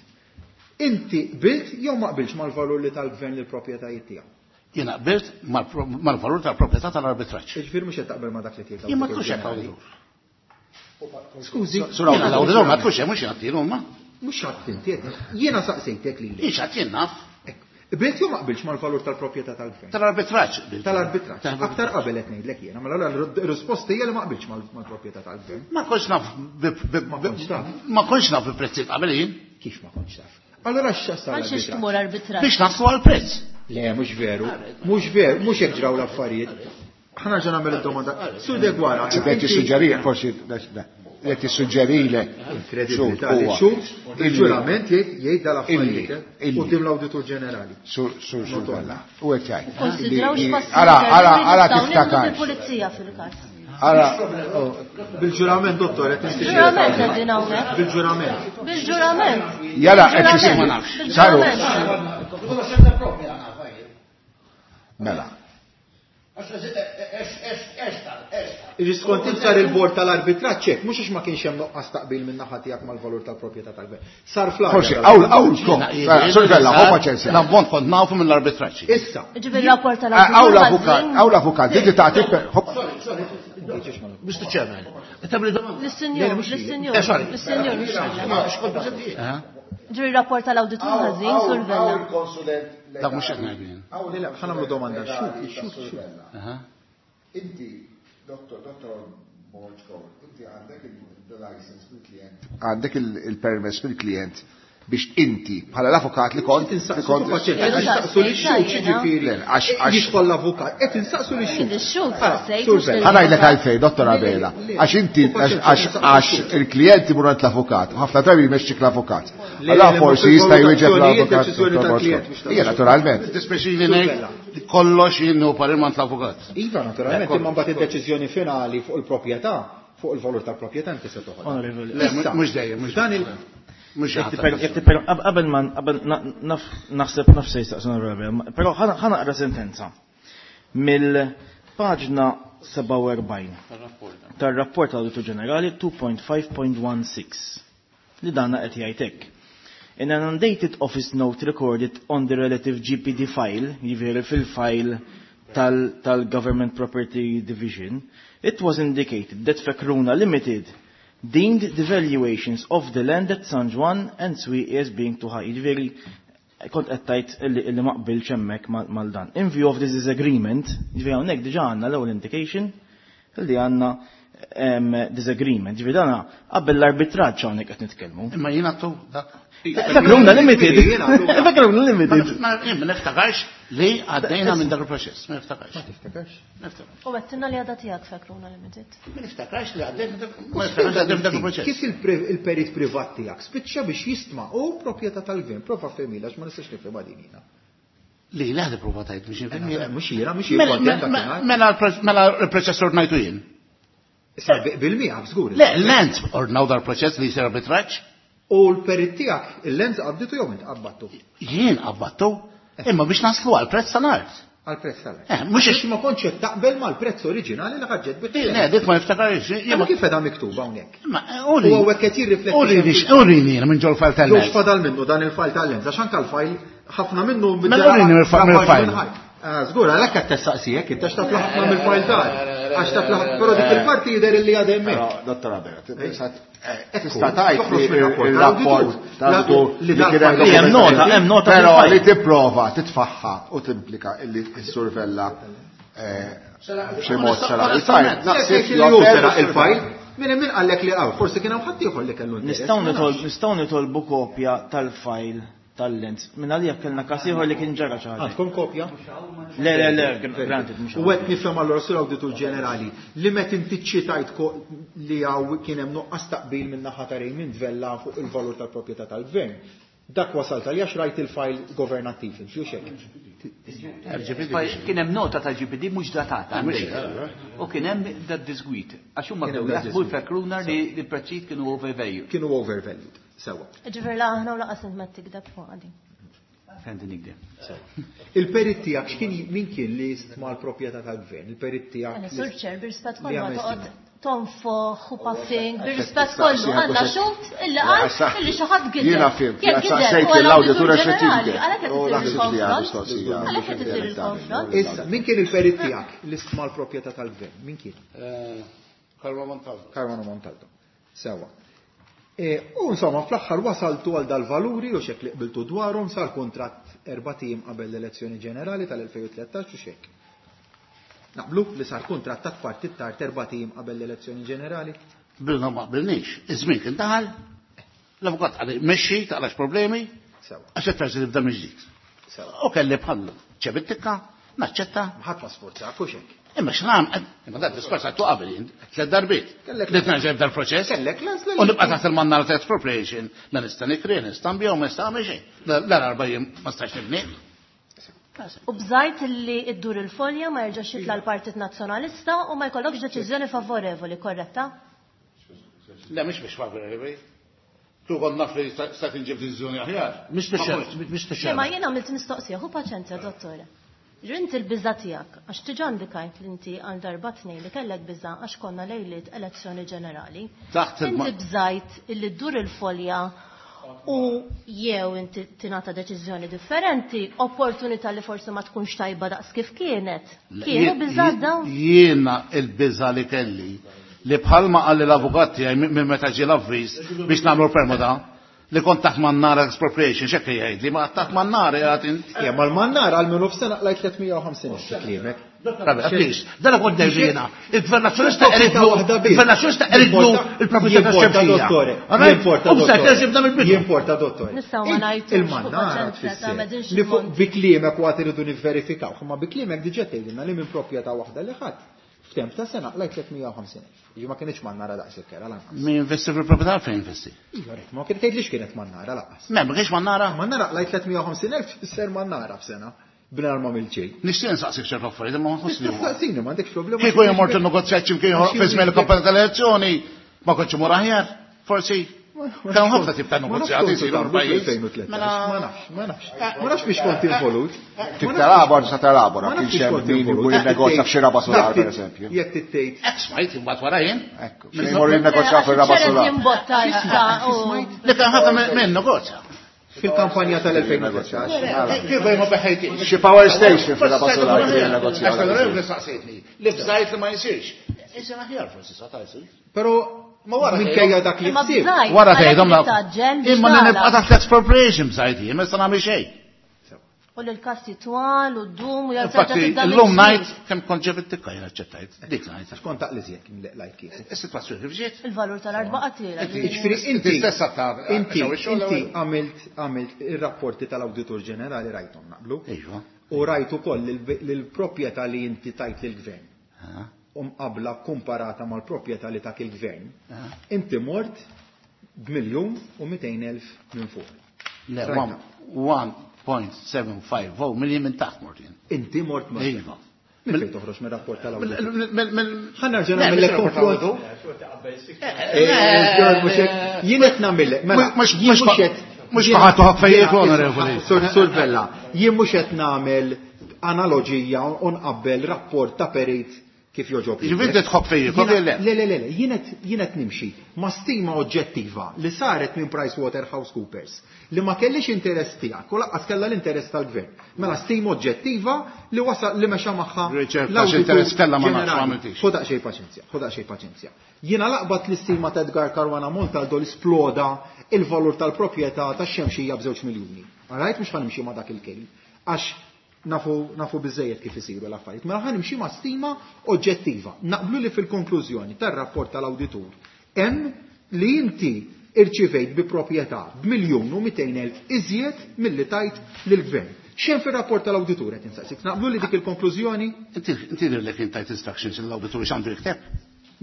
S3: Inti qbilt jew ma qbilx mal-valur li tal-gvern lill-proprjetajiet tiegħu?
S10: Jiena qbilt mal-valur tal-proprjetà tal-arbitraġġ.
S3: Jiġifieri mhux qed taqbel ma' dak li tgħid
S10: Jien ma tkunx hekk
S3: l-Awditur Ġenerali.
S10: l-Awditur.
S3: Skużi.
S10: Sur l-Awditur ma tkunx hemm mhux jgħattilu huma.
S3: Mhux għadd inti, jiena saqsejtek lili.
S10: Jien x'għadd jien naf.
S3: Qbilt jew ma qbilx mal-valur tal-proprjetà tal-gvern?
S10: Tal-arbitraġġ.
S3: Tal-arbitraġġ. Aktar qabel qed ngħidlek jiena, mela r-risposta hija li ma qbilx mal-proprjetà tal-gvern.
S10: Ma kontx naf ma kontx naf bi prezzijiet qabel jien.
S3: Kif ma kontx taf? Allora x'sar
S8: Għal xiex tmur arbitraġġ?
S10: Biex naslu għall-prezz.
S3: Le, mhux veru. Mhux veru, mhux hekk ġraw l-affarijiet. Ħa nerġa' nagħmel id-domanda. Sur Deguara,
S1: Qed tissuġġerih forsi qed tissuġġerilek.
S3: Inkredibbli tali xhud, il-ġurament jgħid dal-affarijiet quddiem l-Awditur Ġenerali.
S1: Sur sur sur Vella. U qed jgħid.
S8: Konsidraw x'passi
S1: Ara, ara, ara
S8: nistgħu nieħdu
S1: tiftakar.
S8: bil-pulizija fil-każ.
S1: Ara,
S3: bil-ġurament, dottor, qed tistiġi.
S8: Bil-ġurament qegħdin hawnhekk.
S3: Bil-ġurament.
S8: Bil-ġurament.
S1: Jara, qed tisimgħu. Saru. Mela.
S3: Iġi skont int sar il-bord tal-arbitraġġ hekk, mhux għax ma kienx hemm nuqqas taqbil minn naħa tiegħek mal-valur tal-proprjetà tal-gvern. Sar fl-arja.
S1: Forsi, hawn hawn Sur Vella, ħu paċenzja.
S10: L-ammont kont nafu mill-arbitraġġ.
S3: Issa.
S8: Ġifieri rapport tal-awditur.
S1: Hawn l-avukat, hawn l-avukat, inti tagħti
S6: Mister Chairman, tabli domanda.
S8: Lis-sinjur, lis-sinjur, lis-sinjur. Ġifieri rapport tal-awditur ħażin, Sur Vella.
S10: Dak mhux qed ngħid jien.
S3: Le, le, ħa nagħmlu domanda. Xut, xut, xut.
S1: Inti, dottor, dottor Borg, inti għandek il-license mill-klient. Għandek il-permess mill-klient biex inti bħala l-avukat li kont
S3: Insaqsu insaqsu li xhud ġifieri. Jidħol l-avukat, qed insaqsu li xhud.
S8: Ix-xhud
S1: Ħa ngħidlek għalfejn, dottor Abela, għax inti għax il-klient imur għand l-avukat, ħafna drabi jmexxik l-avukat. Allora forsi jista' jwieġeb l-avukat. Ija, naturalment.
S10: Dispeċini ngħid kollox jien hu parir m'għand l-avukat.
S3: Iva, naturalment, imma mbagħad id-deċiżjoni finali fuq il-proprjetà Fuq il-valur tal-proprjetà inti se toħodha.
S9: Onorevoli.
S10: Le, mhux dejjem, mhux
S3: Dan il-
S10: Mhux
S9: Jekk tipper- jekk tipper- qab- Qabel ma qabel na- naf- naħseb naf se jistaqsi onorevoli, però ħa ħa naqra sentenza mill-paġna sebgħa u erbgħin tar-rapport tal-Awditur Ġenerali two point five point one six li danna qed jgħid hekk. In an undated office note recorded on the relative G P D file, jiġifieri fil-file tal-Government Property Division, it was indicated that Fekruna Limited deemed the valuations of the land at San Juan and Swieqi as being too high. Jiġifieri kont qed tgħid illi illi ma qbilx hemmhekk mal dan. In view of this disagreement, jiġifieri hawnhekk diġà għandna l-ewwel indication illi għandna em, disagreement. Jiġifieri dana qabel l-arbitraġġ hawnhekk qed nitkellmu.
S10: Imma jiena tu dak.
S9: Fekruna Limited. Fekruna Limited.
S10: Ma jien ma niftakarx li għaddejna minn dak il-proċess, ma niftakarx.
S3: Ma tiftakarx?
S10: Niftakarx.
S8: U għedtilna li għadha tiegħek Fekruna Limited.
S10: Ma niftakarx li għaddejna ma niftakarx li għaddejna minn dak il-proċess.
S3: Kif il-pre- il-perit privat tiegħek spiċċa biex jistma u proprjetà tal-gvern, prova fehmila għax ma nistax nifhimha din jiena.
S10: Li li ħad prova tajt biex nifhem.
S3: Mhux jiena, mhux jiena
S10: Mela
S3: kont hemm dakinhar.
S10: mela l- mela l-proċess ordnajtu jien.
S3: Issa bil-mija żgur.
S10: Le, l-lens ordnaw dal-proċess li jsir arbitraġġ.
S3: U l-perit tiegħek il-lens qabditu jew int qabbattu?
S10: Jien qabbattu, imma biex naslu għal prezz tal-art.
S3: Għal prezz tal-art.
S10: Eh, mhux
S3: Għax ma kontx qed taqbel mal-prezz oriġinali li ħaġġet bih.
S10: Le, dik ma niftakarx. Jien
S3: Ma
S10: ma
S3: kif qedha miktuba hawnhekk?
S10: Ma
S3: U hawnhekk qed jirrifletti.
S10: Urini urini jiena minn ġol file
S3: Jew
S10: tal-lens.
S3: x'fadal minnu dan il-file tal-lens, għax anke l-file ħafna minnu
S10: Mela urini mill-file.
S3: Ah, żgur, għalhekk qed tessaqsijek, inti għax taf ħafna mill-file tal. Għax taf ħafna, però dik il-parti jidher illi għadha hemmhekk.
S1: Però, Dottor Abela, tista'
S3: Ekku,
S1: tista' tgħid
S3: toħroġ
S1: li
S3: mir-rapport
S1: il-rapport
S3: tal-awditur.
S1: tal-awditur
S3: Li
S1: li kien hemm
S3: dal-file-
S9: Hemm nota, hemm nota
S1: Però
S9: fil-file.
S1: li tipprova titfaħħa u timplika illi s-survella b'xi mod sara il-file. Naħseb
S3: Li hu seraq il-file, minn min qallek li hawn, forsi kien hawn ħadd ieħor li kellu interess.
S9: Nistgħu nitolbu nistgħu nitolbu kopja tal-file tal-lens. Minn għalija kellna każ ieħor li kien ġara xi ħaġa.
S3: Għandkom kopja?
S9: Le, le, le, granted, mhux
S3: U qed nifhem allura sur Awditur Ġenerali li meta inti ċitajt ko- li hawn kien hemm nuqqas taqbil minn naħa ta' Raymond Vella fuq il-valur tal-proprjetà tal-gvern. Dak wasalt għalija rajt il-file governattiv, inti hekk.
S4: Kien hemm nota tal-G P D mhux datata. U kien hemm dat disgwit. Għax huma
S3: Kien hemm
S4: bdew
S3: dat
S4: jaħsbu
S3: disgwit.
S4: l-Fekruna li l-prezzijiet kienu overvalued.
S3: Kienu overvalued. Sewa.
S8: Ġifieri la aħna u lanqas int ma tikdeb fuq din.
S4: Fendi nikdem.
S3: Il-perit tiegħek x'kien min kien li stma l-proprjetà tal-gvern? Il-perit tiegħek.
S8: Għana
S3: li-
S8: Sur Chair, bir-rispett
S3: li
S8: kollu ma
S3: għamel
S8: toqgħod
S3: stima.
S8: tonfoħ u puffing, bir-rispett kollu għandna xhud illi qal illi xi ħadd gideb.
S1: Jiena fimt,
S8: Jekk
S1: jiena
S8: gideb
S1: saqsejt
S8: huwa
S1: l-awditur
S8: l-Awditur
S1: għax qed
S8: Ġenerali,
S1: jikdeb.
S8: għalhekk qed
S1: U
S8: isir
S1: naħseb li għadu
S8: il-konfront.
S1: mistoqsija.
S8: Għalhekk qed isir il-konfront.
S3: Issa, min kien il-perit tiegħek li stma l-proprjetà tal-gvern? Min kien?
S10: Karma Montaldo.
S3: Carmano Montalto. Sewa. E, u insomma, fl-aħħar wasaltu għal dal-valuri u xek li qbiltu dwarhom sar kontratt erbat ijiem qabel l-elezzjoni ġenerali tal-elfejn u tlettax u xek. Naqblu li sar kontratt ta' partit tard erbat ijiem qabel l-elezzjoni ġenerali?
S10: Bilna ma qbilniex. Iż-żmien kien daħal, l-avukat għalli mexxi, taqlax problemi,
S3: Sewa.
S10: għax qed terġa' tibda mill-ġdid.
S3: Sewa.
S10: U kelli bħal ċebittika, naċċetta,
S3: Ħadd ma sforzak u xek.
S10: Imma x'nam, imma dak diskors għattu qabel jien, tliet darbiet.
S3: Kellek
S10: Li tnerġa' jibda l-proċess.
S3: Kellek l-għażla
S10: U
S3: li-
S10: nibqa' taħt il-mannara ta' expropriation, la nista' nikri, nista' nbigħu, ma nista' nagħmel xejn. L-arba jien ma stax nibni.
S8: U bżajt li iddur il-folja ma jerġax jitla l-Partit Nazzjonalista u ma jkollokx deċiżjoni favorevoli, korretta?
S10: Le, mhux biex favorevoli. Tu kont naf li sta tinġib deċiżjoni aħjar.
S6: Mister
S8: Le, ma
S6: Chairman.
S8: jien għamilt mistoqsija, ħu paċenzja, dottore. Ġrint il-biża tiegħek, għax diġà indikajt li inti għal darba tnejn li kellek biża għax konna lejliet elezzjoni ġenerali.
S10: Taħt il-ma-
S8: Inti bżajt illi ddur il-folja u jew inti tingħata deċiżjoni differenti, opportunità li forsi ma tkunx tajba daqs kif kienet. Kienu biża dawn?
S10: Jiena il-biża li kelli li bħalma qalli l-avukat tiegħi minn meta ġie l-avviż biex nagħmlu permuta li kont taħt mannara expropriation, x'hekk jgħid li ma taħt mannara jgħid int.
S3: Ja, ma l-mannar għal minnu f'sena qlajt tliet mija u ħamsin fi kliemek.
S10: Rabi, please, dan kont ngħid Il-Gvern Nazzjonalista
S3: Proprjetà
S10: eridlu,
S3: waħda biss.
S10: il-Gvern Nazzjonalista eridlu il-proprjetà
S3: Jimporta,
S10: tax-Xemxija.
S3: dottore.
S10: Alright?
S3: Jimporta,
S10: U b'sajt
S3: dottore.
S10: terġa' jibda mill-bidu.
S3: Jimporta, dottore.
S8: Nistgħu ma ngħidux
S3: Il-mannara
S8: fuq paċenzja ta'
S3: tfisser
S8: m'għedinx
S3: li fuq
S8: il-mont.
S3: bi kliemek u għad iridu nivverifikaw, imma bi kliemek diġà tgħidilna li minn proprjetà waħda li ħadd f'temp ta' sena qlajt tliet mija u ħamsin. Jiġi ma kienx mannara daqs il-kera lanqas.
S10: Min investi fil-proprjetà fejn investi?
S3: Iva, rek, ma kien tgħidlix kienet mannara lanqas.
S10: Me, ma kienx mannara?
S3: Mannara qlajt tliet mija u ħamsin elf tfisser mannara f'sena. B'nar ma għamilt xejn.
S10: Nixtieq nsaqsik ċertu affarijiet, imma ma nħoss li huma.
S3: Saqsini, m'għandekx problema.
S10: Kieku jien mort innegozjat x'imkien ieħor fi żmien il-kampanja tal-elezzjoni, ma kontx imur aħjar, forsi. Kienu ħafna tip ta' negozjati jsiru l-pajjiż.
S3: Ma nafx, ma nafx. Ma nafx biex kont involut.
S1: Trid telabora, tista' telabora, kienx hemm min imur jinnegozja f'xi raba solar, pereżempju.
S3: Jekk tittejt.
S10: Hekk smajt imbagħad wara jien.
S1: Ekku, xejn imur jinnegozja fir-raba solar.
S8: Jimbotta issa u.
S10: Li kien ħafna minn negozja.
S3: Fil-kampanja tal-elfejn u tlettax.
S10: Kif ma beħejtix?
S1: Xi power station fir-raba solar jinnegozja.
S10: Għax l-onorevoli saqsejtni, li bżajt li ma jsirx. Isir aħjar forsi sa ta' jsir.
S3: Però
S10: Ma wara
S3: minkejja dak li
S8: Imma
S3: ksib.
S8: bżajt.
S10: Wara
S8: għalhekk
S10: tgħidhom la.
S8: tgħaġġel biex
S10: Imma li nibqa'
S8: tagħlaq.
S10: taħt l-expropriation bżajt jien, ma nista' nagħmel xejn.
S8: U l-kassi twal u d-dum u
S10: Infatti, illum ngħid kemm kont ġeb it-tikka jien aċċettajt. Dik ngħid.
S3: Kont taqliżjek lajt kieku.
S10: Is-sitwazzjoni kif ġiet?
S8: Il-valur tal-arba qatira.
S3: Jiġifieri inti
S10: stessa ta'
S3: inti inti għamilt għamilt ir-rapporti tal-Awditur Ġenerali rajthom naqblu.
S10: Iva.
S3: U rajt ukoll lill-proprjetà li inti tajt lill-gvern. U mqabbla komparata mal-proprjetà li tak il-gvern. Inti mort b'miljun u mitejn elf minn fuq.
S10: Le, one point seven five oh million minn taħt mort jien.
S3: Inti mort ma'
S10: Iva.
S3: Minn fejn toħroġ mir-rapport tal-awditur?
S10: Ħa
S3: Ħa nerġa' nagħmellek konfront. Jien qed nagħmellek, mela,
S10: Mhux
S3: jien mhux qed
S10: mhux ħadd toħroq fejjek onorevoli.
S3: Sur Sur Vella, jien mhux qed nagħmel analoġija u nqabbel rapport ta' perit kif joġob.
S10: Jiġifieri inti tħobb fejjek,
S3: Jiena-
S10: le?
S3: Le, le, le, le, jien qed jien qed nimxi ma' stima oġġettiva li saret minn PricewaterhouseCoopers li ma kellix interess tiegħek u lanqas kellha l-interess tal-gvern. Mela stima oġġettiva li wasal li mexa magħha
S10: Riċerka
S3: l-awditur
S10: x'interess kellha ma nafx, ma
S3: ġenerali.
S10: għamiltix.
S3: Ħu daqsxejn paċenzja, ħu daqsxejn paċenzja. Jiena laqbat l-istima ta' Edgar Caruana Montaldo li sploda il-valur tal-proprjetà tax-xemxija b'żewġ miljuni. Alright, mhux ħa nimxi ma' dak il-kejl. Għax nafu, nafu biżejjed kif isiru l-affarijiet. Mela ħa nimxi ma' stima oġġettiva. Naqblu li fil-konklużjoni tar-rapport tal-awditur hemm li inti irċivejt bi proprjetà b'miljun u mitejn elf iżjed milli tajt lill-gvern. X'hemm fir-rapport tal-awditur qed insaqsik? Naqblu li dik il-konklużjoni?
S10: Inti inti li kien tajt instructions l-awditur x'għandu jikteb?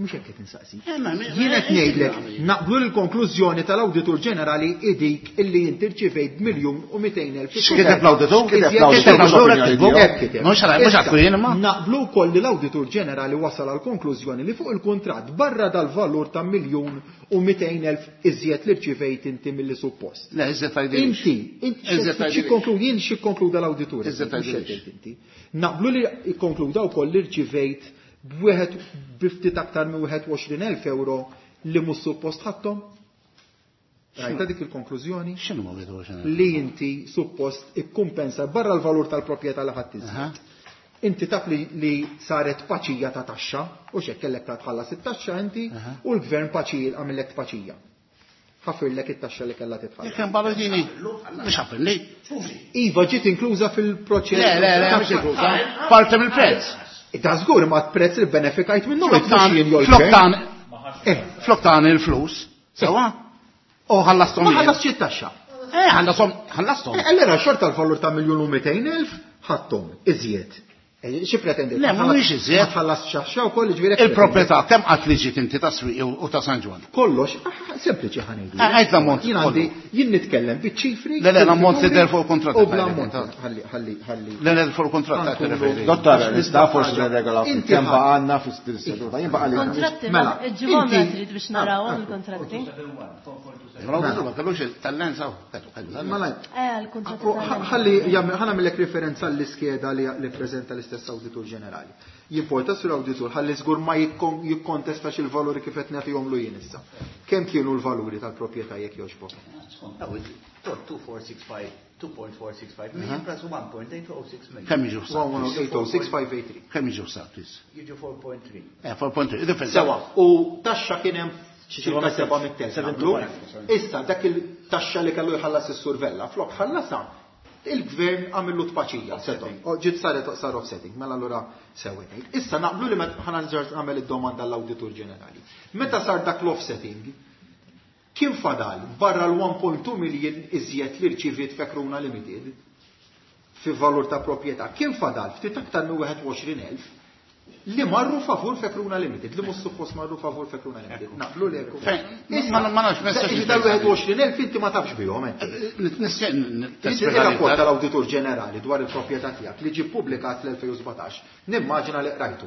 S3: Mhux hekk qed insaqsik.
S10: Eh, ma- ma-
S3: Jien qed ngħidlek naqblu l-konklużjoni tal-Awditur Ġenerali idik illi inti rċivejt miljun u mitejn elf.
S10: X'kiteb l-awditur?
S1: X'kiteb
S3: Iżjed
S1: l-awditur?
S3: kiteb
S1: Mhux
S3: Hekk kiteb.
S10: Mhux għal- mhux
S3: Issa,
S10: għadku jien imma.
S3: Naqblu wkoll li l-Awditur Ġenerali wasal għal konklużjoni li fuq il-kuntratt barra dal-valur ta' miljun u mitejn elf iżjed li rċivejt inti milli suppost.
S10: Le, iżjed tgħidilix.
S3: Inti, inti
S10: Iżjed tgħidilix.
S3: xi konklu- jien xi konkluda l-awditur.
S10: Iżjed
S3: mhux
S10: tgħidilix.
S3: qed inti. Naqblu li konkluda wkoll li rċivejt b'wieħed biftit aktar minn wieħed u għoxrin elf euro li mhux suppost ħadthom? Rajta dik il-konklużjoni?
S10: X'inhu ma wieħed u għoxrin elf?
S3: Li inti suppost ikkumpensa barra l-valur tal-proprjetà li ħadd iżjed. Inti taf li, li saret paċija ta' taxxa, u x'hekk kellek ta' tħallas it-taxxa inti, u l-gvern paċi għamillek tpaċija. Ħafirlek it-taxxa li kellha titħallas.
S10: Jekk hemm balladini, mhux ħafirli.
S3: Iva ġiet inkluża fil-proċess.
S10: Le, le, le, mhux inkluża. Parti mill-prezz.
S3: Da żgur ma prezz li benefikajt minnu
S10: Flok
S3: mhux jien jew
S10: flok
S3: l-gvern.
S10: tan
S3: Eh,
S10: flok tan il-flus, sewa? U ħallasthom
S3: Ma
S10: jien.
S3: ħallasx it-taxxa.
S10: Eh, ħallasthom, ħallasthom.
S3: Eh, Allura xorta l-valur ta' miljun u mitejn elf ħadthom iżjed. Eh, Xi pretendejt?
S10: Le, mhuwiex iżjed.
S3: Ma tħallas xaxxa wkoll jiġifieri hekk
S10: Il-proprjetà kemm qatt li ġiet inti ta' Swieqi u ta' San Ġwann?
S3: Kollox, ah, sempliċi ħa ngħidu.
S10: Eh, għid l-ammont
S3: Jien għandi, jien nitkellem biċ-ċifri.
S10: Le, le, l-ammont li der fuq il-kuntratt.
S3: U bl-ammont. Ħalli, ħalli, ħalli.
S10: Le, le, fuq il-kuntratt ta' tirreferi.
S1: Dottor, nista' forsi regola
S3: Inti
S1: kemm
S3: ħadd.
S1: baqgħanna fis-seduta. Jien baqa' li.
S8: Kontratti,
S3: Mela,
S8: ġibhom
S3: inti-
S8: trid biex narawhom il-kontratti.
S10: L-awditur ma kellux il-talent saw. Kellu, kellu talent.
S3: Mela,
S8: Eh, il-kontratti.
S3: U ħa- ħalli jagħmel- ħa nagħmellek referenza għall-iskeda li li preżenta l-istess Awditur Ġenerali. Jimporta sur Awditur ħalli żgur ma jikkon- jikkontestax il-valuri kif qed nagħtihomlu jien issa. Kemm kienu l-valuri tal-proprjetà jekk jogħġbok?
S4: two four six five, two point four six five million plus one point eight oh six million.
S10: Kemm jiġu f'saq?
S3: one one eight oh six five eight three.
S10: Kemm jiġu f'saq, please?
S4: Jiġu four point three.
S10: Eh, four point three. Differenza.
S3: Sewa, u taxxa kien hemm ċirka seba' mit-telf. Issa dak il-taxxa li kellu jħallas is-Sur Vella, flok ħallasha, il-gvern għamillu tpaċija, setgħu. O, ġiet saret sar offsetting, mela allura sewwa tgħid. Issa naqblu li meta ħa nerġa' nagħmel id-domanda l-Awditur Ġenerali. Meta sar dak l-offsetting, kien fadal barra l-one point two million iżjed li rċiviet Fekruna Limited fi valur ta' proprjetà, kien fadal ftit aktar minn wieħed u għoxrin elf Li marru favur Fekruna Limited, li mhux suppost marru favur Fekruna Limited. Naqblu li hekk.
S10: Ma nafx
S3: messaġġ tal-wieħed u għoxrin elf inti ma tafx bihom. Il-rapport tal-Awditur Ġenerali dwar il-proprjetà tiegħek li ġie ppubblikat fl-elfejn u sbatax, nimmaġina li qrajtu.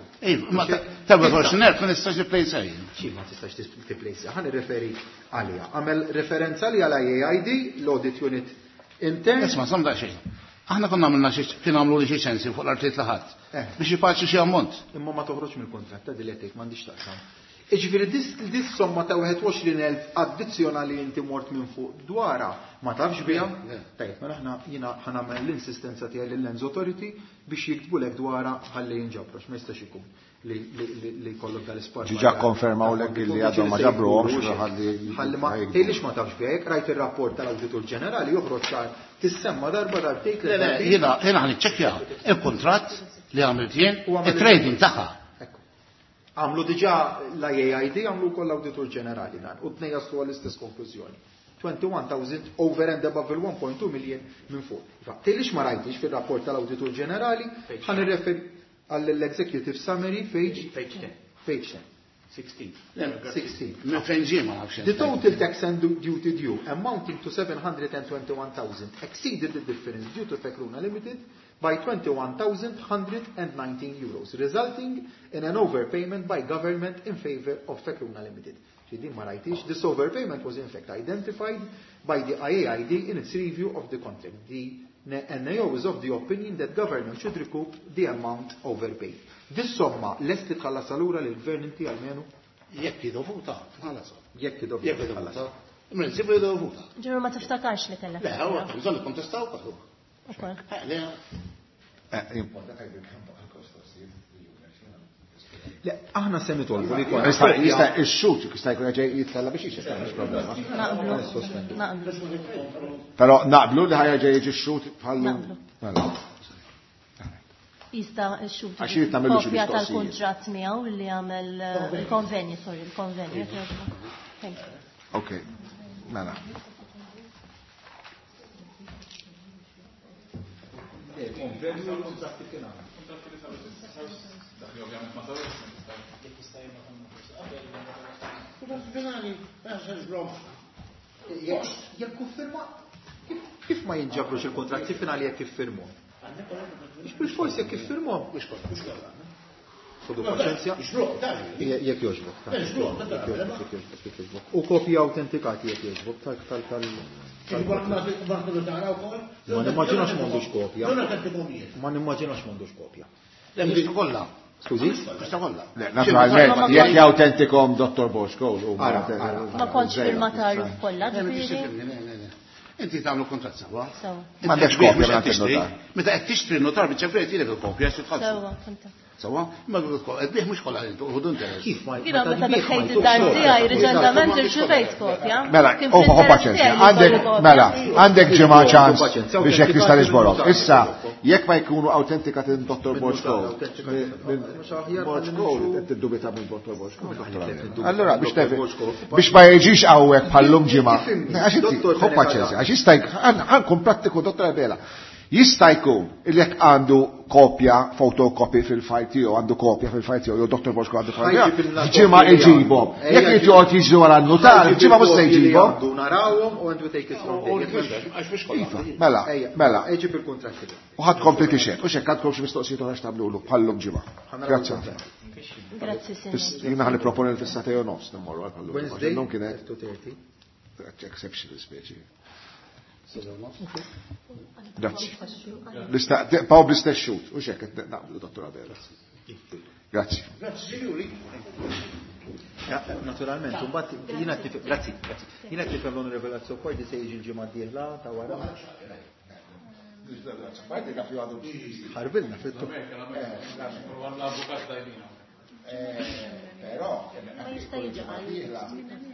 S10: Ma tal-wieħed u għoxrin elf ma nistax nipplejsha jien.
S3: Xi ma tistax tipplejsha, ħa nirreferi għaliha. Għamel referenza li għal I A I D, l-Audit Unit Intern.
S10: Isma' żomm daqsxejn. Aħna konna għamilna xi kien għamlu li xi ċensi fuq l-artijiet li ħadd. Biex jipaċu xi ammont.
S3: Imma ma toħroġ mill-kuntratt ta' din li qed m'għandix taqsam. Jiġifieri dis somma ta' wieħed u għoxrin elf addizzjonali inti mort minn fuq dwarha ma tafx biha. Tajjeb, mela aħna jiena ħa nagħmel l-insistenza tiegħi lill-Lands Authority biex jiktbulek dwarha ħalli jinġabru, ma jistax ikun li li jkollok dal-ispazju.
S1: Ġiġa konfermaw lek li għadhom ma ġabruhomx ħalli
S3: ħalli ma tgħidlix ma tafx biha, jekk rajt ir-rapport tal-Awditur Ġenerali joħroġ ċar tissemma darba darbtejn
S10: Le, le, jiena jiena ħa niċċekkja il-kuntratt li għamilt jien, it-trading tagħha.
S3: Għamlu diġà l-I A I D, għamlu wkoll l-Awditur Ġenerali dan, u tnejn jaslu għall-istess konklużjoni. twenty-one thousand over and above il-one point two million minn fuq. Tgħidlix ma rajtix fir-rapport tal-Awditur Ġenerali, ħa nirreferi għall-Executive Summary, page
S4: Page ten.
S3: Page ten.
S4: sixteen.
S3: sixteen.
S10: Minn fejn ġie ma nafx.
S3: The total tax and duty due amounting to seven hundred and twenty-one thousand exceeded the difference due to Fekruna Limited by twenty-one thousand hundred and nineteen euros, resulting in an overpayment by government in favor of Fekruna Limited. Din ma rajtix, this overpayment was in fact identified by the I A I D in its review of the contract. The N A O is of the opinion that government should recoup the amount overpaid. This somma lest li tħallas allura lill-gvern inti għalmenu?
S10: Jekk dovuta, tħallasha.
S3: Jekk dovuta,
S10: Jekk dovuta. In prinċipju dovuta.
S8: Ġeru ma tiftakarx li kellek.
S10: Le, huwa bżonn ikkontestaw ukoll.
S8: Ukoll.
S10: Le.
S3: Le, aħna se nitolbu li jkun.
S1: Jista' jista' ix-xut jista' jkun ġej jitlella biex jixtieq, mhux problema.
S8: Naqblu. Naqblu.
S1: Però naqblu li ħajja ġej jiġi x-xut bħallu.
S8: Naqblu.
S1: Mela.
S8: Jista' x-xut
S1: Għax irid nagħmlu xi
S8: kopja
S1: mistoqsijiet.
S8: tal-kuntratt miegħu li għamel il-konvenju, sorry, il-konvenju. Thank you.
S1: Ok, mela.
S3: Il-konvenju u l-kontratti kien għamel. Jekk iffirma, kif ma jinġabrux il-kontratti finali jekk iffirmuhom? Mhux bil-forsi jekk iffirmuhom. Ħodu paċenzja. Jekk jogħġbok. Jekk jogħġbok. U kopji autentikati jekk jogħġbok tal tal tal. Ma nimmaġinax m'għandux kopja. Ma nimmaġinax m'għandux kopja.
S10: Le, mhux kollha.
S3: Skużi?
S10: Mhux kollha.
S1: Le, naturalment, jekk jawtentikom Dottor Bosco, u
S3: Ara,
S1: ma-
S3: ara.
S8: Ma kontx firmatarju kollha,
S10: Le, ma
S8: ġifieri?
S10: tixtri, le, le, le. Inti tagħmlu kuntratt sewwa.
S8: Sewwa.
S1: Ma għandekx
S10: Inti mhux
S1: kopja
S10: qed
S1: minn
S10: tixtri.
S1: notar.
S10: Meta qed tixtri n-notar biċ-ċempel jagħtilek il-kopja xi tħallsu.
S8: Sewwa, fimtek.
S10: Sewwa, ma qed mhux kollha intu, ħudu interess.
S3: Kif ma
S8: Jiena meta
S3: meta tbieħ ma
S8: daħħejt
S3: jtux
S8: id-dar
S3: xogħol.
S8: tiegħi riċentament irċivejt kopja.
S1: Mela,
S8: Kien
S1: u ħu
S8: fl-interess
S1: paċenzja.
S8: tiegħi li
S1: Għandek,
S8: jkollu kopja.
S1: mela, għandek ġimgħa ċans
S3: Paċenzja,
S1: biex jekk tista' niġborhom.
S3: autentikati
S1: Issa, jekk ma jkunu autentikati minn Dottor
S3: Minn
S1: Bosco,
S3: notar, autentikati
S1: minn
S3: mhux aħjar
S1: Bosco,
S3: ħalli nimxu.
S1: qed tiddubita minn Dottor Bosco.
S3: Allura,
S1: Allura, biex tefi, biex ma jiġix hawnhekk bħallum ġimgħa.
S3: Tifhimni,
S1: Għax inti,
S3: Dottor
S1: ħu
S3: Fenech
S1: paċenzja,
S3: Adami.
S1: għax jista' jkun, ħankun prattiku Dottor Abela. Jista' jkun il jekk għandu kopja, fotokopji fil-fajl tiegħu, għandu kopja fil-fajl tiegħu, jew Dottor Bosco għandu fajl
S3: Ħajġib
S1: tiegħu,
S3: il-kopji
S1: ġimgħa
S3: li għandu.
S1: iġibhom.
S3: Ejja,
S1: Jekk
S3: ġib-
S1: joqgħod jiġri wara n-notar,
S3: Ħajġib
S1: ġimgħa mhux se
S3: il-kopji li
S1: jġibhom.
S3: għandu narawhom u and we take it from there.
S10: Għax mhux kollha.
S1: Mela,
S3: Ejja,
S1: mela.
S3: Ejġib il-kuntratti.
S1: U ħadd kompli tixed, u xekk għandkom xi mistoqsijiet oħra x'tagħmlulu bħallum ġimgħa.
S3: Ħanaraw
S1: Grazzi.
S3: il-kuntratti.
S8: Grazzi,
S1: Fis-
S8: Sinjor.
S1: Jiena ħalli proponi fis-satej u nofs nimmorru għal bħallum.
S3: Wednesday,
S1: Illum kienet
S3: two thirty.
S1: exceptional speċi. Grazzi. L-ista- Paw bl-istess xut, u xekk qed naqblu Dottor Abela. Grazzi.
S10: Grazzi, sinjuri.
S3: Ja, naturalment, u mbagħad jiena tif- grazzi, grazzi. Jiena tifhem l-Onorevole Azzopardi se jiġi l-ġimgħa d-dieħla ta' wara. Ħarbilna fit-tu.
S1: Però,
S8: Ma jista' jiġi għal.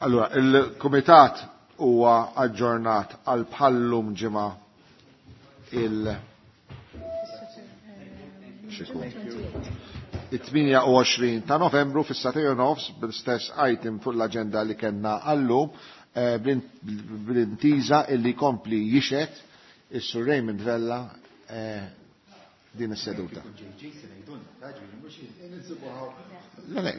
S1: Allora, il-Kumitat huwa aġġornat għal bħallum ġimgħa il- it-tmienja u għoxrin ta' Novembru fis-sagħtejn u nofs bl-istess item fuq l-aġenda li kellna għallum, eh, bl-intiża illi kompli jixhed is-Sur Raymond Vella eh, din is-seduta. Le, le,